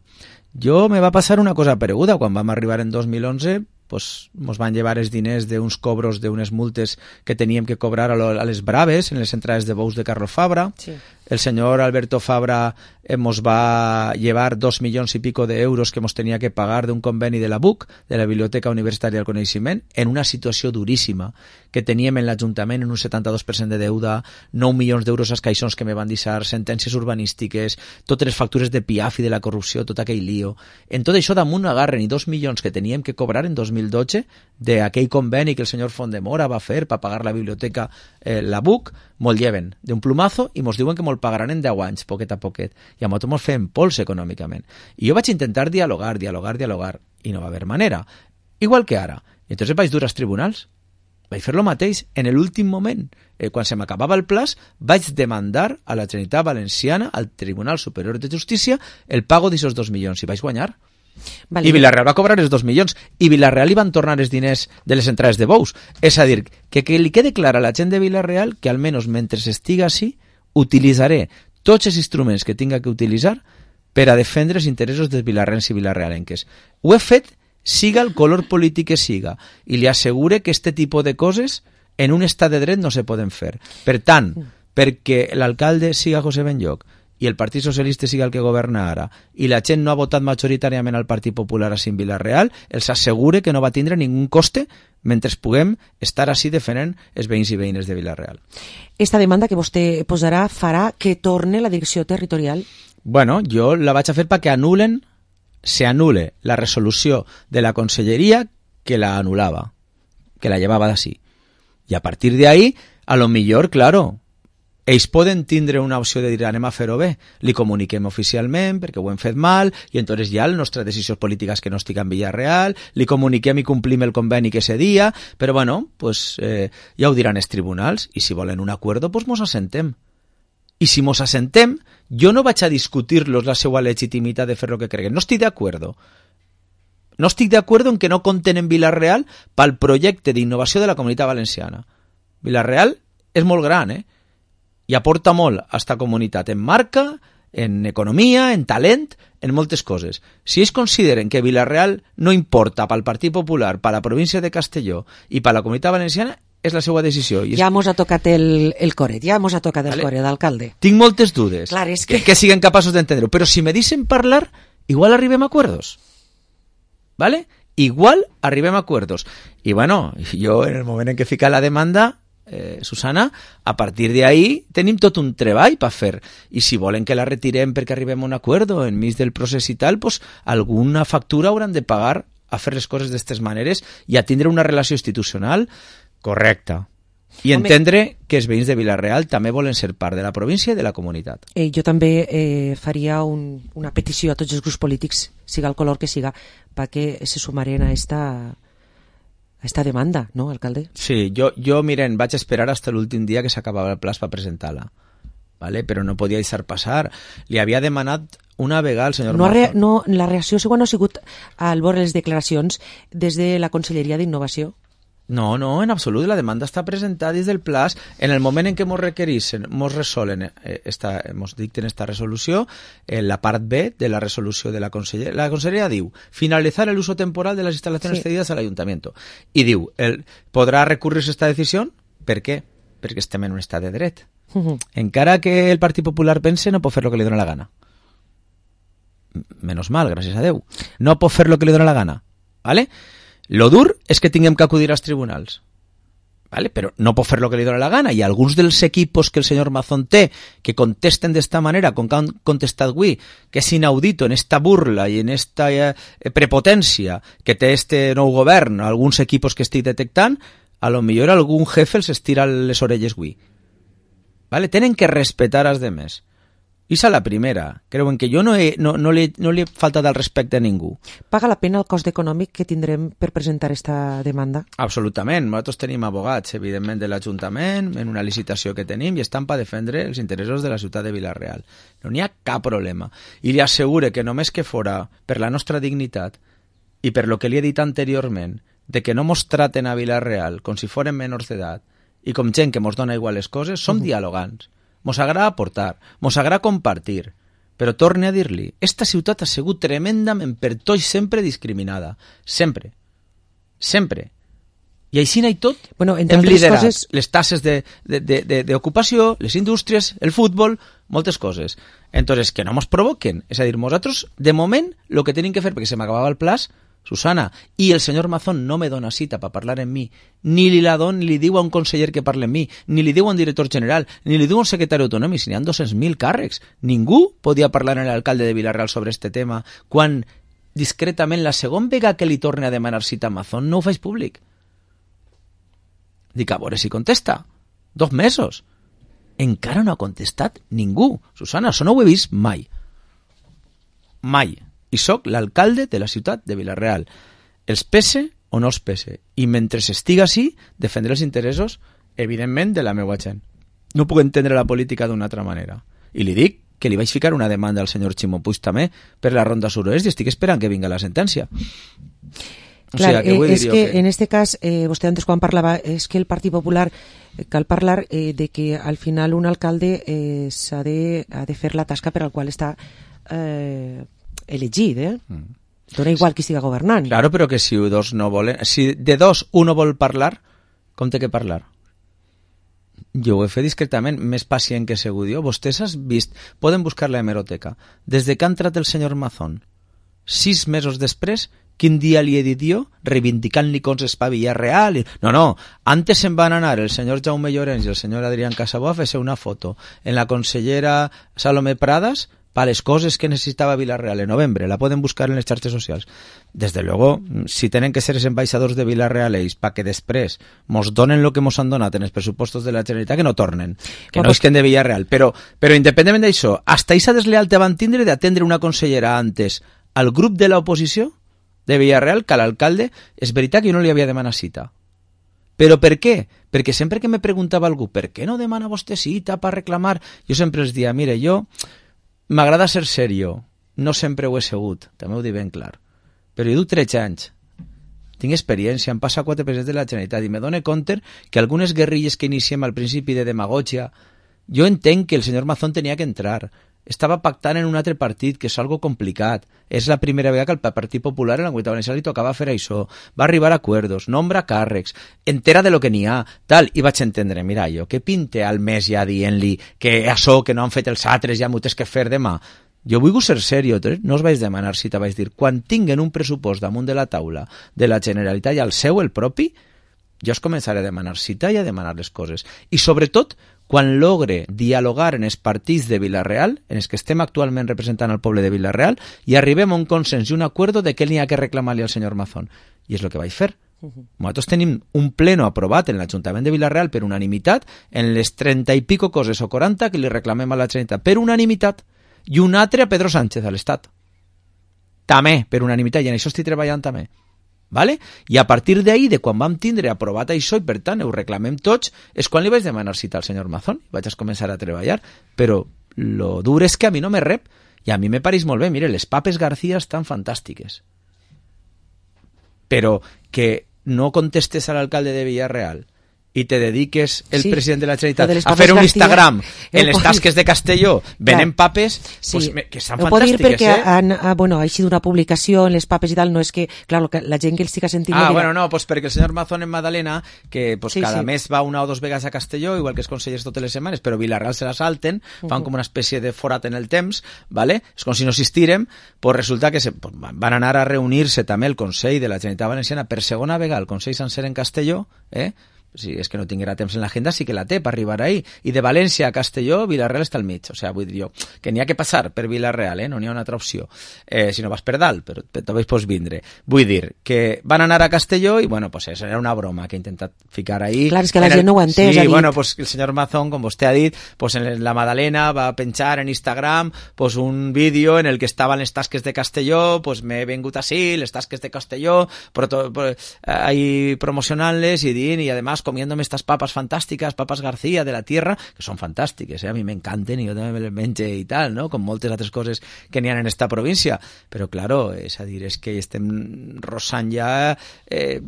jo me va passar una cosa pareguda. Quan vam arribar en dos mil onze, pues, mos van llevar els diners d'uns cobros d'unes multes que teníem que cobrar a, lo, a les Braves, en les entrades de bous de Carlos Fabra. Sí. El senyor Alberto Fabra nos va llevar dos milions i pico d'euros que nos tenia que pagar d'un conveni de la B U C, de la Biblioteca Universitària del Coneixement, en una situació duríssima que teníem en l'Ajuntament en un setanta-dos per cent de deuda, nou milions d'euros als caixons que me van deixar, sentències urbanístiques, totes les factures de P I A F i de la corrupció, tot aquell lío. En tot això damunt agarren i dos milions que teníem que cobrar en dos mil dotze d'aquell conveni que el senyor Fondemora va fer per pagar la biblioteca, eh, la B U C, mos lleven d'un plumazo i mos diuen que mos pagaran en deu anys, poquet a poquet. I a nosaltres mos fem pols econòmicament. I jo vaig intentar dialogar, dialogar, dialogar, i no va haver manera. Igual que ara. I entonces vaig dur als tribunals. Vaig fer lo mateix. En l'últim moment, eh, quan se m'acabava el plaç, vaig demandar a la Generalitat Valenciana, al Tribunal Superior de Justícia, el pago d'aquests dos milions. I vaig guanyar. Vale. I Vila-real va cobrar els dos milions i Vila-real li van tornar els diners de les entrades de bous. És a dir, que, que li quede clar a la gent de Vila-real que almenys mentre estiga així utilitzaré tots els instruments que tinga que utilitzar per a defendre els interessos dels vilarrens i vilarrealenques. Ho he fet siga el color polític que siga i li assegure que este tipus de coses en un estat de dret no se poden fer. Per tant, perquè l'alcalde siga José Benlloc i el Partit Socialista siga el que governa ara i la gent no ha votat majoritàriament al Partit Popular així en Vila-real, els assegure que no va tindre ningú coste mentre puguem estar així defendent els veïns i veïnes de Vila-real. Esta demanda que vostè posarà farà que torne la direcció territorial? Bueno, jo la vaig a fer perquè anulen, se anule la resolució de la conselleria que la anulava, que la llevava d'ací. I a partir de ahí, a lo millor, claro, ells poden tindre una opció de dir anem a fer-ho bé, li comuniquem oficialment perquè ho hem fet mal i entonces ja la nostra decisió política és que no estic en Vila-real, li comuniquem i complim el conveni que ese dia, però bueno, pues, eh, ja ho diran els tribunals i si volen un acuerdo, pues mos assentem. I si mos assentem, jo no vaig a discutir-los la seva legitimitat de fer el que creguen. No estic d'acord. No estic d'acord en que no compten en Vila-real pel projecte d'innovació de la Comunitat Valenciana. Vila-real és molt gran, eh? I aporta molt a esta comunitat en marca, en economia, en talent, en moltes coses. Si ells consideren que Vila-real no importa pel Partit Popular, per la província de Castelló i per la Comunitat Valenciana, és la seva decisió. I és... Ja mos ha tocat el, el coret, ja mos ha tocat el vale. coret d'alcalde. Tinc moltes dudes Clar, és que... que, que siguen capaços d'entendre-ho, però si me deixen parlar, igual arribem a acuerdos. ¿Vale? Igual arribem a acuerdos. I bueno, jo en el moment en què fica la demanda, eh, Susana, a partir de ahí tenim tot un treball per fer. I si volen que la retirem perquè arribem a un acuerdo enmig del procés i tal, pues alguna factura hauran de pagar a fer les coses d'aquestes maneres i a tindre una relació institucional correcta. I entendre Home, que els veïns de Vila-real també volen ser part de la província i de la comunitat. Eh, jo també eh, faria un, una petició a tots els grups polítics, siga el color que siga, perquè se sumaren a esta, a esta demanda, no, alcalde? Sí, jo, jo miren, vaig esperar fins l'últim dia que s'acabava el plaç per presentar-la, ¿vale? Però no podia deixar passar. Li havia demanat una vegada al senyor no, Mazón. re, no, la reacció segona no ha sigut al veure les declaracions des de la Conselleria d'Innovació. No, no, en absolut. La demanda està presentada des del plaç. En el moment en què mos requereixen, mos resolen, eh, esta, mos dicten esta resolució, en la part B de la resolució de la Conselleria. La Conselleria diu, finalizar el uso temporal de las instalaciones sí. cedidas al Ayuntamiento. I diu, el, podrà recurrir-se esta decisió? Per què? Perquè estem en un estat de dret. Uh-huh. Encara que el Partit Popular pense, no pot fer el que li dona la gana. Menos mal, gràcies a Déu. No pot fer el que li dona la gana. ¿Vale? Lo dur és que tinguem que acudir als tribunals, ¿vale? Però no pot fer lo que li dona la gana, i alguns dels equipos que el senyor Mazón té, que contesten d'esta manera, com que han contestat avui, que és inaudito en esta burla i en esta eh, prepotència que té este nou govern, alguns equipos que estic detectant, a lo millor algun jefe els estira les orelles avui. ¿Vale? Tenen que respetar als demés. I és la primera. Creuen que jo no, he, no, no, li, no li he faltat el respecte a ningú. Paga la pena el cost econòmic que tindrem per presentar esta demanda? Absolutament. Nosaltres tenim abogats, evidentment, de l'Ajuntament, en una licitació que tenim, i estan per defendre els interessos de la ciutat de Vila-real. No n'hi ha cap problema. I li assegure que només que fora per la nostra dignitat i per lo que li he dit anteriorment, de que no mos traten a Vila-real com si foren menors d'edat i com gent que mos dona igual les coses, som uh-huh. dialogants. Mos agrada aportar, mos agrada compartir, però torne a dir-li, esta ciutat ha sigut tremendament per tots sempre discriminada, sempre, sempre. I així n'hi tot, bueno, hem liderat coses... les tasses d'ocupació, les indústries, el futbol, moltes coses. Entonces, que no mos provoquen, és a dir, nosaltres, de moment, el que tenim que fer, perquè se m'acabava el plaç, Susana, i el senyor Mazón no me dona cita per parlar amb mi, ni li la don, ni li diu a un conseller que parle amb mi, ni li diu a un director general, ni li diu a un secretari autonòmic, si n'hi ha dos-cents mil càrrecs. Ningú podia parlar amb l'alcalde de Vila-real sobre este tema, quan discretament la segona vegada que li torne a demanar cita a Mazón no ho faig públic. Dic, a veure si contesta. Dos mesos. Encara no ha contestat ningú. Susana, això no ho he vist mai. Mai. I sóc l'alcalde de la ciutat de Vila-real. Els pese o no els pese. I mentre estiga així, defendré els interessos, evidentment, de la meva gent. No puc entendre la política d'una altra manera. I li dic que li vaig ficar una demanda al senyor Ximo Puig també per la ronda suroest i estic esperant que vinga la sentència. O Clar, sea, que eh, és que, que en este cas, eh, vostè antes quan parlava, és que el Partit Popular eh, cal parlar eh, de que al final un alcalde eh, s'ha de, ha de fer la tasca per al qual està eh, elegit, eh? Mm. Dona igual qui siga governant. Claro, però que si dos no volen... Si de dos uno vol parlar, com té que parlar? Jo ho he fet discretament, més pacient que segur. Vostès has vist... Poden buscar la hemeroteca. Des de que ha entrat el senyor Mazón, sis mesos després, quin dia li he dit jo, reivindicant-li coses pa Villarreal? No, no, antes se'n van anar el senyor Jaume Llorens i el senyor Adrián Casabó a fer-se una foto en la consellera Salomé Pradas para les coses que necesitava Vila-real en novembre. La poden buscar en les xarxes socials. Desde luego, si tenen que ser els ambaixadors de Vila-real ells para que després mos donen el que mos han donat en els pressupostos de la Generalitat, que no tornen, que no isquen de Villarreal. Però, però independentment d'això, hasta esa deslealtat van tindre d'atendre una consellera antes al grup de l'oposició de Villarreal que a l'alcalde. És veritat que jo no li havia demanat cita. Però per què? Perquè sempre que me preguntava algú per què no demana vostè cita per reclamar, jo sempre els dia, mire, jo m'agrada ser serio, no sempre ho he segut, també ho dic ben clar, però jo duc tretze anys, tinc experiència, em passa quatre presidents de la Generalitat i me dono compte que algunes guerrilles que iniciem al principi de demagogia, jo entenc que el senyor Mazón tenia que entrar, estava pactant en un altre partit, que és algo complicat. És la primera vegada que el Partit Popular en la Comunitat Valenciana li tocava fer això. Va arribar a acuerdos, nombra càrrecs, entera de lo que n'hi ha, tal. I vaig entendre, mira, jo, què pinte al mes ja dient-li que això que no han fet els altres ja m'ho tens que fer demà? Jo vull ser serio, no us vaig demanar cita, vaig dir, quan tinguen un pressupost damunt de la taula de la Generalitat i el seu, el propi, jo us començaré a demanar cita i a demanar les coses. I sobretot, quan logre dialogar en els partits de Vila-real, en els que estem actualment representant al poble de Vila-real, i arribem a un consens i un acuerdo de què n'hi ha que reclamar-li al senyor Mazón. I és el que vaig fer. Nosaltres tenim un pleno aprovat en l'Ajuntament de Vila-real per unanimitat en les trenta i pico coses o quaranta que li reclamem a la Generalitat per unanimitat, i un altre a Pedro Sánchez, a l'Estat. També, per unanimitat, i en això estic treballant també. Vale? I a partir d'ahir, de quan vam tindre aprovat això, i per tant ho reclamem tots, és quan li vaig demanar cita al senyor Mazón, i vaig a començar a treballar, però lo dur és que a mi no me rep, i a mi me pareix molt bé, mire, les papes García estan fantàstiques, però que no contestes a l'alcalde de Villarreal i te dediques el sí, president de la Generalitat a fer un García, Instagram en les tasques de Castelló venent papes, sí, pues, que estan ho fantàstiques, dir perquè eh? Han, bueno, ha sigut una publicació en les papes i tal, no és que, clar, que la gent que el estica sentint... Ah, bueno, no, pues perquè el senyor Mazón en Madalena, que pues, sí, cada sí. mes va una o dos vegades a Castelló, igual que els consellers totes les setmanes, però Vila-real se la salten, fan uh -huh. com una espècie de forat en el temps, ¿vale? És com si no existirem, pues resulta que se, pues, van anar a reunir-se també el Consell de la Generalitat Valenciana per segona vegada, el Consell sencer en Castelló, eh? Si és que no tinguera temps en l'agenda, sí que la té per arribar ahí. I de València a Castelló, Vila-real està al mig. O sigui, vull dir jo, que n'hi ha que passar per Vila-real, eh? No n'hi ha una altra opció. Eh, si no vas per dalt, però també pots vindre. Vull dir que van anar a Castelló i, bueno, pues eso era una broma que he intentat ficar ahí. Clar, és que la en gent el... no ho ha entès. Sí, bueno, pues el senyor Mazón, com vostè ha dit, pues en la Madalena va penjar en Instagram pues un vídeo en el que estaven les tasques de Castelló, pues m'he vengut així, les tasques de Castelló, però to, pues, ahí promocionant-les i dient, i además comiéndome estas papas fantàstiques, papas García de la tierra, que són fantàstiques, eh? A mi m'encanten i jo també me les menge i tal, no? Com moltes altres coses que n'hi ha en esta província. Però, claro, és a dir, és que estem rossant ja eh,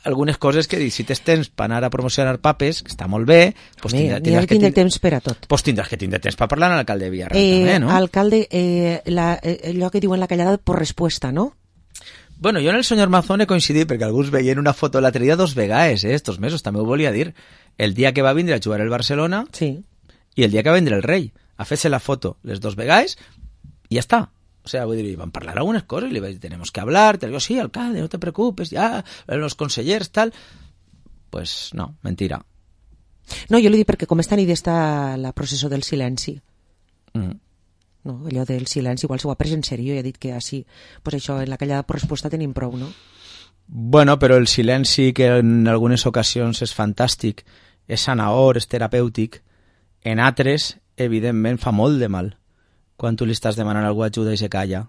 algunes coses que si tens temps per anar a promocionar papes, que està molt bé, pues tindràs, tindràs que tindre temps per a tot. Pues tindràs que tindre temps per parlar amb l'alcalde de Villarreal eh, també, no? Alcalde, eh, la, allò que diuen la callada por respuesta, no? Bueno, jo en el senyor Mazón he coincidit perquè alguns veien una foto l'altre dia dos vegades, eh, estos mesos, també ho volia dir. El dia que va vindre a jugar el Barcelona sí. i el dia que va vindre el Rei. A fer-se la foto les dos vegades i ja està. O sea, vull dir, van parlar algunes coses i li vaig dir, tenemos que hablar, te digo, sí, alcalde, no te preocupes, ya, los consellers, tal. Pues no, mentira. No, jo li dic perquè com esta nit està la processó del silenci. Mm. No, allò del silenci, igual s'ho ha pres en sèrio i ha dit que així, pues això, en la callada per resposta tenim prou, no? Bueno, però el silenci, que en algunes ocasions és fantàstic, és sanador, és terapèutic, en altres, evidentment, fa molt de mal. Quan tu li estàs demanant algú ajuda i se calla.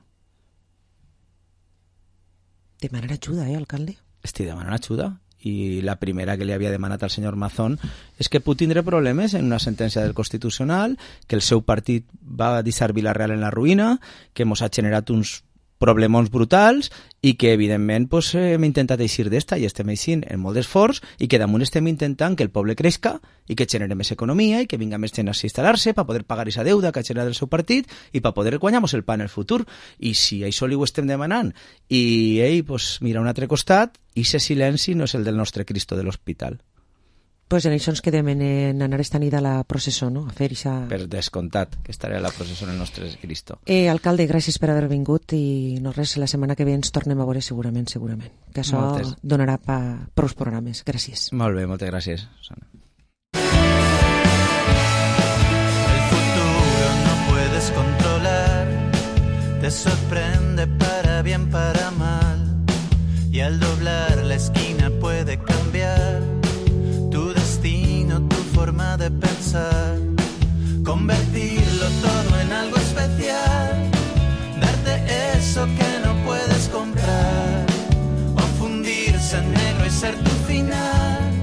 Demanar ajuda, eh, alcalde? Estic demanant ajuda. I la primera que li havia demanat al senyor Mazón és que pot tindre problemes en una sentència del Constitucional, que el seu partit va deixar Vila-real en la ruïna, que mos ha generat uns problemons brutals i que, evidentment, pues, hem intentat eixir d'esta i estem eixint en molt d'esforç i que damunt estem intentant que el poble creixca i que genere més economia i que vinga més gent a instal·lar-se per poder pagar aquesta deuda que ha generat el seu partit i per poder guanyar-nos el pa en el futur. I si això li ho estem demanant i ell pues, mira a un altre costat, i ese silenci no és el del nostre Cristo de l'hospital. Pues en això ens quedem en, en anar esta nit a la processó, no? A fer ixa... Per descomptat, que estaré a la processó en el nostre Cristo. Eh, alcalde, gràcies per haver vingut i no res, la setmana que ve ens tornem a veure segurament, segurament. Que això moltes. Donarà pa prou programes. Gràcies. Molt bé, moltes gràcies, Susana. El futuro no puedes controlar, te sorprende para bien, para mal, y al doblar la esquina puede cambiar tu destino, tu forma de pensar, convertirlo todo en algo especial, darte eso que no puedes comprar, o fundirse en negro y ser tu final,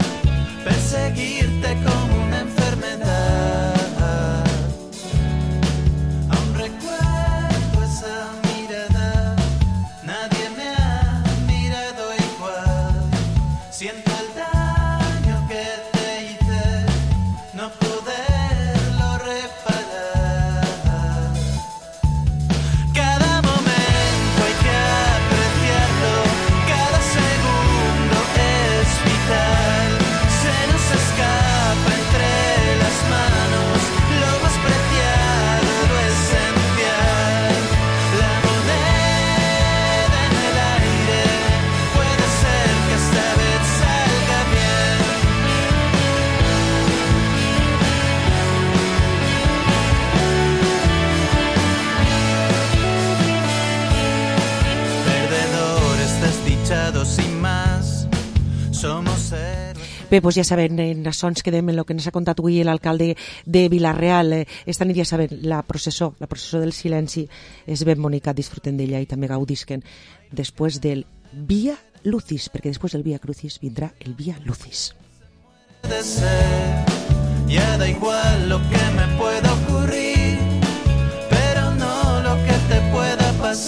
perseguirte como una enfermedad. Aún recuerdo esa mirada, nadie me ha mirado igual, siento el daño que te hice, no poderlo reparar. luchado sin más. Somos héroes. Bé, doncs ja saben, en això ens quedem en el que ens ha contat avui l'alcalde de Vila-real. Esta nit ja saben, la processó, la processó del silenci és ben bonica, disfruten d'ella i també gaudisquen després del Via Lucis, perquè després del Via Crucis vindrà el Via Lucis. De ser, ya da igual lo que me pueda ocurrir, pero no lo que te pueda pasar.